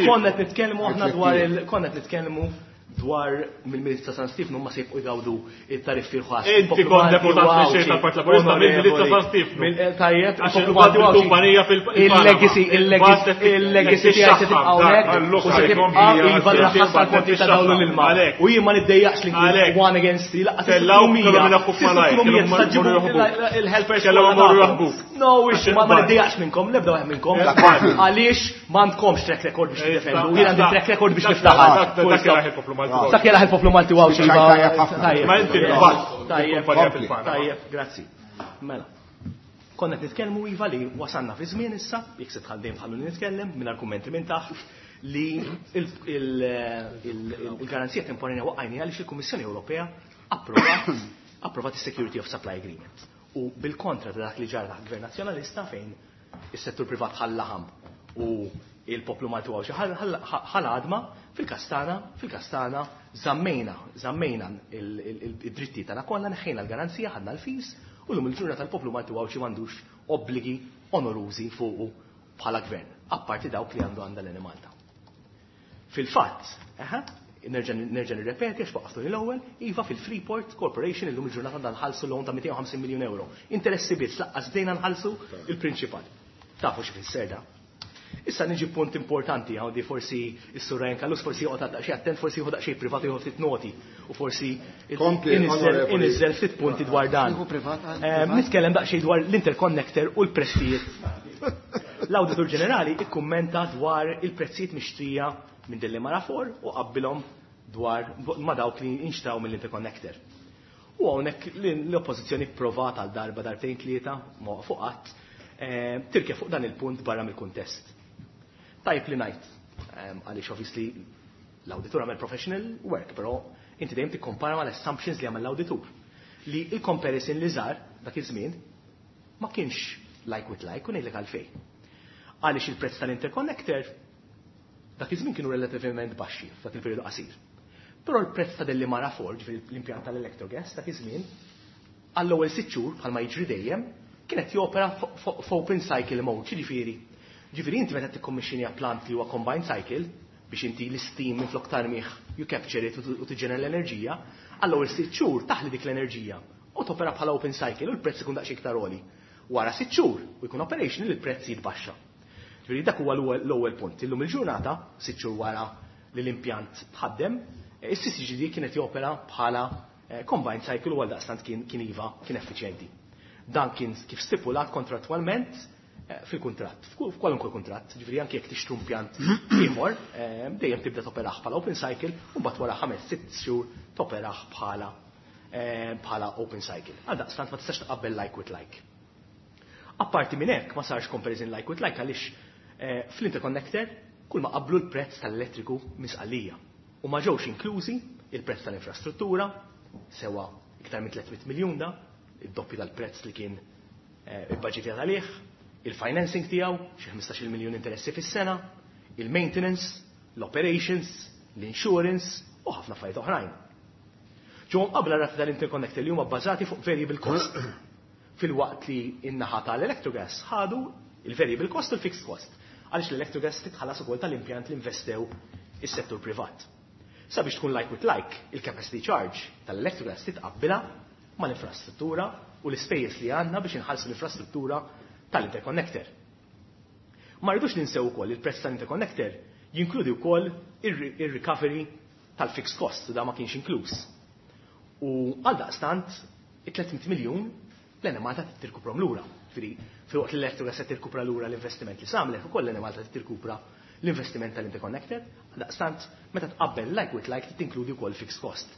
Konna qed nitkellmu aħna dwar il konna qed nitkellmu dwar mill-Miliz ta' San Stefnu ma se jibqgħu jgawdu it-tariffi rħas. Inti kont deputat mexxej tal-Partit Laburista mill-Miliz ta' San Stefnu. Tajjeb, Għax il-kumpanija fil- il-legacy, il-legacy, il-legacy tiegħi se tibqa' hawnhekk u se tibqa' iva raħas għall-konti ta' dawn l-ilma. U jien ma niddejjaqx li nkun one against three, lanqas il-helpers Kellhom imorru jaħbuk. No, ix, ma niddejjaqx minnkom, l-ebda wieħed minnkom. Għaliex m'għandkomx track record biex tiddefendu, jien għandi track record biex niftaħar. Dak jelaħ il-poplu Malti u Għawdxi. Ma inti Tajjeb, tajjeb, grazzi. Mela. Konna qed nitkellmu iva li wasanna fi żmien issa, jekk se tħaddejn tħalluni nitkellem mingħajr kummenti minn taħt, li il-garanzija temporanja waqqajni għaliex il-Kummissjoni Ewropea approvat approvat is-Security of Supply Agreement. U bil-kontra ta' dak li ġara taħt Gvern Nazzjonalista fejn is-settur privat ħallaħam u il-poplu Malti u Għawdxi ħal-għadma fil-kastana, fil-kastana zammejna, zammejna id-dritti tagħna kollha, neħħejna l-garanzija, ħadna l-fees, u llum il-ġurnata tal-poplu Malti u Għawdxi m'għandux obbligi onorużi fuqu bħala gvern, apparti dawk li għandu għandha l-Enemalta. Fil-fatt, nerġa' nirrepeti għax waqaftu l-ewwel, iva fil-Freeport Corporation illum il-ġurnata għandha nħallsu loan ta' mitejn u ħamsin miljun euro. Interessi biss, laqqas bdejna nħallsu il-prinċipal. Tafu x'ifisser da? Issa niġi punt importanti, għandi forsi is-Sur Ryan Callus forsi joqgħod daqsxejn attent, forsi jieħu daqsxejn privat jieħu ftit noti u forsi Kompli, onorevoli. inizzel ftit punti dwar dan. Jieħu privat, għal Eh, privat? Nitkellem daqsxejn dwar l-interconnector u l-prezzijiet. L-Awditur Ġenerali ikkummenta dwar il-prezzijiet mixtrija minn Delimara four u qabbilhom dwar ma dawk li inxtraw mill-interconnector. U hawnhekk l-oppożizzjoni provat għal darba darbtejn tlieta ma waqfu qatt, eh, tirke fuq dan il-punt barra mill-kuntest. Tajb li ngħid, ehm, għaliex obviously l-awditur għamel professional work, però inti dejjem tikkompara mal-assumptions li għamel l-awditur. Li il-comparison li żar dak iż-żmien ma kienx like with like u ngħidlek għalfejn. Għaliex il-prezz tal-interconnector dak iż-żmien kienu relativament baxxi f'dak il-perjodu qasir. Però l-prezz ta' Delimara four, ġifieri l-impjant tal-electrogas, dak iż-żmien Għall-ewwel sitt xhur bħalma jiġri dejjem kienet jopera f'open cycle mode, ġifieri. Ġifieri inti meta tikkommissjonja plant li huwa combined cycle biex inti l-steam minflok tarmih you capture it u tiġġenera l-enerġija, għall-ewwel sitt xhur taħli dik l-enerġija u topera bħala open cycle u l-prezz ikun daqsxejn iktar għoli. Wara sitt xhur u jkun operational il-prezz jitbaxxa. Ġifieri dak huwa l-ewwel punt. Illum il-ġurnata, sitt xhur wara li l-impjant tħaddem, is-C C G D kienet jopera bħala combined cycle u għaldaqstant kien kien iva kien effiċjenti. Dan kien kif stipulat kontrattwalment fil-kuntratt, f'kwalunkwe kuntratt, ġifieri anke jekk tixtru impjant ieħor, dejjem tibda toperah bħala open cycle u mbagħad wara ħames sitt xhur toperah bħala bħala open cycle. Għaldaqstant ma tistax tqabbel like with like. Apparti minn hekk ma sarx comparison like with like għaliex fl-interconnector kull ma qablu l-prezz tal-elettriku minn Sqallija. U ma ġewx inklużi il-prezz tal-infrastruttura, sewa iktar minn tliet mitt miljun da, id-doppju tal-prezz li kien il-budget għalih, il-financing tiegħu, xi ħmistax-il miljun interessi fis-sena, il-maintenance, l-operations, l-insurance u ħafna affarijiet oħrajn. Ġew qabla rati tal-interconnector li huma bbażati fuq variable cost. Fil-waqt li in-naħa tal-Electrogas ħadu il-variable cost u l-fixed cost. Għaliex l-Electrogas titħallas ukoll tal-impjant li investew is-settur privat. Sabiex tkun like with like, il-capacity charge tal-Electrogas titqabbilha mal-infrastruttura u l-ispejjeż li għandna biex inħallsu l-infrastruttura tal-interconnector. Ma rridux ninsew ukoll il-prezz tal-interconnector jinkludi wkoll ir-recovery tal-fixed cost, da ma kienx inkluż. U għal daqstant, it-tliet mitt miljun l-Enemalta tirkuprom lura. Ġifieri, filwaqt li l-Electrogas se tirkupra lura l-investiment li samlet, ukoll l-Enemalta tirkupra l-investiment tal-interconnector. Daqstant, meta tqabbel like with like, tinkludi wkoll fixed cost.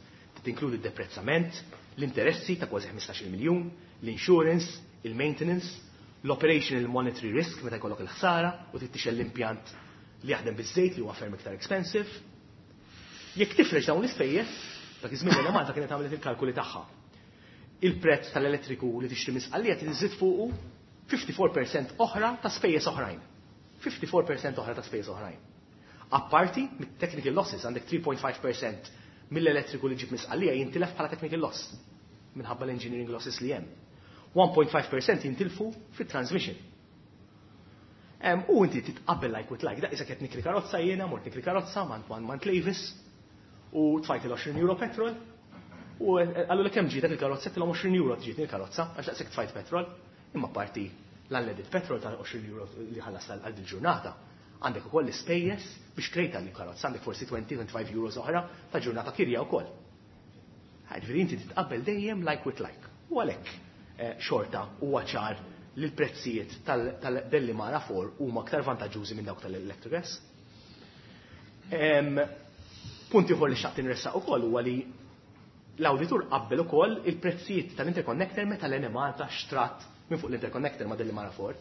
Tinkludi d-deprezzament, l-interessi ta' kważi ħmistax-il miljun, l-insurance, il-maintenance, l-operational monetary risk meta jkollok il-ħsara u tittixel l-impjant li jaħdem biż-żejt li huwa ferm iktar expensive. Jekk tifrex dawn l-ispejjeż, dak iż-żmien li Malta kienet għamlet il-kalkuli tagħha. Il-prezz tal-elettriku li tixtri minn Sqallija tiżid fuqu ħamsa u erbgħin fil-mija oħra ta' spejjeż oħrajn. ħamsa u erbgħin fil-mija oħra ta' spejjeż oħrajn. Apparti mit-technical losses għandek tlieta punt ħamsa fil-mija mill-elettriku li ġib minn Sqallija jintilef bħala technical loss minħabba l-engineering losses li hemm. wieħed punt ħamsa fil-mija jintilfu fit-transmission. U inti titqabbel like with like, da isa qed nikri karozza jiena, mort nikri karozza mant mant Levis u tfajt il-għoxrin euro petrol u għallu li kemm ġietek il-karozza, tilhom għoxrin euro ġietni il-karozza, għax daqshekk tfajt petrol, imma parti l-unleaded petrol ta' għoxrin euro li ħallas għal dil-ġurnata. Għandek ukoll l-ispejjeż biex krejta l-karozza, għandek forsi għoxrin, ħamsa u għoxrin euros oħra ta' ġurnata kirja wkoll. Ġifieri inti titqabbel dejjem like with like. U għalhekk xorta huwa ċar li l-prezzijiet tal-Delimara erba' huma aktar vantaġġużi minn dawk tal-Electrogas. Punt ieħor li xtaqt inressaq ukoll huwa li l-awditur qabbel ukoll il-prezzijiet tal-interconnector meta l-Enemalta xtrat minn fuq l-interconnector ma' Delimara erba'.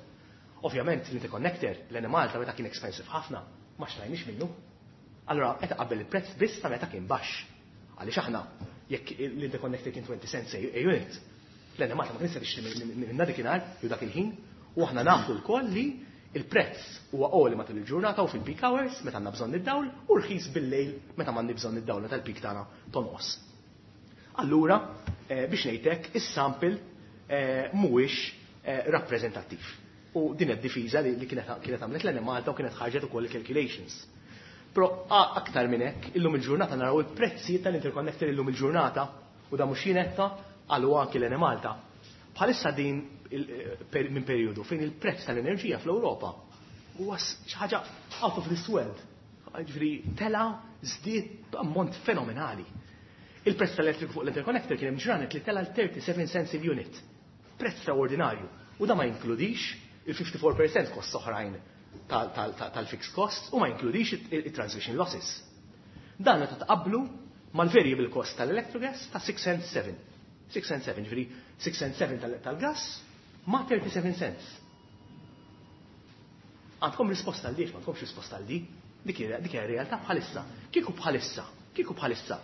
Ovvjament l-interconnector l-Enemalta meta kien expensive ħafna ma xtrajniex minnu. Allora qed qabbel il-prezz biss ta' meta kien baxx. Għaliex aħna jekk l-interconnector kien twenty cents a unit, l-Enemalta ma kienx tixtri minna dakinhar jew dak il-ħin, u aħna nafu lkoll li il-prezz huwa għoli matul il-ġurnata u fil-peak hours meta għandna bżonn id-dawl u rħis bil-lejl meta m'għandna bżonn id-dawl meta l-peak tagħna tonqos. Allura, biex ngħidlek, is-sample mhuwiex rappreżentattiv. U din id-difiża li kienet għamlet l-Enemalta u kienet ħarġet ukoll il-calculations. Però aktar minn hekk, illum il-ġurnata naraw il-prezzijiet tal-interconnector illum il-ġurnata u da mhux jinetta għalu anki l-Enemalta. Bħalissa din minn periodu fejn il-prezz tal-enerġija fl-Ewropa huwa xi ħaġa out of this world. Ġifieri tela żdied ammont fenomenali. Il-prezz tal-elettriku fuq l-interconnector kien hemm ġranet li tela l-thirty-seven cents il-unit. Prezz straordinarju. U da ma jinkludix il-fifty-four percent cost oħrajn tal-fixed costs u ma jinkludix il-transmission losses. Dan meta tqabblu mal-variable cost tal-Electrogas ta' six cents seven. six cents seven, ġifieri six cents seven tal-gas ma' thirty-seven cents. Għandkom risposta għal di, ma għandkomx risposta għal di, dik hija realtà bħalissa. Kieku bħalissa, kieku bħalissa,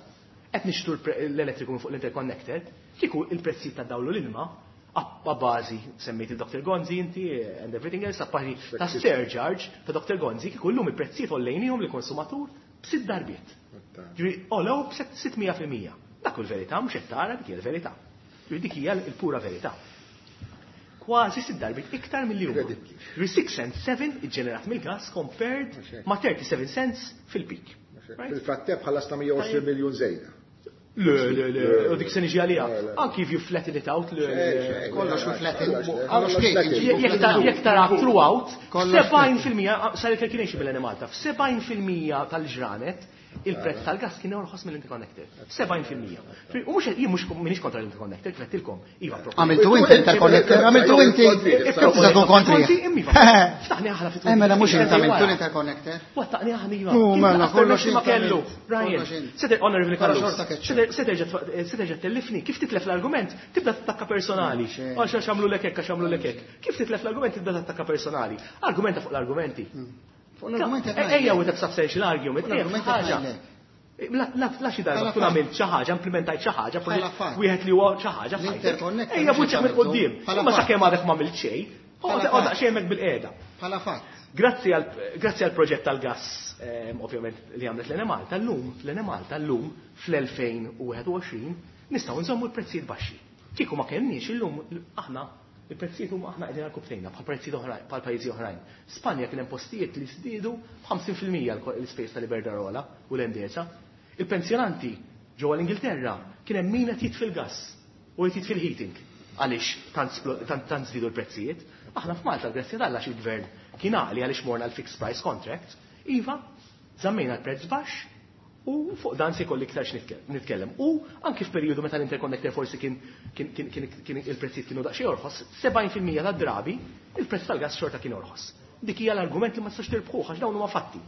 qed nixtru l-elettriku fuq l-interconnector, kieku il-prezzijiet ta' dawl u l-ilma, a bażi semmejt il-Doctor Gonzi inti and everything else, apparti ta' surcharge ta' Doctor Gonzi, kieku llum il-prezzijiet għollejnihom lill-konsumatur b'sitt darbiet. Ġifieri għolew b'sitt mija fil-mija. Dak hu l-verità, mhux qed tara dik hija l-verità. Dik hija l-pura verità. Kważi sitt darbiet iktar milli huma. six cents seven iġġenerat mill-gas compared ma' thirty-seven cents fil-peak. Fil-frattemp ħallasna mija u għoxrin miljun żejda. Le, le, le, u dik se niġi għaliha. Anki if you flatten it out, le. Kollox flatten. Jekk tara throughout, sebgħin fil-mija, sar il-calculation bil-Enemalta, f'sebgħin fil-mija tal-ġranet, il-prezz tal-gas kien orħos mill-interconnector. sebgħin fil-mija. U mhux jien mhux m'iniex kontra l-interconnector, kif għedtilkom. Iva, Għamiltu inti l-interconnector, għamiltu inti. Tista' tkun kontri. Ftaħni aħna fit. Eh, mela mhux inti għamiltu l-interconnector. Wattaqni aħna iva. U mela kollox ma kellu. Ryan, se honorable Carlos. Se terġa' tellifni, kif titlef l-argument, tibda tattakka personali. Għax għax għamlu lek hekk, għax għamlu lek hekk. Kif titlef l-argument tibda tattakka personali. Argumenta fuq l-argumenti. Ejja with a substantial argument. Ħaġa. La xi darba tkun għamilt xi ħaġa, implementajt xi ħaġa, wieħed li huwa xi ħaġa. Ejja buċċek minn quddiem. Imma sakemm għadek ma għamilt xejn, oqgħod daqsxejn hemmhekk bil-qiegħda. Bħala fatt. Grazzi għal proġett tal-gas, ovvjament li għamlet l-Enemalta llum, l-Enemalta llum fl-elfejn u wieħed u għoxrin nistgħu nżommu l-prezzijiet baxxi. Kieku ma kenniex illum aħna il-prezzijiet huma aħna qegħdin għal-kubtejna bħal prezzijiet oħrajn, bħal pajjiżi oħrajn. Spanja kien hemm postijiet li żdiedu b'ħamsin fil-mija l-ispejjeż tal-Iberdrola u l-Endesa. Il-pensjonanti ġewwa l-Ingilterra kien hemm min qed jitfi l-gass u qed jitfi l-heating għaliex tant tant żdiedu l-prezzijiet. Aħna f'Malta grazzi t'Alla xi gvern kien għaqli għaliex morna l-fixed price contract, iva, żammejna l-prezz baxx u fuq dan se jkolli iktar nitkellem. U anki f'perjodu meta l-interconnector forsi kien kien il-prezzijiet kienu daqsxejn orħos, sebgħin fil-mija tad-drabi il-prezz tal-gas xorta kien orħos. Dik hija l-argument li ma tistax tirbħuh għax dawn huma fatti.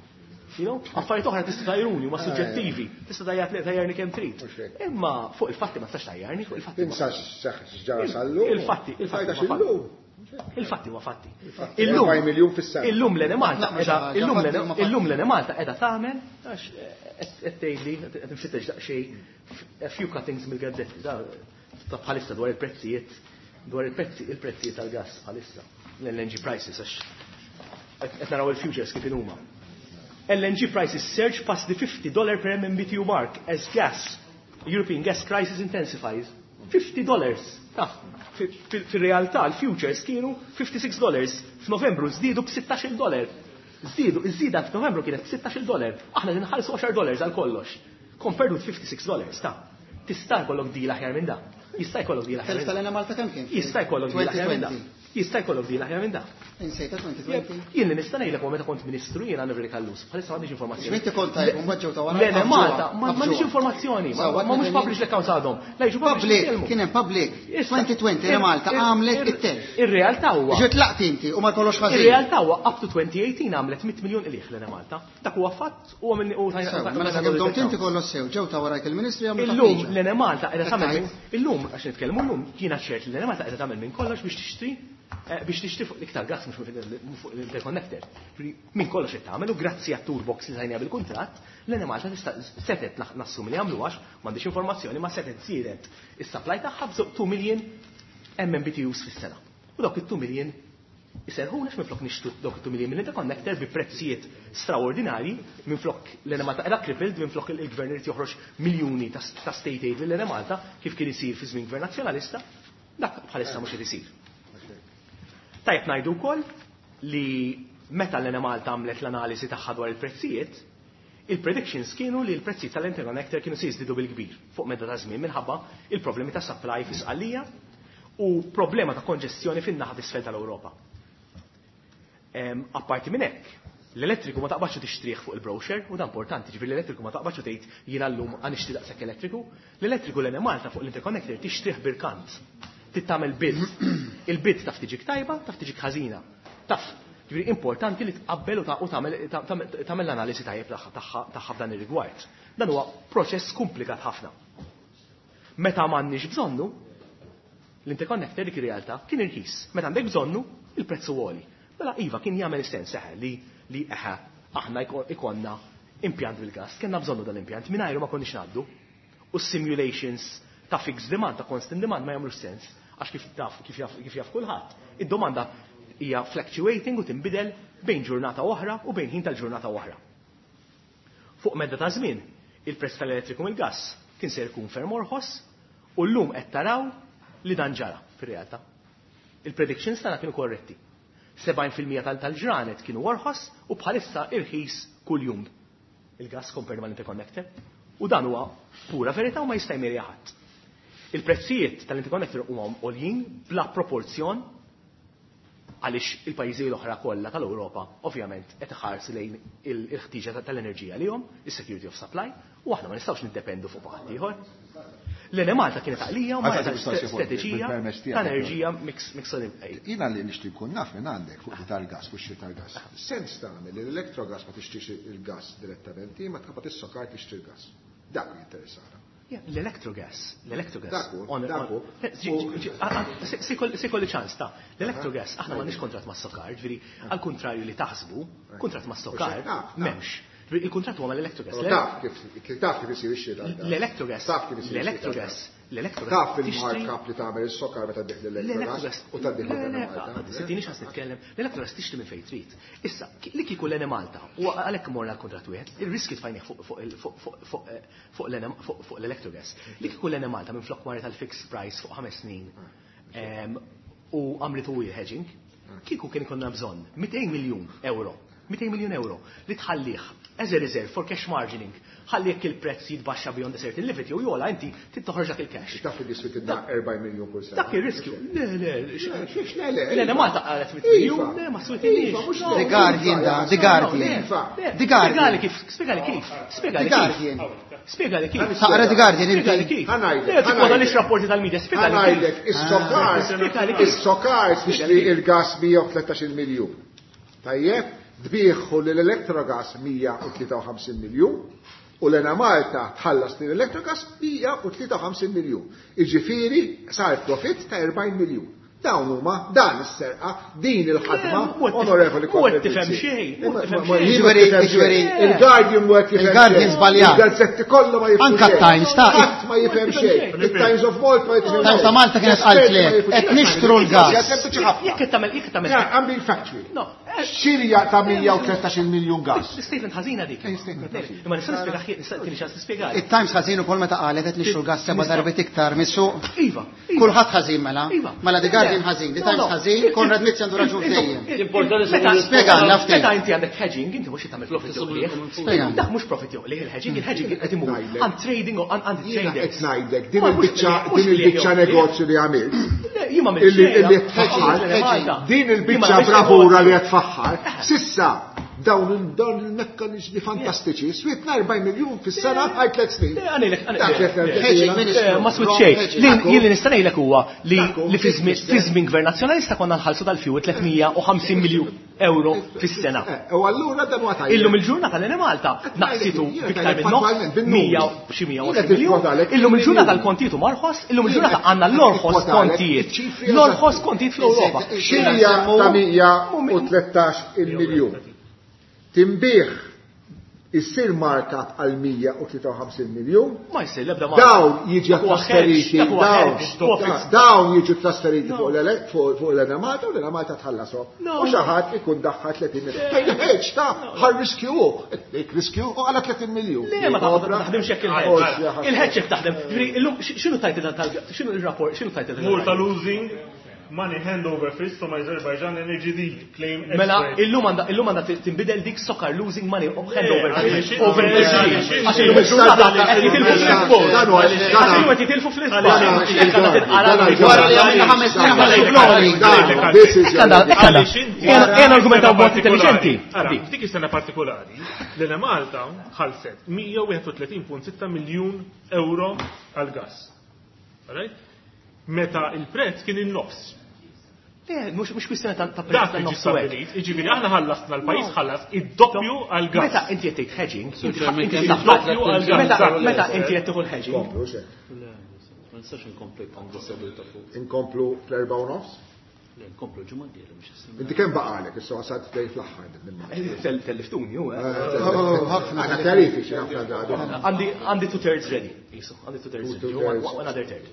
You know, affarijiet oħra tista' tajruni huma suġġettivi, tista' tajjarni kemm trid. Imma fuq il-fatti ma tistax tajjarni, fuq il-fatti. Insa x'ġara sal-lum. Il-fatti, il-fatti. Il-fatti huwa fatti. Illum illum l-Enemalta illum l-Enemalta qiegħda tagħmel għax qed tgħidli qed nfittex daqsxejn a few cuttings mill-gazzetti ta' bħalissa dwar il-prezzijiet dwar il-prezzi il-prezzijiet tal-gas bħalissa l-L N G prices għax qed naraw il-futures kif huma. L N G prices surge past the fifty dollar per M M B T U mark as gas European gas crisis intensifies. fifty dollars. Taf, fil-realtà l-futures kienu fifty-six dollars. F'Novembru żdiedu b'sittax-il dollar. Żdiedu, iż-żieda f'Novembru kienet b'sittax-il dollar. Aħna ninħallsu għaxar dollars għal kollox. Compared with fifty-six dollars, ta' tista' jkollok deal aħjar minn da. Jista' jkollok deal aħjar minn da. Malta kemm kien? Jista' jkollok deal aħjar minn da. Jista' jkollok deal aħjar minn da. Insejta twenty twenty. Jien li nista' ngħidlek meta kont ministru jiena Nivri Kallus, bħalissa m'għandix informazzjoni. X'inti kont tajb, mbagħad ġew ta' wara. Le, Malta, m'għandix informazzjoni, ma mhux published l-accounts għadhom. La jiġu public, kien hemm public. twenty twenty Malta għamlet it-telf. Ir-realtà huwa. Ġiet laqt inti u ma jkollox ħażin. Ir-realtà huwa up to twenty eighteen għamlet mitt miljun qligħ lil Malta. Dak huwa fatt u minn u Mela sakemm domt inti kollox sew, ġew ta' warajk il-Ministri għamlu. Illum l Malta qiegħda tagħmel illum għax nitkellmu llum jiena ċert li l Malta qiegħda tagħmel minn kollox biex tixtri biex tixtri fuq l-iktar gas mhux fuq l-interconnector. Min kollox qed tagħmel u grazzi għat-toolbox li tajniha bil-kuntratt, l-Enemalta tista' setet nassumi li għamlu għax m'għandix informazzjoni ma setet żiedet is-supply tagħha b'żewġ two million M M B T Us fis-sena. U dawk it-two million iserħunex minflok nixtru dawk it-two million mill-interconnector bi prezzijiet straordinarji, minflok l-Enemalta qiegħda crippled, minflok il-gvern irid joħroġ miljuni ta' state aid lill-Enemalta kif kien isir fi żmien gvern nazzjonalista, dak bħalissa mhux qed isir. Tajjeb ngħidu wkoll li meta l-Enemalta għamlet l-analiżi tagħha dwar il-prezzijiet, il-predictions kienu li l-prezzijiet tal-interconnector kienu se jiżdiedu bil-kbir fuq medda ta' żmien minħabba il-problemi ta' supply fi Sqallija u problema ta' konġestjoni fin-naħa t'isfel tal-Ewropa. Apparti minn hekk, l-elettriku ma taqbadx tixtrih fuq il-brochure, u dan importanti, ġifieri l-elettriku ma taqbadx tgħid jiena llum għan nixtri daqshekk elettriku, l-elettriku l-Enemalta fuq l-interconnector tixtrih birkant. Tittamel bid. Il-bid taf tiġik tajba, taf tiġik ħażina. Taf, ġifieri importanti li tqabbel u tagħmel l-analiżi tajjeb tagħha f'dan ir-rigward. Dan huwa proċess komplikat ħafna. Meta m'għandniex bżonnu, l-interconnector dik ir-realtà kien irħis. Meta għandek bżonnu, il-prezz huwa għoli. Mela iva kien jagħmel sens eħe li li eħe aħna ikonna impjant bil-gas, kellna bżonnu dan l-impjant mingħajru ma konniex ngħaddu. U simulations ta' fixed demand, ta' constant demand ma jagħmlux sens. Għax kif taf, kif jaf, kif jaf kulħadd, id-domanda hija fluctuating u tinbidel bejn ġurnata oħra u bejn ħin tal-ġurnata oħra. Fuq medda ta' żmien, il-prezz tal-elettriku mill-gass kien se jkun ferm orħos u llum qed taraw li dan ġara fir-realtà. Il-predictions tagħna kienu korretti. sebgħin fil-mija tal-ġranet kienu orħos u bħalissa irħis kuljum il-gas compared mal-interconnector. U dan huwa pura verità u ma jista' jmeri ħadd. Il-prezzijiet tal-interconnector huma għoljin bla proporzjon għaliex il-pajjiżi l-oħra kollha tal-Ewropa ovvjament qed iħarsu lejn il-ħtiġa tal-enerġija lihom, is-security of supply, u aħna ma nistgħux niddependu fuq ħadd ieħor. L-Enemalta kienet għalija u ma strateġija ta' enerġija mix Jiena li nixtieq nkun naf minn għandek fuq tal-gas, fuq xi tal-gas. Sens tagħmel li l-electrogas ma tixtrix il-gas direttament, ma tqabad is-SOCAR tixtri l-gas. Dak li jinteressana. L-electrogas, l-electrogas. Se jkolli ċans ta' l-electrogas, aħna m'għandniex kontrat ma' SOCAR, ġifieri għal kontrarju li taħsbu, kontrat ma' SOCAR m'hemmx. Il-kontrat huwa mal-electrogas. Taf kif taf kif isir ix-xiri tal-gas. L-electrogas. Taf kif isir L-electrogas. L-electrogas. Taf il-markup li tagħmel is-SOCAR meta tbigħ l-electrogas u tgħaddih lil Malta. Sittini x'ħas nitkellem. L-electrogas tixtri minn fejn trid. Issa, li kieku l-Enemalta u għalhekk morna l-kontrat wieħed, ir-riski tfajnih fuq l-electrogas. Li kieku l-Enemalta minn flok marret tal-fixed price fuq ħames snin u għamlitu hedging, kieku kien ikollna bżonn mitejn miljun euro. mitejn miljun euro li tħallih as a reserve for cash margining. Ħalli jekk il-prezz jitbaxxa beyond a certain limit jew jola inti trid toħroġ dak il-cash. Taf li diswitilna erbgħin miljun kull sena. Dak ir-riskju. Le, le, le, le. Le, Malta qalet mitt miljun, le, ma switilniex. The Guardian da, The Guardian. The Guardian. Spjegali kif, spjegali kif, spjegali The Guardian. Spjegali kif. Taqra The Guardian inti. Spjegali kif. Le, tikkwota lix rapporti tal-media, spjegali kif. Ħa ngħidlek, is-SOCAR, is-SOCAR tixtri il-gas mija u tlettax-il miljun. Tajjeb? Tbieħu l-Electrogas mija u tlieta u ħamsin miljun u l-Enemalta tħallas l-Electrogas mija u tlieta u ħamsin miljun. Iġifieri sar profit ta' erbgħin miljun. Dawn huma dan is-serqa, din il-ħadma, onorevoli Mhu tifhem xejn, mhu tifhem xejn. Jiġifieri, Il-Guardian mhu qed jifhem Il-Guardian xejn. żbaljat. Il-gazzetti kollha ma jifhmu Anka xejn. Times ta' Ħadd ma jifhem xejn. Il-Times of Malta ma jifhem xejn. Times ta' Malta kienet qalt le, qed nixtru l-gas. Sempliċi ħafna. Jekk qed tagħmel, jekk qed tagħmel. Yeah, I'm being factual. No. Xirja ta' mija u tlettax-il miljun gas. Statement ħażina dik. Imma nista' nispjega ħi, nista' tieni ċans nispjega. Il-Times ħażin ukoll meta qalet qed nixtru l-gas seba' darbiet iktar mis-suq. Iva. Kulħadd ħażin mela. Iva. Mela The Guardian ħażin, The Times ħażin, Konrad Mizzi għandu raġun dejjem. Spjegalna ftit. Meta inti għandek hedging, inti mhux tagħmel profit jew qligħ. Spjegalna. Dak mhux profit jew qligħ il-hedging, il-hedging qed imur għand trading u għand Jiena traders. qed ngħidlek din Ma mhux il-biċċa mhux din il-biċċa qligħ jew negozju li għamilt. Le, jien ma għamilt Illi xejn, illi ma tfaħħar, għamilt Malta. din Jien ma il-biċċa għamilt bravura negozju. li qed tfaħħar, sissa dawn il-, dawn il-mekkanizmi fantastiċi, swietna erbgħin miljun fis-sena għal tliet snin. Le, għanilek, għanilek. Dak li qed Hedging, ngħidlek. ministru. Eh, ma swit Wrong xejn. hedging. Li jien li nista' ngħidlek huwa li Dakku, li fi żmien mister. fi żmien gvern nazzjonalista konna nħallsu tal-fuel tliet mija u ħamsin miljun euro fis-sena. Eh, u allura dan huwa tajjeb. Illum il-ġurnata l-Enemalta naqsitu Jiena biktar ngħidlek minn nofs, fattwalment, bin-numri. mija u xi mija u Jiena għoxrin miljun. tikkwotalek Illum il-ġurnata bil-numri. l-kontijiet huma orħos, illum il-ġurnata Jiena għandna l-orħos tikkwotalek kontijiet. iċ-ċifri L-orħos eżatti. kontijiet fl-Ewropa. Xirja ta' mija u tlettax il-miljun. Timbih issir markup għal mija u tlieta u ħamsin miljun. Ma jsir l-ebda markup. Dawn jiġu Dak huwa trasferiti, hedge, dak huwa dawn, hedge, huwa fixed. dawn jiġu trasferiti fuq l-ele-, fuq, fuq l-Enemalta u l-Enemalta tħallasom. No. U xi ħadd ikun daħħal tletin miljun. Fejn hedge ta' ħar riskju hu. Dik riskju u għala tletin miljun. Le, ma taħdem, ma taħdimx hekk il-hedge. Forsi ħadd. Il-hedge hekk taħdem. Ġifieri, illum, x'inhu title tal-, x'inhu il-rapport, x'inhu title tal- Malta losing money hand over fist from Azerbaijan Energy deal, claim Mela, expert. illum għandha, illum għandha tinbidel dik SOCAR losing money hand over għaliex- fist. Over għaliex- fist. Għax illum il-ġurnata qed jitilfu fl-isport. Dan huwa- Għax illum qed jitilfu fl-isport. Dan huwa- Hekk għandha tinqara Dan huwa- Wara li għamilna ħames snin ħallu flori. Dan, this is Hekk għandha, hekk għandha. Għaliex inti- Ejja ejja nargumentaw Sena b'mod partikolari. intelligenti. Ara, f'dik is-sena partikolari, l-Enemalta ħallset mija u wieħed u tletin punt sitta miljun euro għal-gas. Alright? Meta il-prezz kien in-nofs. Le, mhux mhux kwistjoni ta' ta' prezz Dak ta' li ġie nofs u hekk. stabbilit, jiġifieri aħna ħallasna l-pajjiż ħallas id-doppju għall-gas. Meta inti qed tgħid hedging, inti Chairman, inti kemm taf- id-doppju għall-gas. meta meta inti qed tieħu l-hedging, Komplu, xe. Le, ma nistax inkompli għandi seduta fuq. Inkomplu fl-erba' u nofs? Le, nkomplu ġimgħa d-dieħla mhux is-sena. Inti kemm baqalek, issa wasalt tgħid fl-aħħar din Tel- telliftuni, hu, eh. ħafna. Għandna kjarifiki ħafna għadu. Għandi għandi two thirds ready. Isu, għandi two thirds Two ready. thirds. One another third.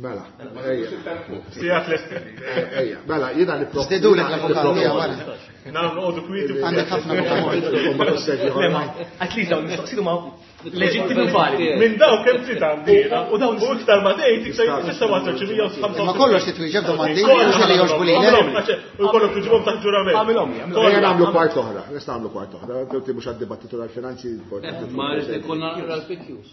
Mela, ejja. Sijat l-esti. Ejja, mela, jiena niproponi. Żdidulek l-avukat tiegħu wara. Nagħmlu noqogħdu kwieti. Għandek ħafna avukat. At least dawn mistoqsijiet huma leġittimi u validi. Minn dawn kemm trid għandi jiena. U dawn u iktar ma tgħid iktar issa ma tgħidx mija u ħamsa. Ma kollox titwieġeb domandi, mhux li jogħġbu lilek. U jkollok tiġibhom taħt ġurament. Għamilhom li, għamilhom. Ejja nagħmlu kwart oħra, nista' nagħmlu kwart oħra, inti mhux għad-dibattitu tal-finanzi. Ma rrid ikollna naqra l-P Qs.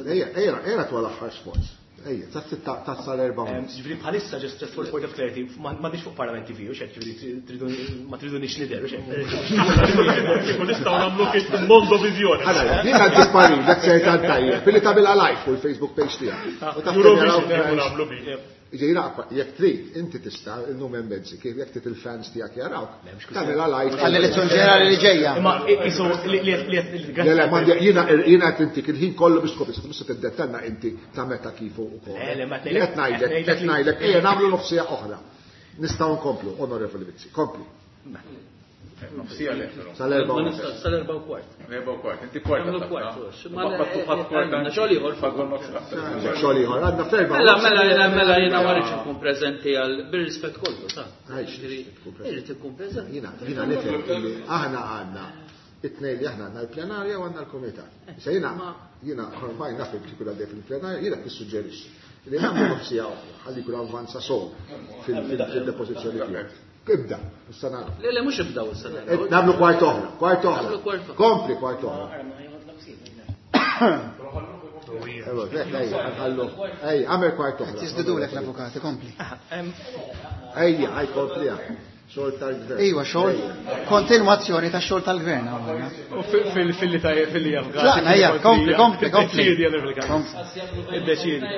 Ejja, ejja, ejja twal aħħar sforz. Ejja, ta' sitta ta' sal-erba' Ġifieri bħalissa just just for point of clarity, m'għandix fuq Parlament T V u xek, ġifieri ma tridunix nidher u xek. Kieku nistgħu nagħmlu kif Mondo Viżjoni. Ħala, jien għandi parir, dak se jgħid tajjeb, billi tagħmilha live fuq il-Facebook page tiegħek. U taf Eurovision kieku nagħmlu bi. Ġejna, jekk trid, inti tista' illum hemm mezzi kif jekk trid il-fans tiegħek jarawk. Tagħmilha live. Għall-elezzjoni ġenerali li ġejja. Imma isu li li li Le, le, m'għandi jiena jiena qed intik il-ħin kollu biex tkopri, tista' tiddettenna inti ta' meta kif u ukoll. Le, le, ma Qed ngħidlek, qed ngħidlek, ejja nagħmlu nofsija oħra. Nistgħu nkomplu, Onorevoli Mizzi, kompli. Nofsija le, però. Sal-erba' Ma u nista' sal-erba' u kwart. Erba' u kwart, inti kwarta. Nagħmlu taqta'. kwart, Ma baqgħu kwarta. Għandna xogħol ieħor. Fadlu nofs Xogħol ieħor, għandna f'erba' Mela, mela, jiena mela jiena ma rridx inkun preżenti għal bir-rispett kollu, sa. Għajx, Ġifieri, tkun preżenti. Irrid ikun preżenti. Jiena jiena nifhem illi aħna għandna it-tnejn li aħna għandna l-plenarja u għandna l-kumitat. Issa jiena jiena ormai naf li kieku għaddej fil-plenarja, jiena nissuġġerixxi li nagħmlu nofsija oħra ħalli jkun avvanza sew fil-depożizzjoni tiegħek. Ibda, issa nagħmlu. Le, le, mhux ibdaw issa Eh, naraw. Nagħmlu kwart oħra, kwart oħra. Nagħmlu kwart oħra. Kompli kwart oħra. Ejja, ejja, nħallu. Ejja, għamel kwart oħra. Tiżdidulek l-avukati, kompli. Ejja, ħaj kompliha. Xogħol tal-gvern. Iwa, xogħol, kontinwazzjoni ta' xogħol tal-gvern hawnhekk. U fil-li fil-li avukati. Tlaqna, ejja, kompli, kompli, kompli. Iddeċiedi, Onorevoli Callus. Iddeċiedi,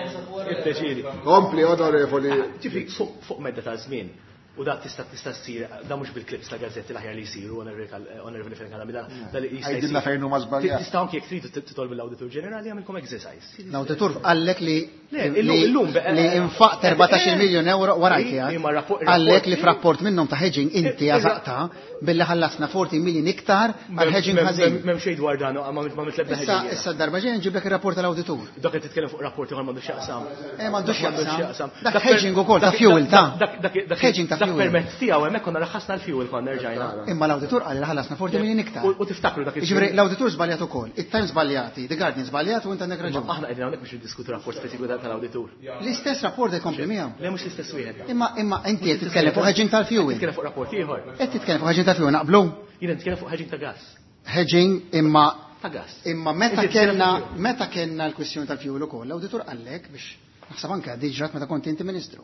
iddeċiedi. Kompli, onorevoli. Ġifieri fuq fuq medda ta' żmien. U da tista' tista' ssir da mhux bil-clips ta' gazzetti l-aħjar li jsiru, Onorevoli Fenech Adami, da da li jista' Għidilna jsir. fejn huma żbaljat. Tista' anke jekk tridu titolbu l-Awditur Ġenerali jagħmilkom exercise. L-awditur qallek li Le, li illum- illum be- li infaqt erbatax-il miljun euro warajk Imma qiegħed. rapport- Qallek li f'rapport minnhom ta' hedging inti Ir- għażaqta billi ħallasna forty million iktar għal hedging ħażin. M'hemm xejn dwar dan, ma ma mitlebda Issa hedging. issa darba ġejja nġiblek ir-rapport tal-awditur. Dak qed titkellem fuq rapport ieħor m'għandux x'jaqsam. Eh, m'għandux x'jaqsam. Dak per- hedging ukoll ta' dak- fuel, ta' dak- dak- dak- Hedging ta' Dak fuel. permezz tiegħu hemmhekk konna raħħasna l-fuel konna rġajna. Imma l-awditur qal li ħallasna forty million iktar. U u tiftakru dak Jiġifieri l-awditur żbaljat ukoll, it-Times żbaljati, The Guardian żbaljat u inti għandek raġun. Aħna qegħdin hawnhekk biex niddiskutu rapport speċifiku tal-awditur. L-istess rapport ikompli miegħu. Le mhux l-istess wieħed. Imma imma inti qed titkellem fuq hedging tal-fuel. Titkellem fuq rapport ieħor. Qed titkellem fuq hedging tal-fuel naqblu? Jiena nitkellem fuq hedging ta' gas. Hedging imma Ta' gas. imma meta Inti titkellem kellna fuq fuel. meta kellna l-kwistjoni tal-fuel ukoll, l-awditur qallek biex naħseb anke diġrat meta kont inti ministru.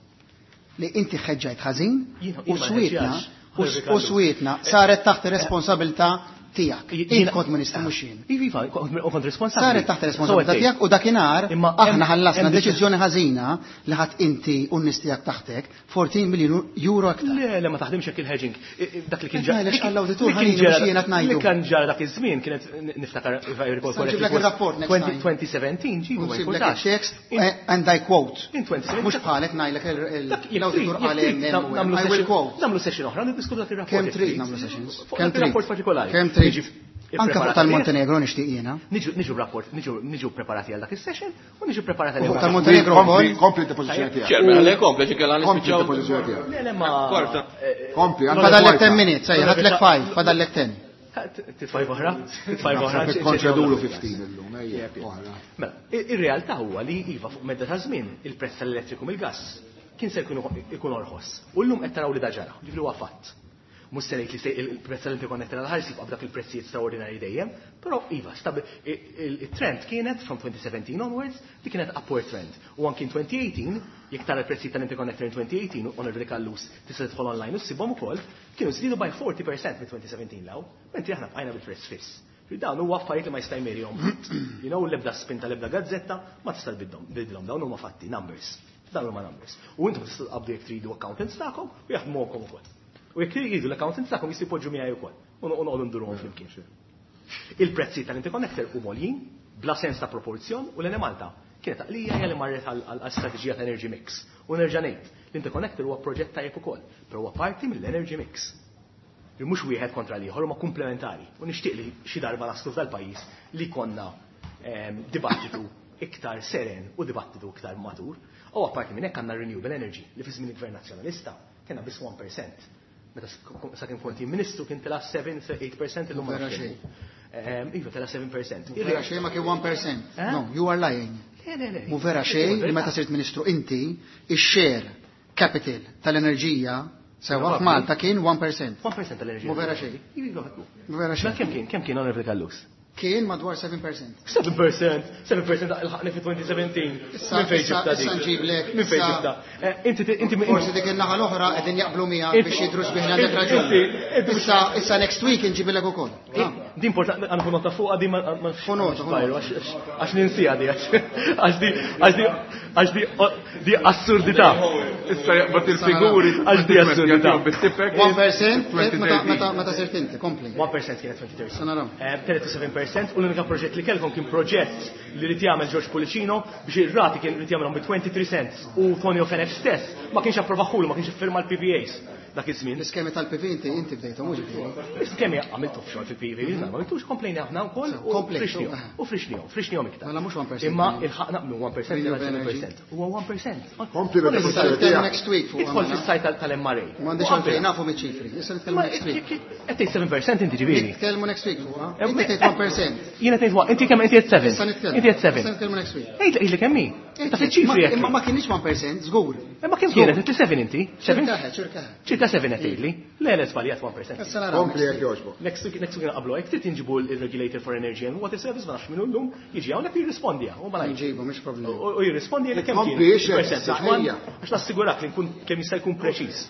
Li inti ħeġġajt ħażin Jiena- u jiena ma swietna ħeġġax. u s- u swietna saret taħt ir-responsabilità tiegħek. Int kont ministru mhux jien. Iva, iva, u kont responsabbli. Saret taħt responsabilità So tiegħek u dakinhar Imma aħna hemm- ħallasna hemm deċiżjoni ħażina li ħadd inti u n-nies tiegħek taħtek fourteen miljun euro aktar. Le, le, ma taħdimx hekk il-hedging. I- i- Dak li kien Qed ġara. ngħidlek x'qal l-awditur, li kien ħalini ġara- mhux jiena qed ngħidu. Li kien ġara dak iż-żmien kienet niftakar if I recall Issa nġiblek correctly, ir-rapport next twenty time. twenty seventeen ġibu ma Nsib lek jkunx. il-text eh, and I quote. In twenty seventeen. Mhux bħalek ngħidlek il- il- Dak jekk l-awditur trid- qal jekk hemm trid hemm u hemm. nagħmlu I will session- quote. Nagħmlu session oħra niddiskutu dak ir-rapport. Kemm jekk trid trid. nagħmlu sessions? Fuq Kemm dak ir-rapport trid? partikolari. Kemm trid? Niġi Anke fuq ippreparati tal-Montenegro nixtieq jiena. Niġu niġu rapport, niġu niġu preparati għal dak is-session u niġu preparati U għal fuq tal-Montenegro Kompli, wkoll. kompli depożizzjoni tiegħek. Chairman, għalek kompli, ġikella Kompli nispiċċaw. depożizzjoni tiegħek. Le, le, ma. Kwarta. Kompli, għandna Fadallek kwarta. ten minutes, ejja, ħadlek five, fadallek ten. Titfaj oħra? Titfaj oħra? Naħseb ikkonċedulu fifteen illum, ejja, oħra. Mela, i- ir-realtà huwa li iva fuq medda ta' żmien il-prezz tal-elettriku mill-gass kien se jkun ikun orħos. U llum qed taraw li da ġara, ġifieri huwa fatt. Mhux se ngħid li se il-prezz tal-interconnector għal ħares jibqa' b'dak il-prezzijiet straordinarji dejjem, però iva, stabi- i- il- il-trend kienet from twenty seventeen onwards li kienet upward trend. U anki in twenty eighteen, jekk tara l-prezzijiet tal-interconnector in twenty eighteen, Onorevoli Callus, tista' tidħol online u ssibhom ukoll, kienu żdiedu by forty percent minn twenty seventeen law, mentri aħna bqajna bil-prezz fiss. Dawn huwa affarijiet li ma jista' jmerihom. You know, l-ebda spin tal-ebda gazzetta ma tista' tbiddilhom, dawn huma fatti, numbers. Dawn huma numbers. U intom tistgħu tqabdu jekk tridu accountants tagħkom u jaħdmuhom ukoll. U jekk tridu l-accountants tagħkom jistgħu jpoġġu miegħi wkoll. U noqogħdu nduruhom flimkien. Il-prezzi tal-interconnector huma għoljin, bla sens ta' proporzjon, u l-Enemalta kienet għaqlija hija li marret għal strateġija ta' energy mix. U nerġa' ngħid, l-interconnector huwa proġett tajjeb ukoll, però huwa parti mill-energy mix. Li mhux wieħed kontra l-ieħor, huma komplementari. U nixtieq li xi darba naslu f'dal-pajjiż li konna ehm, dibattitu iktar seren u dibattitu iktar matur. U apparti minn hekk għandna renewable energy li fi żmien il-Gvern Nazzjonalista kellna biss one percent. Meta sakemm kont jien ministru kien tela' seven eight percent illum ma nafx kemm. Iva tela' seven percent. Vera xejn ma kien one percent. No, you are lying. Le, le, le. Mu vera xejn li meta sirt ministru inti, ix-share capital tal-enerġija sewa f'Malta kien one percent. one percent tal-enerġija. Mu vera xejn. Iva, Mu vera xejn. Kemm kien? Kemm kien Onorevoli Callus? Kien madwar seven percent. seven percent? seven percent ilħaqni fi twenty seventeen. Minn fejn ġibta dik? Issa nġiblek. Minn fejn ġibta? Inti inti Forsi dik il-naħa l-oħra qegħdin jaqblu miegħek biex jidhru sbieħ għandek raġun. Issa issa next week inġibilek ukoll. Din importanti għandu nota fuqha din ma Nota, għax ninsija di għax di għax di għax di di assurdità. Issa jaqbad il-figuri għax di assurdità. one percent meta meta sirt inti, kompli. one percent kienet twenty thirteen. Telgħet to seven percent u l-unika proġett li kellkom kien proġett li rid jagħmel George Pullicino biex ir-rati kien rid jagħmelhom bi twenty-three cents u Tonio Fenech stess ma kienx approvaħulu, ma kienx iffirma l-P P As dak iż-żmien. L-iskemi tal-P V inti inti bdejthom mhux ġifieri. L-iskemi għamiltu f'xogħol fil-P V, ma għamiltux komplejna aħna wkoll u Komplejtu, u frixnihom, frixnihom iktar. Mela mhux one percent. Imma ilħaqna minn one percent ila seven percent. Huwa one percent. Kompli bil-pożizzjoni Next week fuq. Idħol fis-sajt tal-M R A. M'għandix għalfejn nafu miċ-ċifri. Issa nitkellmu next week. Qed tgħid seven percent inti ġifieri. Nitkellmu next week fuq. Inti tgħid one percent. Jiena tgħid one, inti kemm inti qed seven. Issa nitkellmu. Inti qed seven. Issa nitkellmu next week. Għid li kemm hi. Ta' fiċ-ċifri jekk. Imma ma kienx one percent, żgur. Imma kemm kienet? Inti seven inti? Seven? Ċirka, ċirka. Ċirka seven qed tgħidli. Le, le, żbaljat one percent. Issa naraw. Kompli jekk jogħġbok. Next week, next week naqblu hekk trid inġibu l-Regulator for Energy and Water Service ma nafx minnu llum, jiġi hawnhekk jirrispondi hawn, u ma ngħidx. Nġibu, mhix problema. U jirrispondi jekk kemm kien. Kompli ixek, Percent, ejja. Għax nassigurak li nkun kemm jista' jkun preċiż.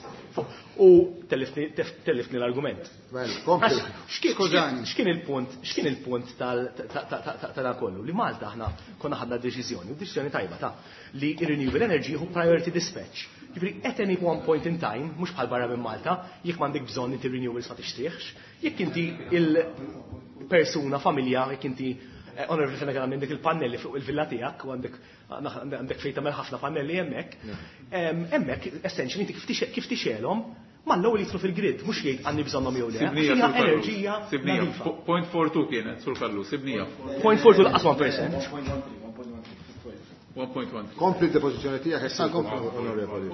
U tellifni, tellifni l-argument. Well, kompli. Skużani. X'kien il-punt, x'kien il-punt tal ta' dan kollu? Li Malta aħna konna ħadna deċiżjoni, u deċiżjoni tajba ta' li renewable energy hu priority dispatch. Jiġifieri at any one point in time, mhux bħal barra minn Malta, jekk m'għandek bżonn inti renewables ma tixtrieħx, jekk inti il-persuna, familja, jekk inti Onorevoli Fenech għandek il-pannelli fuq il-villa tiegħek u għandek għandek fejn tagħmel ħafna pannelli hemmhekk. Hemmhekk essentially inti kif tixelhom mal-ewwel jidħlu fil-grid, mhux jgħid għandi bżonnhom jew le. Sibnija enerġija. Sibnija, point four two kienet, Sur Kallu, sibnija. Point four two laqas one percent. one point one. Kompli d-depożizzjoni tiegħek issa onorevoli.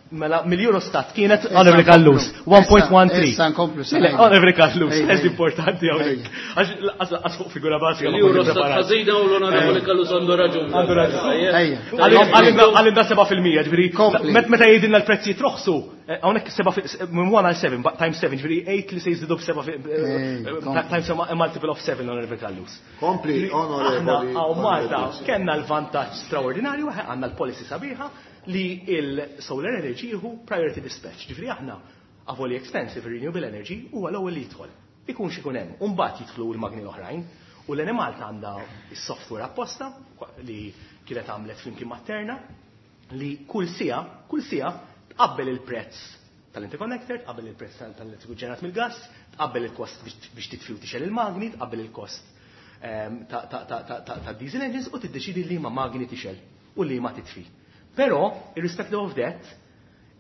Mela mill-Eurostat kienet Onorevoli Callus one point one three. Issa nkomplu sa. Onorevoli Callus, ez importanti hawnhekk. Għax laqas fuq figura bażika. L-Eurostat ħażina u l-Onorevoli Callus għandu raġun. Għandu raġun. Għalimna seba' fil-mija, ġifieri meta jgħidilna l-prezzijiet roħsu, hawnhekk seba' minn one għal seven, times seven, ġifieri eight li se jiżdiedu b'seba' times a multiple of seven, Onorevoli Callus. Kompli, Onorevoli. Aħna hawn Malta kellna l-vantaġġ straordinarju, għandna l-policy sabiħa li il-solar energy jieħu priority dispatch. Ġifieri aħna avoli expensive renewable energy huwa l-ewwel li jidħol. Ikun x'ikun hemm, u mbagħad jidħlu l-magni l-oħrajn. U l-Enemalta għandha s-software apposta li kienet għamlet flimkien ma' li kull sija, kull sija tqabbel il-prezz tal-interconnector, tqabbel il-prezz tal-elettriku ġenerat mill-gas, tqabbel il-kost biex titfi u tixgħel il-magni, tqabbel il-kost ta' diesel engines u tiddeċidi li ma magni tixgħel u li ma titfi. Però, irrespective of that,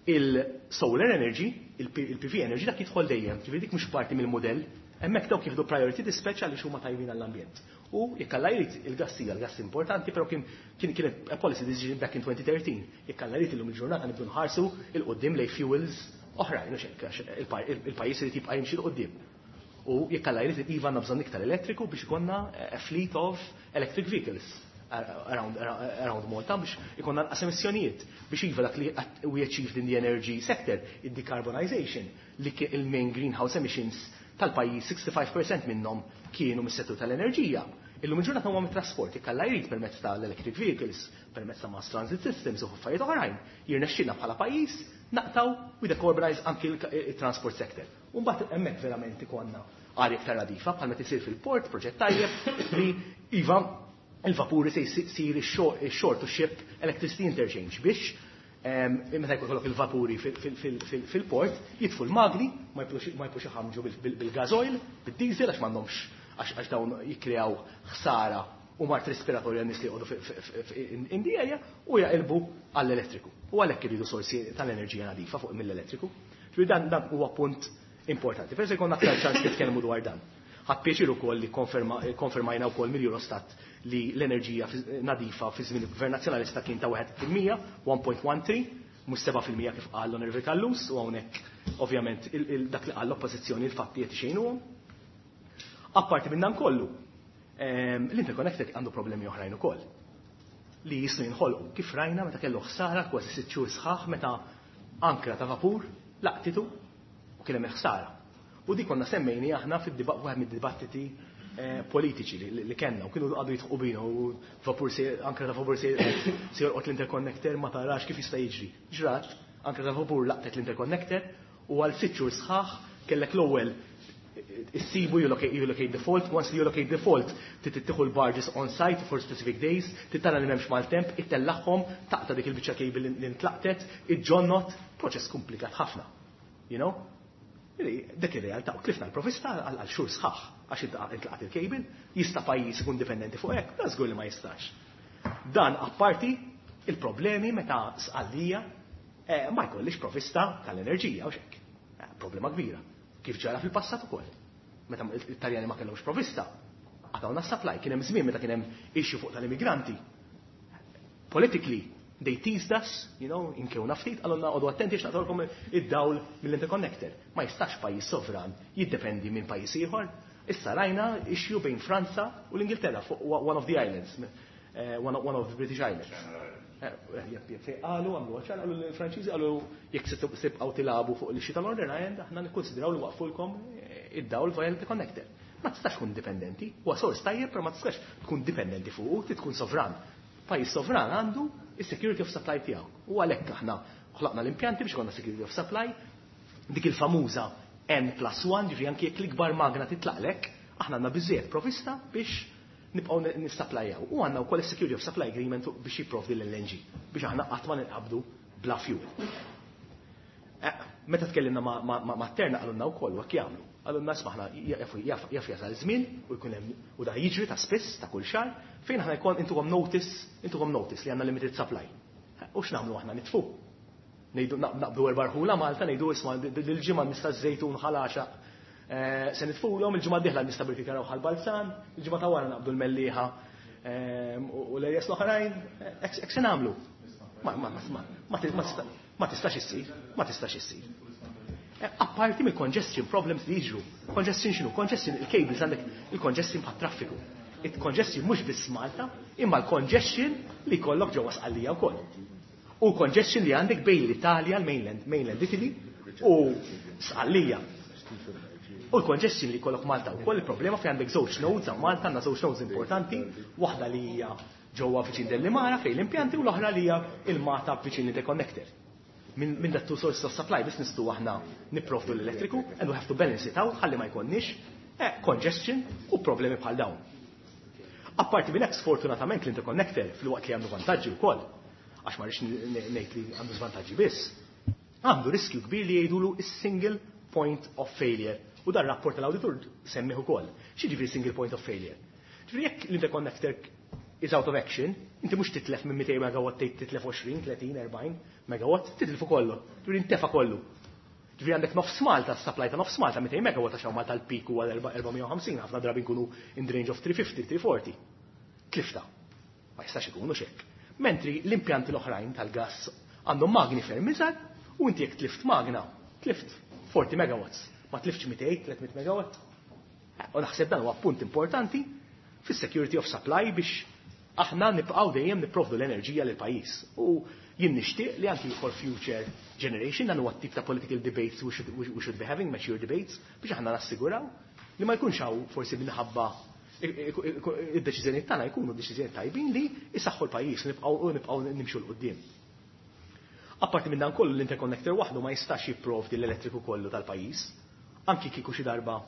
il-solar energy, il-P V energy, dak jidħol dejjem, ġifieri dik mhux parti mill-modell, hemmhekk dawk jieħdu priority dispatch għaliex huma tajbin għall-ambjent. U jekk Alla jrid il-gass hija l-gass importanti, però kien kien kienet a policy decision back in twenty thirteen. Jekk Alla jrid illum il-ġurnata nibdu nħarsu il qudiem lej fuels oħrajn, u x'hekk, għax il-pajjiż irid jibqa' jimxi l qudiem. U jekk Alla jrid iva għandna bżonn iktar elettriku biex ikollna a fleet of electric vehicles around, around Malta biex ikonna nqas emissjonijiet biex iva dak li we achieved in the energy sector, il-decarbonization, li il-main greenhouse emissions tal-pajjiż sixty-five percent minnhom kienu mis-settur tal-enerġija. Illum il-ġurnata huma mit-trasport, jekk Alla jrid permezz tal-electric vehicles, permezz ta' mass transit systems u affarijiet oħrajn, jirnexxilna bħala pajjiż naqtaw we decarbonize anki il-transport sector. U mbagħad hemmhekk verament ikollna arja iktar nadifa bħalma tisir fil-port, proġett tajjeb li iva il-vapuri se jsir ix-shore to ship electricity interchange biex meta jkollok il-vapuri fil-port jitfu l-magni ma jibqux iħamġu bil-gas oil, bil-diesel għax m'għandhomx għax dawn jikkreaw ħsara u mart respiratorja nies li joqogħdu in the area u jaqilbu għall-elettriku. U għalhekk iridu sorsi tal-enerġija nadifa fuq mill-elettriku. Ġifieri dan dan huwa punt importanti. Forsi jkollna aktar ċans nitkellmu dwar dan. Ħadt pjaċir ukoll li konfermajna wkoll mill-Eurostat li l-enerġija nadifa fi żmien il-Gvern Nazzjonalista kien ta' wieħed fil-mija, one point one three, mhux seba' fil-mija kif qal l-Onorevoli Callus, u hawnhekk ovvjament dak li qal l-Oppożizzjoni l-fatti qed ixejnuhom. Apparti minn dan kollu, l-interconnector għandu problemi oħrajn ukoll li jistgħu jinħolqu kif rajna meta kellu ħsara kważi sitt xhur sħaħ meta ankra ta' vapur laqtitu u kien hemm ħsara. U dik konna semmejni aħna fid-wieħed mid-dibattiti politiċi li kellna u kienu għadu jitħu bina u vapur se ankra ta' vapur se jolqot l-interconnector ma tarax kif jista' jiġri. Ġrat, ankra ta' vapur laqtet l-interconnector u għal sitt xhur sħaħ kellek l-ewwel issibu you locate, you locate the fault, once you locate the fault, titieħu l-barges on site for specific days, titara li m'hemmx maltemp, ittellaħħom, taqta dik il-biċċa cable li ntlaqtet, iġġonnot, proċess komplikat ħafna. You know? Dik ir-realtà, u tlifna l-provista għal xhur sħaħ għax intlaqat il-cable, jista' pajjiż ikun dipendenti fuq hekk, da żgur li ma jistax. Dan apparti il-problemi meta Sqallija ma jkollix provista tal-enerġija u xek. Problema kbira. Kif ġara fil-passat ukoll. Meta l-Italjani ma kellhomx provista, għatawna supply, kien hemm żmien meta kien hemm issue fuq tal-immigranti. Politically, they teased us, you know, inkewna ftit, għalunna għodu attenti x'naqtgħulkom id-dawl mill-interconnector. Ma jistax pajjiż sovran jiddependi minn pajjiż ieħor. Issa rajna issue bejn Franza u l-Ingilterra fuq one of the islands, one of the British Islands. Qalu, għamlu għaxan, qalu l-Franċiżi, qalu jekk se tibqgħu tilagħbu fuq l-issue tal-Northern Ireland, aħna nikkonsidraw li waqfulkom id-dawl via l-interconnector. Ma tistax tkun dipendenti, huwa sors tajjeb, però ma tistax tkun dipendenti fuq, trid tkun sovran. Pajjiż sovran għandu is-security of supply tiegħu. U għalhekk aħna ħlaqna l-impjanti biex ikollna security of supply, dik il-famuża N plus one, ġifieri anke jekk l-ikbar magna titlaqlek, aħna għandna biżżejjed provista biex nibqgħu nissapplajjaw. U għandna wkoll is-security of supply agreement biex jipprovdi l-L N G biex aħna qatt ma ninqabdu bla fuel. Meta tkellimna ma' Terna qalulna wkoll u hekk jagħmlu. Qalulna isma' aħna jaf jasal żmien u jkun hemm u da jiġri ta' spiss ta' kull xahar fejn aħna jkun intuhom notice, intuhom notice li għandna limited supply. U x'nagħmlu aħna nitfu? Ngħidu naqbdu erba' rħula Malta, ngħidu isma' dil-ġimgħa nista' żejtun ħalaxa. Se nitfulhom, il-ġimgħa d-dieħla nista' Birkirkara u Ħal-Balzan, il-ġimgħa ta' wara naqbdu l-Mellieħa u l-erjas l-oħrajn, hekk se nagħmlu. Ma tistax issir, ma tistax issir. Apparti mill-congestion problems li jiġru. Congestion x'inhu? Congestion il-cables għandek il-congestion bħat-traffiku. Il-congestion mhux biss Malta, imma l-congestion li jkollok ġewwa Sqallija wkoll. U congestion li għandek bejn l-Italja, l-mainland, mainland Italy u Sqallija. U l-congestion li jkollok Malta wkoll, il-problema fejn għandek żewġ nodes hawn Malta, għandna żewġ nodes importanti, waħda li hija ġewwa viċin Delimara fejn l-impjanti u l-oħra li hija il-Mata viċin l-interconnector. Minn that two sources of supply biss nistgħu aħna nipprovdu l-elettriku and we have to balance it out ħalli ma jkollniex congestion u problemi bħal dawn. Apparti minn hekk sfortunatament l-interconnector fil-waqt li għandu vantaġġi wkoll, għax ma rridx ngħid li għandu żvantaġġi biss, għandu riskju kbir li jgħidulu is-single point of failure. U dan rapport tal-awditur semmih ukoll. X'jiġifieri single point of failure? Ġifieri jekk l-interconnector is out of action, inti mhux titlef minn mitejn megawatt tgħid titlef għoxrin, tletin, erbgħin megawatt, titlfu kollu. Ġifieri intefa kollu. Ġifieri għandek nofs Malta, supply ta' nofs Malta mitejn megawatt għax hawn Malta l-peak huwa erba' mija u ħamsin, ħafna drabi nkunu in the range of three fifty, three forty. Tlifta. Ma jistax ikunu x'hekk. Mentri l-impjanti l-oħrajn tal-gas għandhom magni ferm iżgħar u inti jekk tlift magna, tlift forty megawatts, ma tliftx mitejn, tliet mitt megawatt. U naħseb dan huwa punt importanti fis-security of supply biex aħna nibqgħu dejjem nipprovdu l-enerġija lil pajjiż. U jien nixtieq li anki for future generation dan huwa t-tip ta' political debates we should, we should be having, mature debates, biex aħna nassiguraw li ma jkunx hawn forsi minħabba id-deċiżjonijiet tagħna jkunu deċiżjonijiet tajbin li jsaħħu l-pajjiż u nibqgħu, nibqgħu nimxu 'l quddiem. Apparti minn dan kollu l-interconnector waħdu ma jistax jipprovdi l-elettriku kollu tal-pajjiż, anki kieku xi darba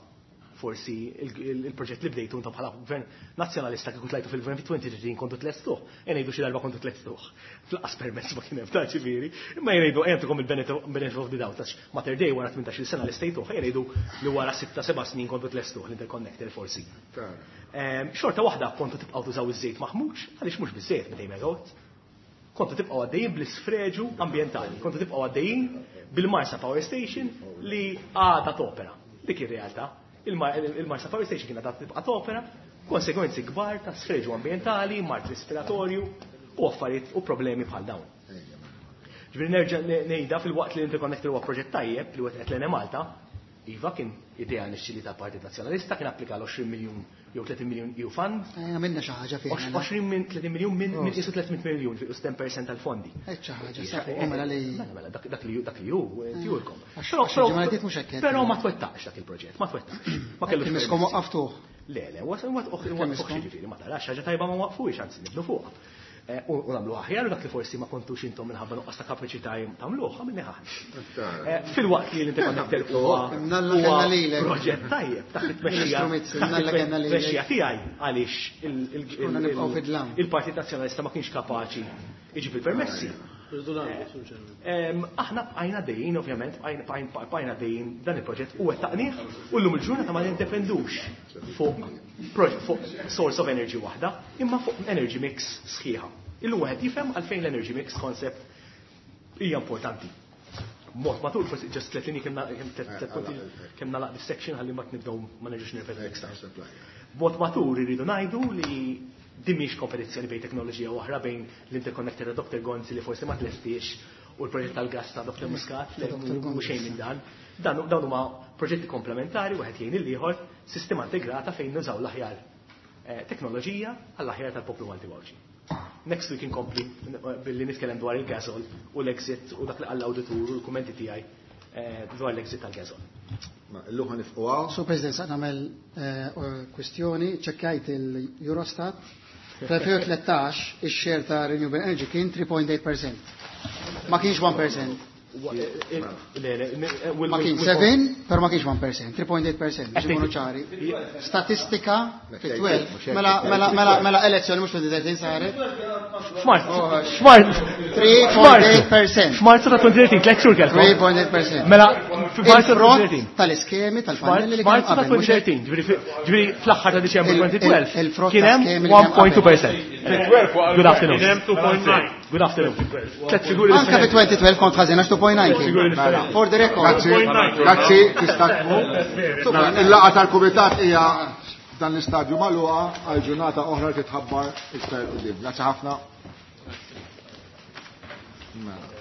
forsi il-proġett li bdejtu intom bħala gvern nazzjonalista kieku tlajtu fil-gvern fi twenty thirteen kontu tlestuh, e ngħidu xi darba kontu tlestuh. Fl-qas permezz ma kien hemm ta' ġifieri, imma jgħidu għentukom il-benefit of the doubt għax Mater Dei wara tmintax-il sena li stejtuh, jgħidu li wara sitta seba' snin kontu tlestuh l-interconnector forsi. Ehm, xorta waħda kontu tibqgħu tużaw iż-żejt maħmuġ, għaliex mhux biżejjed mitejn megawatt. Kontu tibqgħu għaddejjin bl-isfreġu ambjentali, kontu tibqgħu għaddejjin bil-Marsa Power Station li għadha topera. Dik ir-realtà. Il-Marsa Power Station kienet għad tibqa' topera, konsegwenzi kbar ta' sfreġu ambjentali, mard respiratorju u affarijiet u problemi bħal dawn. Ġifieri nerġa' ngħidha fil-waqt li l-Interconnector huwa proġett tajjeb li wettqet l-Enemalta, iva kien idea nixxili ta' Partit Nazzjonalista, kien applika l-għoxrin miljun jew tletin miljun E U fund. Għamilna xi ħaġa fih. għoxrin minn tletin miljun minn minn qisu tliet mitt miljun, fi ten percent tal-fondi. Hekk xi ħaġa, sa fuq mela li Mela, mela, dak, dak li dak li hu, tjurkom. Għax Però, għax però, il-ġimgħa li għaddiet mhux hekk qed. Però ma twettaqx dak il-proġett, ma twettaqx. Ma kellux Kien miskom permessi. waqqaftuh. Le, le, was-, was-, miskom. jiġifieri, ma tarax ħaġa tajba ma waqfuhiex, anzi nibnu fuqha. Eh, u, u nagħmlu aħjar u dak li forsi ma kontux intom minħabba nuqqas ta' kapaċità tagħmluh, għamilni aħna. Eh, fil-waqt li l-Interconnector huwa Imnalla huwa kellna lilek. proġett tajjeb taħt it-tmexxija Ministru Mizzi, taħt imnalla kellna lilek. it-tmexxija tiegħi għaliex il-, il-, Konna il-, nibqgħu fid-dlam. il-Partit Nazzjonalista ma kienx kapaċi iġib il-permessi. Irridu nagħmlu, Sur Chairman. Em, aħna bqajna dejjin, ovvjament, bqajna, bqajna, bqajna dejjin dan il-proġett u wettaqnieh u llum il-ġurnata ma nindependux fuq proġett, fuq source of energy waħda, imma fuq energy mix sħiħa. Illum wieħed jifhem għalfejn l-energy mix concept hija importanti. Mod matul, forsi just tliet linji kemm na-, kemm tliet, tliet punti, kemm nagħlaq dis-section ħalli ma nibdew ma nerġgħux nirrepetu. Mod matur irridu ngħidu li din mhix kompetizzjoni bejn teknoloġija oħra bejn l-interconnector ta' Doctor Gonzi li forsi ma tlestix u l-proġett tal-gas ta' Doctor Muscat, li Doctor mhu Gonzi. xejn minn dan. Dan dawn huma proġetti komplementari wieħed jgħin il-ieħor, sistema integrata fejn nużaw l-aħjar, eh, teknoloġija għall-aħjar tal-poplu Malti Għawdxi. Next week inkompli billi nitkellem dwar il-gasol u l-exit u dak li qal l-awditur u l-kummenti tiegħi, eh, dwar l-exit tal-gasol. Ma illum ħa nifqu hawn. Sur President, sa nagħmel, eh, kwestjoni, ċekkajt il-Eurostat. Fl-elfejn u tlettax ix-share ta' Renewable Energy kien three point eight percent. Ma kienx one percent. Le, le, ne, Ma kien seven, però ma kienx one percent, three point eight percent, biex ikunu ċari. Statistika fit-twelve, mela, mela, mela, mela elezzjoni mhux fil-thirteen saret. F'Marzu, f'Marzu. Three point eight percent. F'Marzu ta' twenty thirteen, tliet xhur kellkom. Three point eight percent. Mela, f'Marzu ta' Il-frott twenty thirteen. tal-iskemi tal-pannelli li kienu F'Marzu ta' qabel, mhux twenty thirteen, ġifieri fi-, ġifieri fl-aħħar ta' Diċembru Il-, twenty twelve, il-, il-frott kien hemm tal-iskemi li one kienu point two qabel. percent. Good afternoon. Kien hemm two point nine. Good afternoon. Tliet figuri Anka fi differenti. twenty twelve kont ħażin għax two point nine kien. Figuri differenti. For the record. Grazzi, grazzi, tista' tmur. Two point nine. Il-laqgħa tal-kumitat hija dan l-istadju magħluqa għal ġurnata oħra li titħabbar iktar quddiem. Grazzi ħafna. Mela.